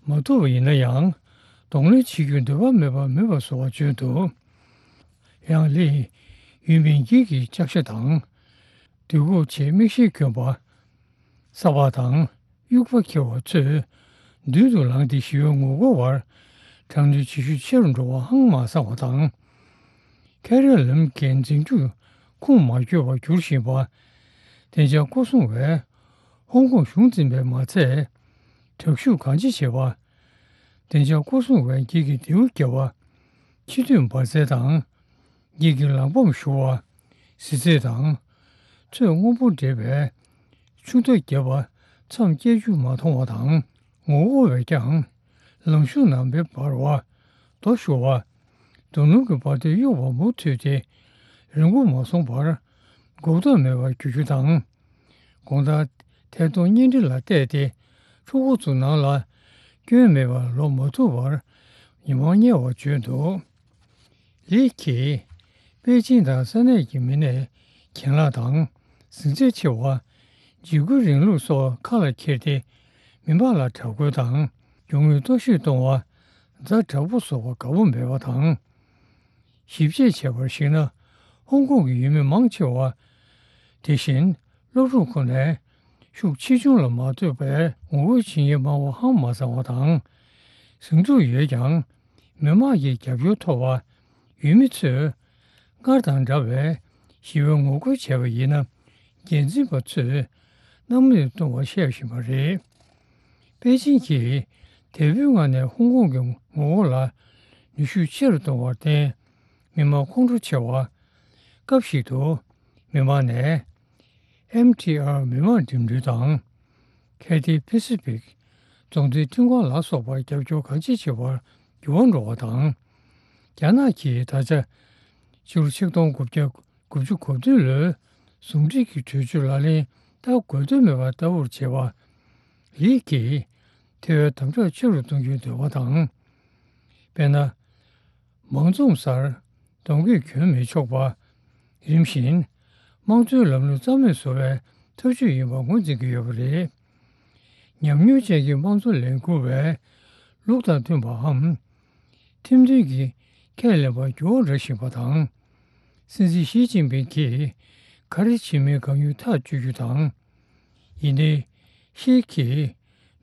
མ་ཐུབ་པ་ཡིན་ན་ཡང་གདོང་ལེན་བྱེད་རྒྱུར་འདོད་པ་མེད་པ་མིན་པ་བཟོ་བ་བརྗོད་འདུག། ཡང་ལི་ཡུལ་མི་འགྱིག་གི་ལྕགས་ཤ་དང་། དུས་འཁོར་ཆེད་མིག་ཤེལ་གྱོན་པ། ས་ཕག་དང་དབྱུག་པ་འཁྱེར་བ་ཚོས་མདུན་དུ་ལངས་ཏེ་ཞི་བའི་ངོ་རྒོལ་བར་དྲག་གནོན་བྱེད་ཤུགས་ཆེ་རུ་འགྲོ་བ་ཧང་མ་སང་བ་དང་། ཁེ་རི་ལམ་འགན་འཛིན་རྒྱུ་ཁུངས་མ་འཁྱོལ་བར་གྱུར་བཞིན་པ། བདེ་འཇགས་སྐོར་སྲུང་བས་ཧོང་ཀོང་གཞུང་འཛིན་པས་མ་ཚད། དྲག་ཤུགས་གང་ཆེ་བྱེད་པ། བདེ་འཇགས་སྐོར་སྲུང་བས་འགྱིག་གི་མདེའུ་བརྒྱབ་པ། ཕྱི་སྡོད་འབར་རྫས་དང་། འགྱིག་གི་ལག་པམ་བཞུ་བ། གཟི་རྫས་དང་། ཚོས་སྔོན་པོ་འདྲེས་པའི་ཆུ་རྟ་བརྒྱབ་པ་མཚམས་བཅད་རྒྱུ་མ་མཐོང་བ་དང་། ངོ་རྒོལ་བས་ཀྱང་ལམ་གཞུང་ནང་མེ་འབར་བ། རྡོ་ཤོར་བ། རྡོ་སྣུམ་གྱི་འབར་མདེལ་གཡོ་བ་མུ་མཐུད་དེ་རིང་པོ་མ་སོང་བར་འགོག་ཐབས་མེད་པར་གྱུར་རྒྱུ་དང་། དགོང་དག་ཐད་གཏོང་བརྙན་འཕྲིན་ལ་བལྟས་ཏེ་ཕྲུ་གུ་ཚོ་ནང་ལ་སྐྱོན་མེད་པར་ལོག་མ་ཐུབ་པར་མི་མང་དམྱལ་བར་བྱོན་འདུག། ལི་གིས་པེ་ཅིང་དང་ས་གནས་ཀྱི་མི་སྣས་གྱེན་ལངས་དང་ཟིང་ཆ་ཆེ་བ། འཇིགས་སྐུལ་རིང་ལུགས་སོགས་ཁ་ལ་འཁྱེར་ཏེ་མི་མང་ལ་དྲག་རྒོལ་དང་རྒྱུ་དངོས་གཏོར་བཤིག་གཏོང་བ། ཛ་དྲག་པོ་བཟོ་བ་དགའ་པོ་མེད་པ་དང་། ཞིབ་དཔྱད་བྱས་པར་གཞིགས་ན། ཧོང་ཀོང་གི་ཡུལ་མི་མང་ཆེ་བ། དེ་བཞིན་སློབ་ཕྲུག་ཁོ་ནའི་ཤུགས་ཆེ་ཆུང་ལ་མ་ལྟོས་པར་ངོ་རྒོལ་བྱེད་མཁན་མང་བ་ཧང་མ་སང་བ་དང་། ཟིང་འཁྲུག་ཡོད་ཀྱང་། མི་མང་གི་རྒྱབ་སྐྱོར་ཐོབ་པ། ཡུལ་མི་ཚོས་སྔར་དང་འདྲ་བའི་ཞི་བའི་ངོ་རྒོལ་བྱས་པ་ཡིན་ན། འགན་འཛིན་པ་ཚོས་སྣང་མེད་གཏོང་བར་བཤད་བཞིན་པ་རེད། པེ་ཅིང་གིས་དལ་བུའི་ངང་ནས་ཧོང་ཀོང་གི་ངོ་རྒོལ་ལ་ནུས་ཤུགས་ཆེ་རུ་གཏོང་བར་བརྟེན། མི་མང་ཁོང་ཁྲོ་ཆེ་བ། སྐབས་ཤིག་ཏུ་མི་མང་ནས་ཨེམ་ཊི་ཨར་མི་མང་འགྲིམ་འགྲུལ་དང་། ཁེ་ཐི་པེ་སི་ཕིག་རྫོང་སྡེའི་ཁྲིམས་ཁང་ལ་སོགས་པར་རྒྱབ་སྐྱོར་གང་ཅི་བྱེད་པར་འགྱུར་བ་འགྲོ་བ་དང་། རྒྱ་ནག་གིས་ད་ཆ་ཕྱི་ལོ་ཆིག་སྟོང་དགུ་བརྒྱ་དགུ་བཅུ་གོ་བདུན་ལོའི་ཟུང་འབྲེལ་གྱི་གྲོས་ཆོད་ལག་ལེན་བསྟར་དགོས་དོན་མེད་པར་ལྟ་བུར་བྱེད་པ། ལི་གིས་ཐེ་བའི་དམ་དྲག་ཆེ་རུ་གཏོང་རྒྱུའི་འདོད་པ་དང་། དཔེར་ན། མང་འཛོམས་སར་གདོང་གུས་གྱོན་མི་ཆོག་པ། རིམ་བཞིན་དམངས་གཙོའི་ལམ་ལུགས་རྩ་མེད་བཟོ་བའི་ཐབས་ཇུས་ཡིན་པ་ངོས་འཛིན་གྱི་ཡོད་པ་རེད། ཉམས་མྱོང་ཅན་གྱི་དམངས་གཙོ་ལས་འགུལ་བས་ལུགས་དང་མཐུན་པའམ། ཁྲིམས་མཐུན་གྱི་ཁས་ལེན་པར་འགྱུར་བ་འགྲོ་བཞིན་པ་དང་། སྲིད་འཛིན་ཞི་ཅིན་ཕིང་གིས་ག་རེ་བྱེད་མིན་གང་ཡོད་ཐག་གཅོད་རྒྱུ་དང་། ཡིན་ཏེ། ཤི་གིས་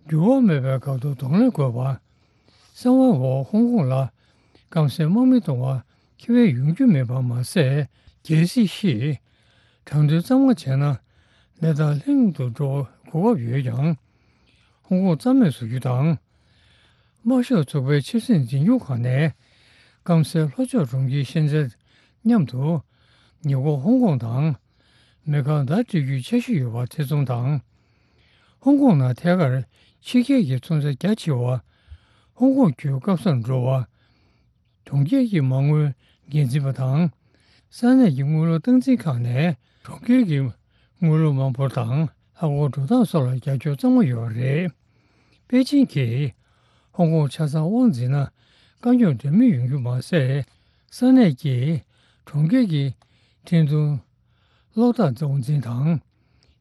འགྱུར་བ་མེད་པའི་སྐབས་སུ་གདོང་ལེན་དགོས་པ། གསང་བའི་འོག་ཧོང་ཀོང་ལ་སྐམ་སའི་དམག་མི་གཏོང་བ་ཁེ་ཕན་ཡོང་རྒྱུ་མེད་པ་མ་ཟད། གལ་སྲིད་ཤི་དྲག་འདོན་གཙང་མ་བྱས་ན་གནས་སྟངས་ལྷིང་དུ་འགྲོ་བའི་གོ་སྐབས་ཡོད་ཀྱང་། ཧོང་ཀོང་རྩ་མེད་བཟོ་རྒྱུ་དང་། དམར་ཤོག་ཚོགས་པའི་ཆབ་སྲིད་འཛིན་སྐྱོང་ཁང་ནས་སྐམ་སའི་ལྷོ་ཕྱོགས་གྲོང་ཁྱེར་ཤན་ཅན་མཉམ་དུ་ཉེ་འཁོར་ཧོང་ཀོང་དང་མི་གང་ཟླ་སྤྲད་རྒྱུའི་འཆར་གཞི་ཡོད་པ་ཐེ་ཚོམ་དང་། ཧོང་ཀོང་ནང་ཐད་ཀར་ཕྱི་རྒྱལ་གྱི་ཚོང་རྫས་རྒྱ་ཆེ་བ་ཧོང་ཀོང་བརྒྱུད་སྐམ་སར་འགྲོ་བ། གྲོང་ཁྱེར་གྱི་མ་དངུལ་འགན་འཛིན་པ་དང་། ས་གནས་ཀྱི་དངུལ་ལོར་སྟངས་འཛིན་ཁང་ནས་གྲོང་ཁྱེར་གྱི་དངུལ་ལོར་མ་འབོར་དང་ལྷག་དབང་འགྲོ་སྟངས་སོགས་ལ་རྒྱབ་སྐྱོར་གཙང་མ་ཡོད་པ་རེད། པེ་ཅིང་གིས་ཧོང་ཀོང་ཆ་ཚང་དབང་འཛིན་ན་དཀའ་རྙོག་འདྲ་མིན་ཡོང་རྒྱུ་མ་ཟད། ས་གནས་ཀྱི་གྲོང་ཁྱེར་གྱི་འཕྲིན་གཏོང་གློག་བརྡ་དབང་འཛིན་དང་།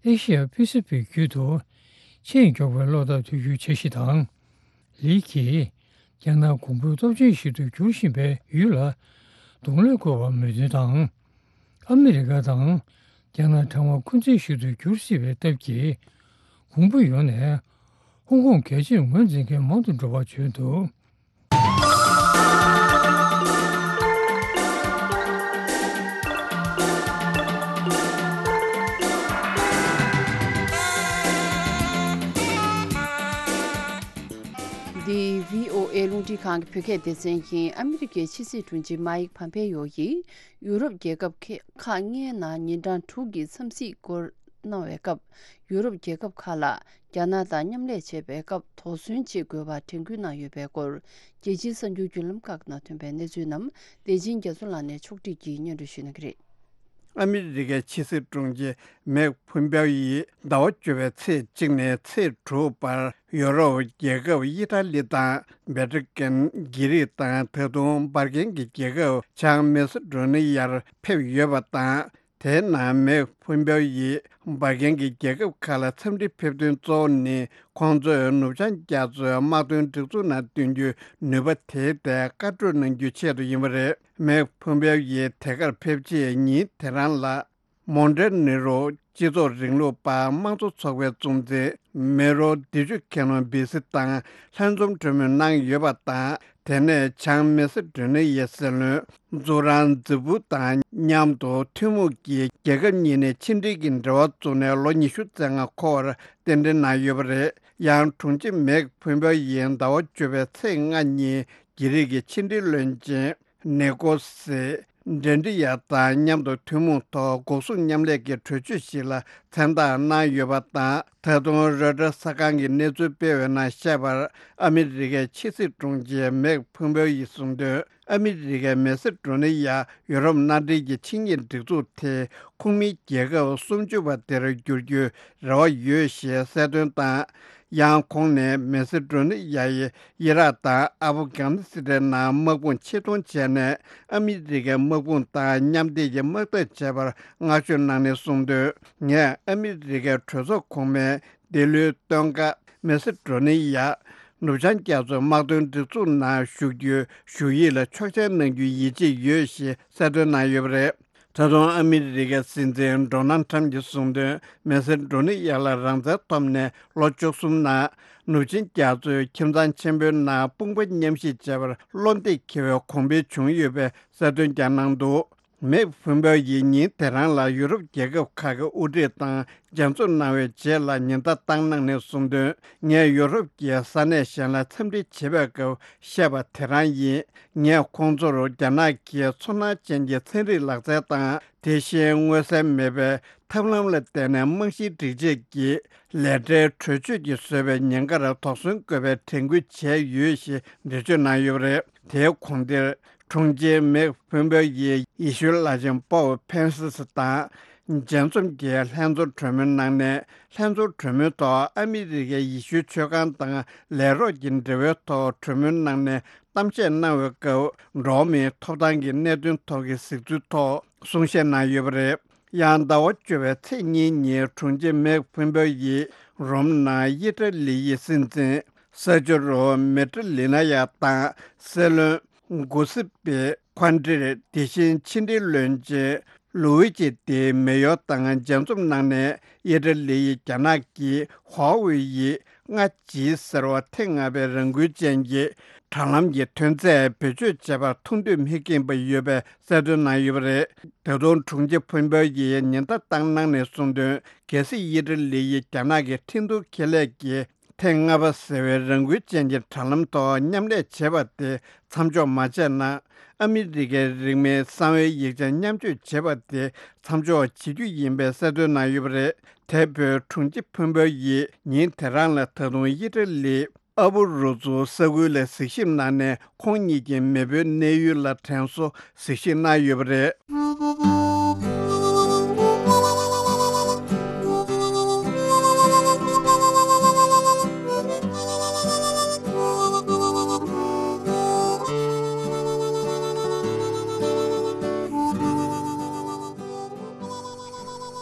ཨེ་ཤི་ཡ་པེ་སི་ཕིག་བརྒྱུད་དུ་ཆེས་མགྱོགས་པའི་གློག་བརྡ་ཐོན་རྒྱུའི་འཆར་གཞི་དང་། ལི་གིས་རྒྱ་ནག་གོང་བུ་སྟོབས་ཆེན་ཞིག་ཏུ་འགྱུར་བཞིན་པའི་ཡུལ་ལ་ གདོང་ལེན་དགོས་པར་མོས་མཐུན་དང་། ཨ་མི་རི་ཀ་དང་རྒྱ་ནག་ཕྲེང་བ་འཁོན་འཛིན་ཞུ་གཏུག་འགྱུར་སྲིད་པའི་སྟབས་ཀྱིས། གོང་བུ་ཡོང་ནས་ཧོང་ཀོང་གལ་ཆེར་ངོས་འཛིན་མཁན་མང་དུ་འགྲོ་བར་བྱོན་འདུག། འདི་བྷི་ཨོ་ཨེ་རླུང་འཕྲིན་ཁང་གི་བོད་སྐད་སྡེ་ཚན་ཡིན། ཨ་མི་རི་ཀའི་ཕྱི་སྲིད་དྲུང་ཆེ་མཱིག་ཕམ་པེ་ཡོ་ཡིས་ཡུ་རོབ་རྒྱལ་ཁབ་ཁག་ལྔའི་ནང་ཉིན་གྲངས་དྲུག་གི་འཚམས་གཟིགས་སྐོར་གནང་བའི་སྐབས། ཡུ་རོབ་རྒྱལ་ཁབ་ཁག་ལ་རྒྱ་ནག་དང་མཉམ་ལས་བྱེད་པའི་སྐབས་དོགས་ཟོན་བྱེད་དགོས་པར་དྲན་སྐུལ་གནང་ཡོད་པའི་སྐོར། རྒྱལ་སྤྱིའི་གསར་འགྱུར་བརྒྱུད་ལམ་ཁག་ནང་ཐོན་པའི་གནས་ཚུལ་རྣམས་བདེ་ཆེན་རྒྱ་མཚོ་ལགས་ནས་ཕྱོགས་སྒྲིག་གིས་སྙན་སྒྲོན་ཞུ་གནང་གི་རེད། ཨ་མི་རི་ཀའི་ཕྱི་སྲིད་དྲུང་ཆེ་མེག་ཕུམ་པེའོ་ཡིས་ཟླ་བ་བཅུ་པའི་ཚེས་གཅིག་ནས་ཚེས་དྲུག་བར་ཡོ་རོབ་རྒྱལ་ཁབ་ཨི་ཊ་ལི་དང་བེ་ཏྲི་ཀན། གྷི་རིག་དང་ད་དུང་འབར་མཁན་གྱི་རྒྱལ་ཁབ་བྱང་མེ་སི་ཌོ་ནི་ཡར་ཕེབས་ཡོད་པ་དང་། དེའི་ནང་མེག་ཕུམ་པེའོ་ཡིས་འབར་མཁན་གྱི་རྒྱལ་ཁབ་ཁག་ལ་འཚམས་འདྲིར་ཕེབས་དོན་གཙོ་བོ་ནི། ཁོང་ཚོས་ནུབ་བྱང་རྒྱ་མཚོའི་དམག་དོན་སྒྲིག་འཛུགས་ནང་བསྡུ་རྒྱུའི་ནུས་པ་དེའི་ཐད་བཀའ་གྲོས་གནང་རྒྱུའི་ཆེད་དུ་ཡིན་པ་རེད། མེག་ཕུམ་པེའོ་ཡིས་དེ་གར་ཕེབས་རྗེས་ཉིན་དེ་རང་ལ། མོན་ཊེ་ནེ་རོ་སྤྱི་ཚོགས་རིང་ལུགས་པ་དམངས་གཙོ་ཚོགས་པའི་གཙོ་འཛིན་མེ་རོ་དི་ཇུ་ཁེ་ནོ་བི་སི་དང་ལྷན་འཛོམས་གྲོས་མོལ་གནང་ཡོད་པ་དང་། དེ་ནས་བྱང་མེ་སི་ཌོ་ནི་ཡའི་སྲིད་བློན་ཛུ་རང་ཛི་བུ་དང་མཉམ་དུ་ཐུན་མོང་གིས་རྒྱལ་ཁབ་གཉིས་ནས་ཕྱི་འབྲེལ་གྱི་འབྲེལ་བ་བཙུགས་ནས་ལོ་ཉི་ཤུ་རྩ་ལྔ་འཁོར་བར་རྟེན་འབྲེལ་གནང་ཡོད་པ་རེད། ཡང་དྲུང་ཆེ་མེག་ཕུམ་པེའོ་ཡིས་ཟླ་བ་བཅུ་པའི་ཚེས་ལྔ་ཉིན་གྷི་རིག་གི་ཕྱི་འབྲེལ་བློན་ཆེན་ནི་ཀོ་སི་ཌེན་ཏྲི་ཡ་དང་མཉམ་དུ་ཐུན་མོང་ཐོག་འགོག་སྲུང་མཉམ་ལས་ཀྱི་གྲོས་ཆོད་ཞིག་ལ་མཚན་རྟགས་གནང་ཡོད་པ་དང་། ད་དུང་རོའི་ཊར་གསར་ཁང་གིས་གནས་ཚུལ་སྤེལ་བའི་ནང་བཤད་པར། ཨ་མི་རི་ཀའི་ཕྱི་སྲིད་དྲུང་ཆེ་མེག་ཕུམ་པེའོ་ཡིས་གསུངས་དོན། ཨ་མི་རི་ཀའི་མེ་སི་ཌོ་ནི་ཡ་ཡུ་རོབ་མནའ་འབྲེལ་གྱི་ཆིངས་ཡིག་སྒྲིག་འཛུགས་དེ་ཁོངས་མིའི་རྒྱལ་ཁབ་སུམ་ཅུ་པ་དེར་བསྒྱུར་རྒྱུའི་རེ་བ་ཡོད་ཞེས་གསལ་སྟོན་དང་། ཡང་ཁོང་ནས་མེ་སི་ཌོ་ནི་ཡ་ཡིས་ཨི་རག་དང་ཨ་ཕ་གྷ་ནི་སི་ཐན་ནང་དམག་དཔུང་ཕྱིར་གཏོང་བྱས་ནས། ཨ་མི་རི་ཀའི་དམག་དཔུང་དང་མཉམ་འབྲེལ་གྱིས་དམག་འཐབ་བྱས་པར་བསྔགས་བརྗོད་གནང་ནས་གསུངས་དོན། ངས་ཨ་མི་རི་ཀའི་གྲོས་ཚོགས་གོང་མའི་འདི་ལོའི་སྟོན་ཁ་མེ་སི་ཌོ་ནི་ཡ་ནུབ་བྱང་རྒྱ་མཚོའི་དམག་དོན་སྒྲིག་འཛུགས་ནང་ཞུགས་རྒྱུའི་ཞུ་ཡིག་ལ་ཆོག་མཆན་གནང་རྒྱུའི་ཡིད་ཆེས་ཡོད་ཞེས་གསལ་སྟོན་གནང་ཡོད་པ་རེད། ད་དུང་ཨ་མི་རི་ཀའི་སྲིད་འཛིན་ཌོ་ནལ་ཊམ་གྱིས་གསུངས་དོན། མེ་སི་ཌོ་ནི་ཡ་ལ་རང་བཙན་ཐོབ་ནས་ལོ་བཅུ་གསུམ་ནང་ནུབ་ཆིངས་རྒྱ་མཚོའི་ཁྱིམ་ཚང་ཆེན་པོའི་ནང་དཔུང་པ་མཉམ་གཤིབ་བྱས་པར་བློ་འདེགས་འཁེལ་བའི་གོང་འཕེལ་བྱུང་ཡོད་པའི་གསལ་སྟོན་ཀྱང་གནང་འདུག། མེག་ཕུམ་པེའོ་ཡིས་ཉིན་དེ་རང་ལ་ཡུ་རོབ་རྒྱལ་ཁབ་ཁག་གི་དབུ་ཁྲིད་དང་མཇལ་འཛོམས་གནང་བའི་རྗེས་ལ་ཉེན་བརྡ་བཏང་གནང་ནས་གསུངས་དོན། ངས་ཡུ་རོབ་ཀྱི་ས་གནས་གཞན་ལ་འཚམས་འདྲི་བྱེད་པའི་སྐབས་བཤད་པ་དེ་རང་ཡིན། ངས་ཁོང་ཚོར་རྒྱ་ནག་གིས་ཚོར་སྣང་ཅན་གྱི་ཚན་རིག་ལག་རྩལ་དང་། དེ་བཞིན་མངོན་གསལ་མེད་པའི་ཐབས་ལམ་ལ་བརྟེན་ནས་རྨང་གཞིའི་སྒྲིག་ཆས་ཀྱི་ལས་གྲྭའི་གྲོས་ཆོད་ཀྱིས་བཟོས་པའི་ཉེན་ཁར་དོགས་ཟོན་དགོས་པའི་དྲན་སྐུལ་བྱས་ཡོད་ཞེས་འགྲེལ་བརྗོད་གནང་ཡོད་པ་རེད། དེའི་གོང་དེར། དྲུང་ཆེ་མེག་ཕུམ་པེའོ་ཡིས་ཡེ་ཤུའི་བླ་ཆེན་པོབ་ཕན་སིས་དང་མཇལ་འཛོམས་ཀྱི་ལྷན་ཚོགས་གྲོས་མོལ་གནང་ནས། ལྷན་ཚོགས་གྲོས་མོལ་ཐོག་ཨ་མི་རི་ཀའི་ཡེ་ཤུའི་ཆོས་ཁང་དང་ལས་རོགས་ཀྱི་འབྲེལ་བའི་ཐོག་གྲོས་མོལ་གནང་ནས་གཏམ་བཤད་གནང་བའི་སྐབས། འགྲོ་བ་མིའི་ཐོབ་ཐང་གི་གནད་དོན་ཐོག་གི་གཟིགས་ཚུལ་ཐོག་གསུང་བཤད་གནང་ཡོད་པ་རེད། ཡང་ཟླ་བ་བཅུ་པའི་ཚེས་གཉིས་ཉིན་དྲུང་ཆེ་མེག་ཕུམ་པེའོ་ཡིས་རོམ་ནང་ཨི་ཊ་ལི་ཡི་སྲིད་འཛིན་སར་ཇོ་རོ་མེ་ཏྲི་ལི་ན་ཡ་དང་སྲིད་བློན་གུ་སི་པེ་ཁོན་ཏྲེ། དེ་བཞིན་ཕྱི་འབྲེལ་བློན་ཆེན་ལུ་ཝི་ཅི་ཏེ་མེ་ཡོ་དང་མཇལ་འཛོམས་གནང་ནས། ཨི་ཊ་ལི་ཡིས་རྒྱ་ནག་གིས་ཧྭ་ཝེ་ཡི་ལྔ་ཇི་ཟེར་བ་ཐེངས་ལྔ་པའི་རང་འགུལ་ཅན་གྱི་དྲ་ལམ་གྱི་ཐོན་རྫས་བེད་སྤྱོད་བྱས་པར་ཐུགས་འདོད་མི་སྐྱེས་པ་ཡོད་པའི་གསལ་སྟོན་གནང་ཡོད་པ་རེད། ད་དུང་དྲུང་ཆེ་ཕུམ་པེའོ་ཡིས་ཉེན་བརྡ་བཏང་གནང་ནས་གསུངས་དོན། གལ་སྲིད་ཨི་ཊ་ལི་ཡིས་རྒྱ་ནག་གི་ཁྲིན་ཏུའུ་ཁེ་ལས་ཀྱི་ཐེངས་ལྔ་པ་ཟེར་བའི་རང་འགུལ་ཅན་གྱི་དྲ་ལམ་ཐོག་མཉམ་ལས་བྱེད་པ་དེ་མཚམས་འཇོག་མ་བྱས་ན། ཨ་མི་རི་ཀའི་རིང་མིན་གསང་བའི་ཡིག་ཆ་མཉམ་སྤྱོད་བྱེད་པ་དེ་མཚམས་འཇོག་བྱེད་རྒྱུ་ཡིན་པའི་གསལ་སྟོན་གནང་ཡོད་པ་རེད། དེ་བོད་དྲུང་ཆེ་ཕུན་པོ་ཡིས་ཉིན་དེ་རང་ལ་ད་དུང་ཨི་ཊ་ལི་ཨ་བུ་རུ་ཛུ་ས་ཁུལ་ལ་གཟིགས་ཞིབ་གནང་ནས། ཁོང་ཉིད་ཀྱི་མེས་པོའི་གནས་ཡུལ་ལ་དྲན་གསོ་གཟིགས་ཞིབ་གནང་ཡོད་པ་རེད།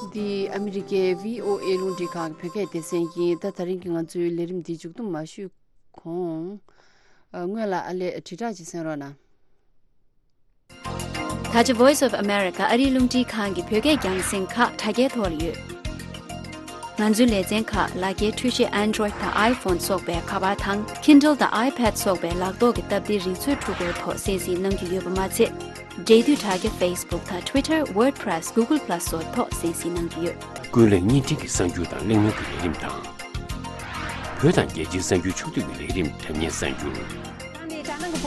འདི་ཨ་མི་རི་ཀའི་བྷི་ཨོ་ཨེ་རླུང་འཕྲིན་ཁང་གི་བོད་སྐད་སྡེ་ཚན་ཡིན། ད་ད་རིང་གི་ང་ཚོའི་ལས་རིམ་འདི་མཇུག་བསྡོམས་མ་ཞུས་གོང་། ཨ། སྔོན་ལ་ཨ་ལས་དྲིལ་བསྒྲགས་ཅིག་གསན་རོགས་གནང་། ད་ཆ་Voice of America ཨ་རིའི་རླུང་འཕྲིན་ཁང་གི་བོད་སྐད་རྒྱང་སྲིང་ཁག་དྲ་རྒྱའི་ཐོག་ལ་ཡོད། ང་ཚོའི་ལེ་ཚན་ཁག་ལག་འཁྱེར་འཕྲུལ་ཆས་Android་དང་iPhone་སོགས་པའི་ཁ་པར་དང་Kindle་དང་iPad་སོགས་པའི་ལག་ཐོག་གི་སྟབས་བདེའི་རིག་མཛོད་འཕྲུལ་འཁོར་ཐོག་གསན་གཟིགས་གནང་རྒྱུ་ཡོད་པ་མ་ཚད། འབྲེལ་མཐུད་དྲ་རྒྱ་Facebook་དང་Twitter, WordPress, Google Plus་སོགས་ཐོག་གསན་གཟིགས་གནང་རྒྱུ་ཡོད། ཀུན་གླེང་བརྙན་འཕྲིན་གྱི་གསར་འགྱུར་དང་གླེང་མོལ་གྱི་ལས་རིམ་དང་། བོད་དང་རྒྱལ་སྤྱིའི་གསར་འགྱུར་ཕྱོགས་བསྡུས་ཀྱི་ལས་རིམ་དྲ་བརྙན་གསར་འགྱུར།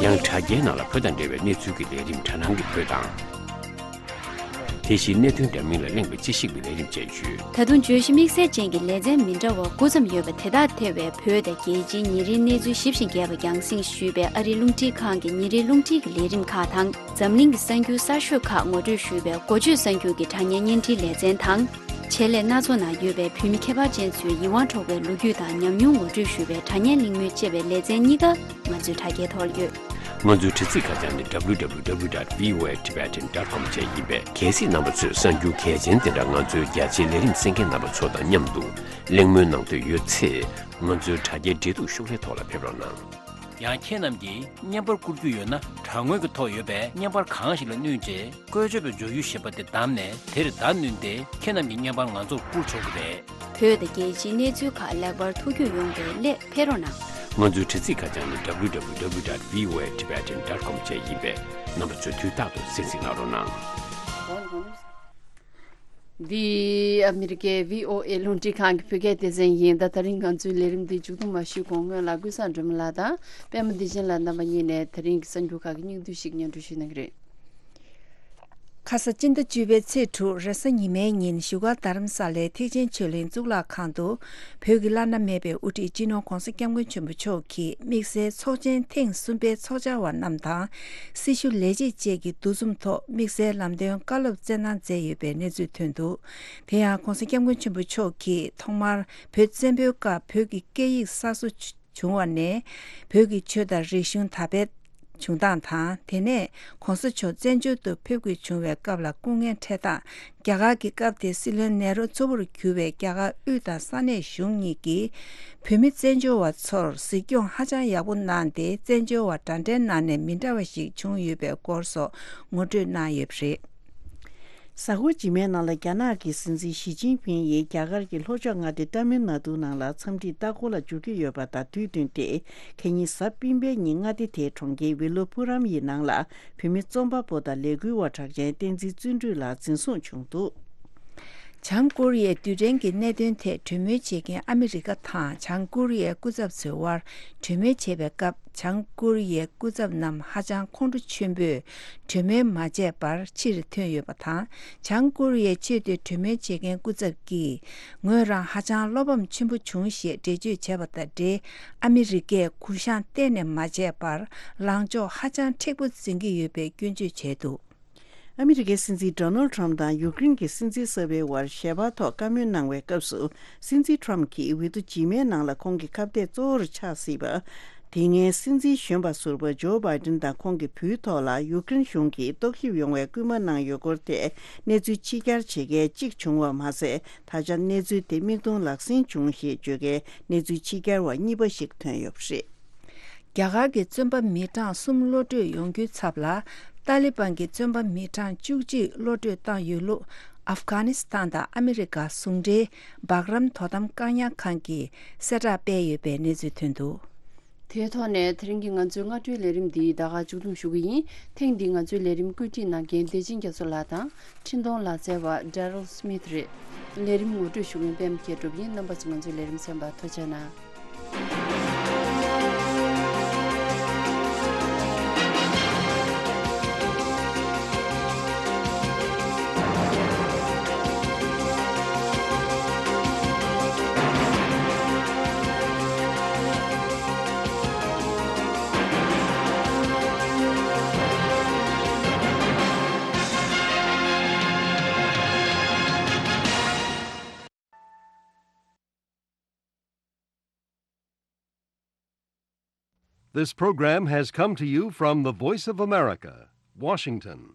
ཡང་དྲ་རྒྱའི་ནང་ལ་བོད་དང་འབྲེལ་བའི་གནས་ཚུལ་གྱི་ལས་རིམ་དྲ་སྣང་གི་བོད་དང་། དེ་བཞིན་གནད་དོན་འདྲ་མིན་ལ་གླེང་བའི་དཔྱད་ཞིབ་ཀྱི་ལས་རིམ་བཅས་ཡོད། ད་དུང་བརྗོད་གཞི་དམིགས་བསལ་ཅན་གྱི་ལེ་ཚན་མི་འདྲ་བ་དགུ་ཙམ་ཡོད་པ་དེ་དག་ཐེ་བའི་བོད་དང་རྒྱལ་སྤྱིའི་ཉིན་རེའི་གནས་ཚུལ་ཞིབ་ཅིང་རྒྱས་པ་རྒྱང་སྲིང་ཞུས་པའི་ཨ་རིའི་རླུང་འཕྲིན་ཁང་གི་ཉིན་རེའི་རླུང་འཕྲིན་གྱི་ལས་རིམ་ཁག་དང་། འཛམ་གླིང་གི་གསར་འགྱུར་གསར་ཤོས་ཁག་ངོ་སྤྲོད་ཞུས་པའི་འགོ་བརྗོད་གསར་འགྱུར་གྱི་དྲ་བརྙན་བརྙན་འཕྲིན་ལེ་ཚན་དང་། ཆེད་ལས་སྣ་ཚོགས་ནང་ཡོད་པའི་བོད་མི་ཁྱད་པར་ཅན་ཚོའི་ཡིད་དབང་འཕྲོག་པའི་ལོ་རྒྱུས་དང་ཉམས་མྱོང་ངོ་སྤྲོད་ཞུ་བའི་དྲ་བརྙན་གླེང་མོལ་ཅེས་པའི་ལེ་ཚན་གཉིས་ཀ་ང་ཚོའི་དྲ་རྒྱའི་ཐོག་ལ་ཡོད། ང་ཚོའི་དྲ་ཚིགས་ཁ་བྱང་ནི་W W W dot V O A Tibetan dot com བཅས་ཡིན་པས། གལ་སྲིད་རྣམ་པ་ཚོས་གསར་འགྱུར་གལ་ཆེན་དེ་འདྲ་ང་ཚོའི་རྒྱ་ཆེའི་ལས་རིམ་གསན་མཁན་རྣམ་པ་ཚོ་དང་མཉམ་དུ་གླེང་མོལ་གནང་འདོད་ཡོད་ཚེ། ང་ཚོའི་དྲ་རྒྱའི་འབྲེལ་གཏུག་ཤོག་ལྷེ་ཐོག་ལ་ཕེབས་རོགས་གནང་། ཡང་ཁྱེད་རྣམས་ཀྱིས་བརྙན་པར་བསྐུར་རྒྱུ་ཡོད་ན། དྲ་ངོས་ཀྱི་ཐོག་ཡོད་པའི་བརྙན་པར་གང་ཞིག་ལ་བསྣུན་རྗེས། བཀོལ་སྤྱོད་པའི་མཇུག་ཡུལ་ཞེས་པ་དེ་བདམས་ནས། དེར་བརྡ་བསྣུན་ཏེ། ཁྱེད་རྣམས་ཀྱི་བརྙན་པར་ང་ཚོར་བསྐུར་ཆོག་གི་རེད། བོད་དང་རྒྱལ་སྤྱིའི་གནས་ཚུལ་ཁག་ལེགས་པར་ཐུགས་རྒྱུས་ཡོང་བའི་སླད་ཕེབས་རོགས་གནང་། ང་ཚོའི་དྲ་ཚིགས་ཁ་བྱང་ནི་W W W dot V O A Tibetan dot com བཅས་ཡིན་པས། རྣམ་པ་ཚོས་དུས་རྟག་ཏུ་གསན་གཟིགས་གནང་རོགས་གནང་། འདི་ཨ་མི་རི་ཀའི་V O A རླུང་འཕྲིན་ཁང་གི་བོད་སྐད་སྡེ་ཚན་ཡིན། ད་ད་རིང་ང་ཚོའི་ལས་རིམ་འདི་མཇུག་བསྡོམས་མ་ཞུས་གོང་སྔོན་ལ་ཀུན་བཟང་སྒྲོལ་མ་ལགས་དང་པད་མ་བདེ་ཆེན་ལགས་རྣམ་པ་གཉིས་ནས་ད་རིང་གི་གསར་འགྱུར་ཁག་གི་སྙིང་བསྡུས་ཤིག་སྙན་སྒྲོན་ཞུ་གནང་གི་རེད། ཁ་ས་སྤྱི་ཟླ་བཅུ་པའི་ཚེས་དྲུག་རེས་གཟའ་ཉི་མའི་ཉིན་བཞུགས་སྒར་རྡ་རམ་ས་ལའི་ཐེག་ཆེན་ཆོས་གླིང་གཙུག་ལག་ཁང་དུ། བོད་ཀྱི་བླ་ན་མེད་པའི་དབུ་ཁྲིད་སྤྱི་ནོར་༧གོང་ས་༧སྐྱབས་མགོན་ཆེན་པོ་མཆོག་གིས་དམིགས་བསལ་ཚོགས་ཆེན་ཐེངས་གསུམ་པའི་ཚོགས་བཅར་བ་རྣམས་དང་། སྲི་ཞུ་ལས་བྱེད་བཅས་ཀྱི་འདུ་འཛོམས་ཐོག་དམིགས་བསལ་ལམ་སྟོན་བཀའ་སློབ་སྩལ་གནང་མཛད་ཡོད་པའི་གནས་ཚུལ་ཐོན་འདུག་དེ་ཡང་༧གོང་ས་༧སྐྱབས་མགོན་ཆེན་པོ་མཆོག་གིས་ཐོག་མར་བོད་བཙན་པོའི་སྐབས་བོད་ཀྱི་སྐད་ཡིག་གསར་བཟོ་བྱུང་བ་ནས། བོད་ཀྱི་ཆོས་དང་རིག་གཞུང་དར་སྤེལ་བྱུང་སྟངས་དང་། དེ་ནས་༧གོང་ས་མཆོག་བཙན་བྱོལ་དུ་ཕེབས་དགོས་བྱུང་བའི་སྐབས་ལ་སྐུ་ངལ་འཕྲད་སྟངས། རྒྱ་གར་གྱི་སྐབས་དེའི་སྲིད་བློན་ནེ་རུ་གཙོ་བོར་གྱུར་བའི་རྒྱ་གར་དབུས་དང་ས་གནས་གཞུང་གཉིས་ཀྱིས་བོད་མི་བཙན་བྱོལ་བ་ཚོར་གཟིགས་སྐྱོང་ཧ་ཅང་ཡག་པོ་གནང་སྟེ། བཙན་བྱོལ་བ་འདྲ་འདྲའི་ནང་ནས་མི་འདྲ་བ་ཞིག་བྱུང་ཡོད་པའི་སྐོར་སོགས་ངོ་སྤྲོད་གནང་ཡོད་པ་རེད། གཟའ་འཁོར་རྗེས་མའི་ནང་ལ་རྒྱ་ནག་གི་སྲིད་འཛིན་ཞི་ཅིན་ཕིང་ཡིས་རྒྱ་གར་གྱི་ལྷོ་ཕྱོགས་མངའ་སྡེ་ཏཱ་མིལ་ནཱ་ཏུ་ནང་ལ་འཚམས་འདྲིའི་ལྟ་སྐོར་ལ་འབྱོར་གྱི་ཡོད་པ་དང་དུས་བསྟུན་ཏེ། ཁ་ཉིན་གཟའ་སྤེན་པའི་ཉིན་མངའ་སྡེ་དེའི་གྲོང་ཁྱེར་ཝི་ལོ་པུ་རམ་ཡི་ནང་ལ་བོད་མི་རྩོམ་པ་པོ་དང་ལས་འགུལ་བ་གྲགས་ཅན་བསྟན་འཛིན་བརྩོན་འགྲུས་ལགས་འཛིན་བཟུང་བྱུང་འདུག། བྱང་ཀོ་རི་ཡའི་རྡུལ་ཕྲན་གྱི་གནད་དོན་ཐད་གྲོས་མོལ་བྱེད་མཁན་ཨ་མི་རི་ཀ་དང་བྱང་ཀོ་རི་ཡའི་སྐུ་ཚབ་ཚོའི་དབར་གྲོས་མོལ་བྱེད་པའི་སྐབས། བྱང་ཀོ་རི་ཡའི་སྐུ་ཚབ་རྣམས་ཧ་ཅང་ཁོང་ཁྲོ་ཆེན་པོས་གྲོས་མོལ་མ་བྱས་པར་ཕྱིར་ཐོན་ཡོད་པ་དང་། བྱང་ཀོ་རི་ཡའི་ཆེས་མཐོའི་གྲོས་མོལ་བྱེད་མཁན་སྐུ་ཚབ་ཀྱིས། ངོས་རང་ཧ་ཅང་བློ་ཕམ་ཆེན་པོ་བྱུང་ཞེས་འགྲེལ་བརྗོད་བྱས་པ་དང་འབྲེལ། ཨ་མི་རི་ཀས་གུ་བཤངས་གཏན་ནས་མ་བྱས་པར། ལངས་ཕྱོགས་ཧ་ཅང་མཁྲེགས་པོ་འཛིན་གྱི་ཡོད་པའི་སྐྱོན་བརྗོད་བྱས་འདུག། ཨ་མི་རི་ཀའི་སྲིད་འཛིན་ཌོ་ནལ་ཌི་ཊརམ་ཕི་དང་ཡུཀ་རེན་གྱི་སྲིད་འཛིན་གསར་པའི་དབར་ཞལ་པར་ཐོག་བཀའ་མོལ་གནང་བའི་སྐབས་སུ། སྲིད་འཛིན་ཊརམ་ཕི་གྱིས་འོས་བསྡུ་རྗེས་མའི་ནང་ལ་ཁོང་གི་ཁ་གཏད་གཙོ་བོར་ཆགས་སྲིད་པ། དེ་སྔའི་སྲིད་འཛིན་གཞོན་པ་ཟུར་པ་ཇོ་བྷའི་ཏིན་དང་ཁོང་གི་བུའི་ཐོག་ལ་ཡུཀ་རེན་གཞུང་གིས་རྟོག་ཞིབ་ཡོང་བའི་སྐུལ་མ་གནང་ཡོད་སྐོར་ཐད་གནས་ཚུལ་ཕྱི་གྱར་བྱེད་མཁན་གཅིག་བྱུང་བ་མ་ཟད། ད་ཆ་གནས་ཚུལ་དེ་མིག་མཐོང་ལག་ཟིན་བྱུང་ཞེས་བརྗོད་མཁན་གནས་ཚུལ་ཕྱི་གྱར་བ་གཉིས་པ་ཞིག་ཐོན་ཡོད་པ་རེད། རྒྱ་གར་གྱི་བཙོན་པ་མི་གྲངས་གསུམ་གློད་གྲོལ་ཡོང་རྒྱུའི་ཚབ་ལ། ཏཱ་ལི་བན་གྱི་བཙོན་པ་མི་གྲངས་བཅུ་གཅིག་གློད་གྲོལ་བཏང་ཡོད་ལུགས། ཨབ་གྷ་ནི་སི་ཐན་དང་ཨ་མི་རི་ཀ་ཟུང་འབྲེལ་སྦག་རམ་དོ་དམ་བཀག་ཉར་ཁང་གིས་གསལ་བསྒྲགས་སྤེལ་ཡོད་པའི་གནས་ཚུལ་ཐོན་འདུག། དེའི་ཐོག་ནས་དེ་རིང་གི་ང་ཚོའི་སྔ་དྲོའི་ལས་རིམ་འདི་ད་ག་མཇུག་བསྡོམས་ཞུ་གི་ཡིན། ཐེངས་འདིའི་ང་ཚོའི་ལས་རིམ་བཀོད་སྒྲིག་གནང་མཁན་བདེ་ཆེན་རྒྱ་མཚོ་ལགས་དང་། འཕྲིན་གཏོང་ལག་རྩལ་བ་Daryl Smith་རེད། ལས་རིམ་ངོ་སྤྲོད་ཞུ་མཁན་པད་མ་མཁས་གྲུབ་ཡིན། རྣམ་པ་ཚོ་ང་ཚོའི་ལས་རིམ་གསན་པར་ཐུགས་རྗེ་གནང་། This program has come to you from the Voice of America, Washington.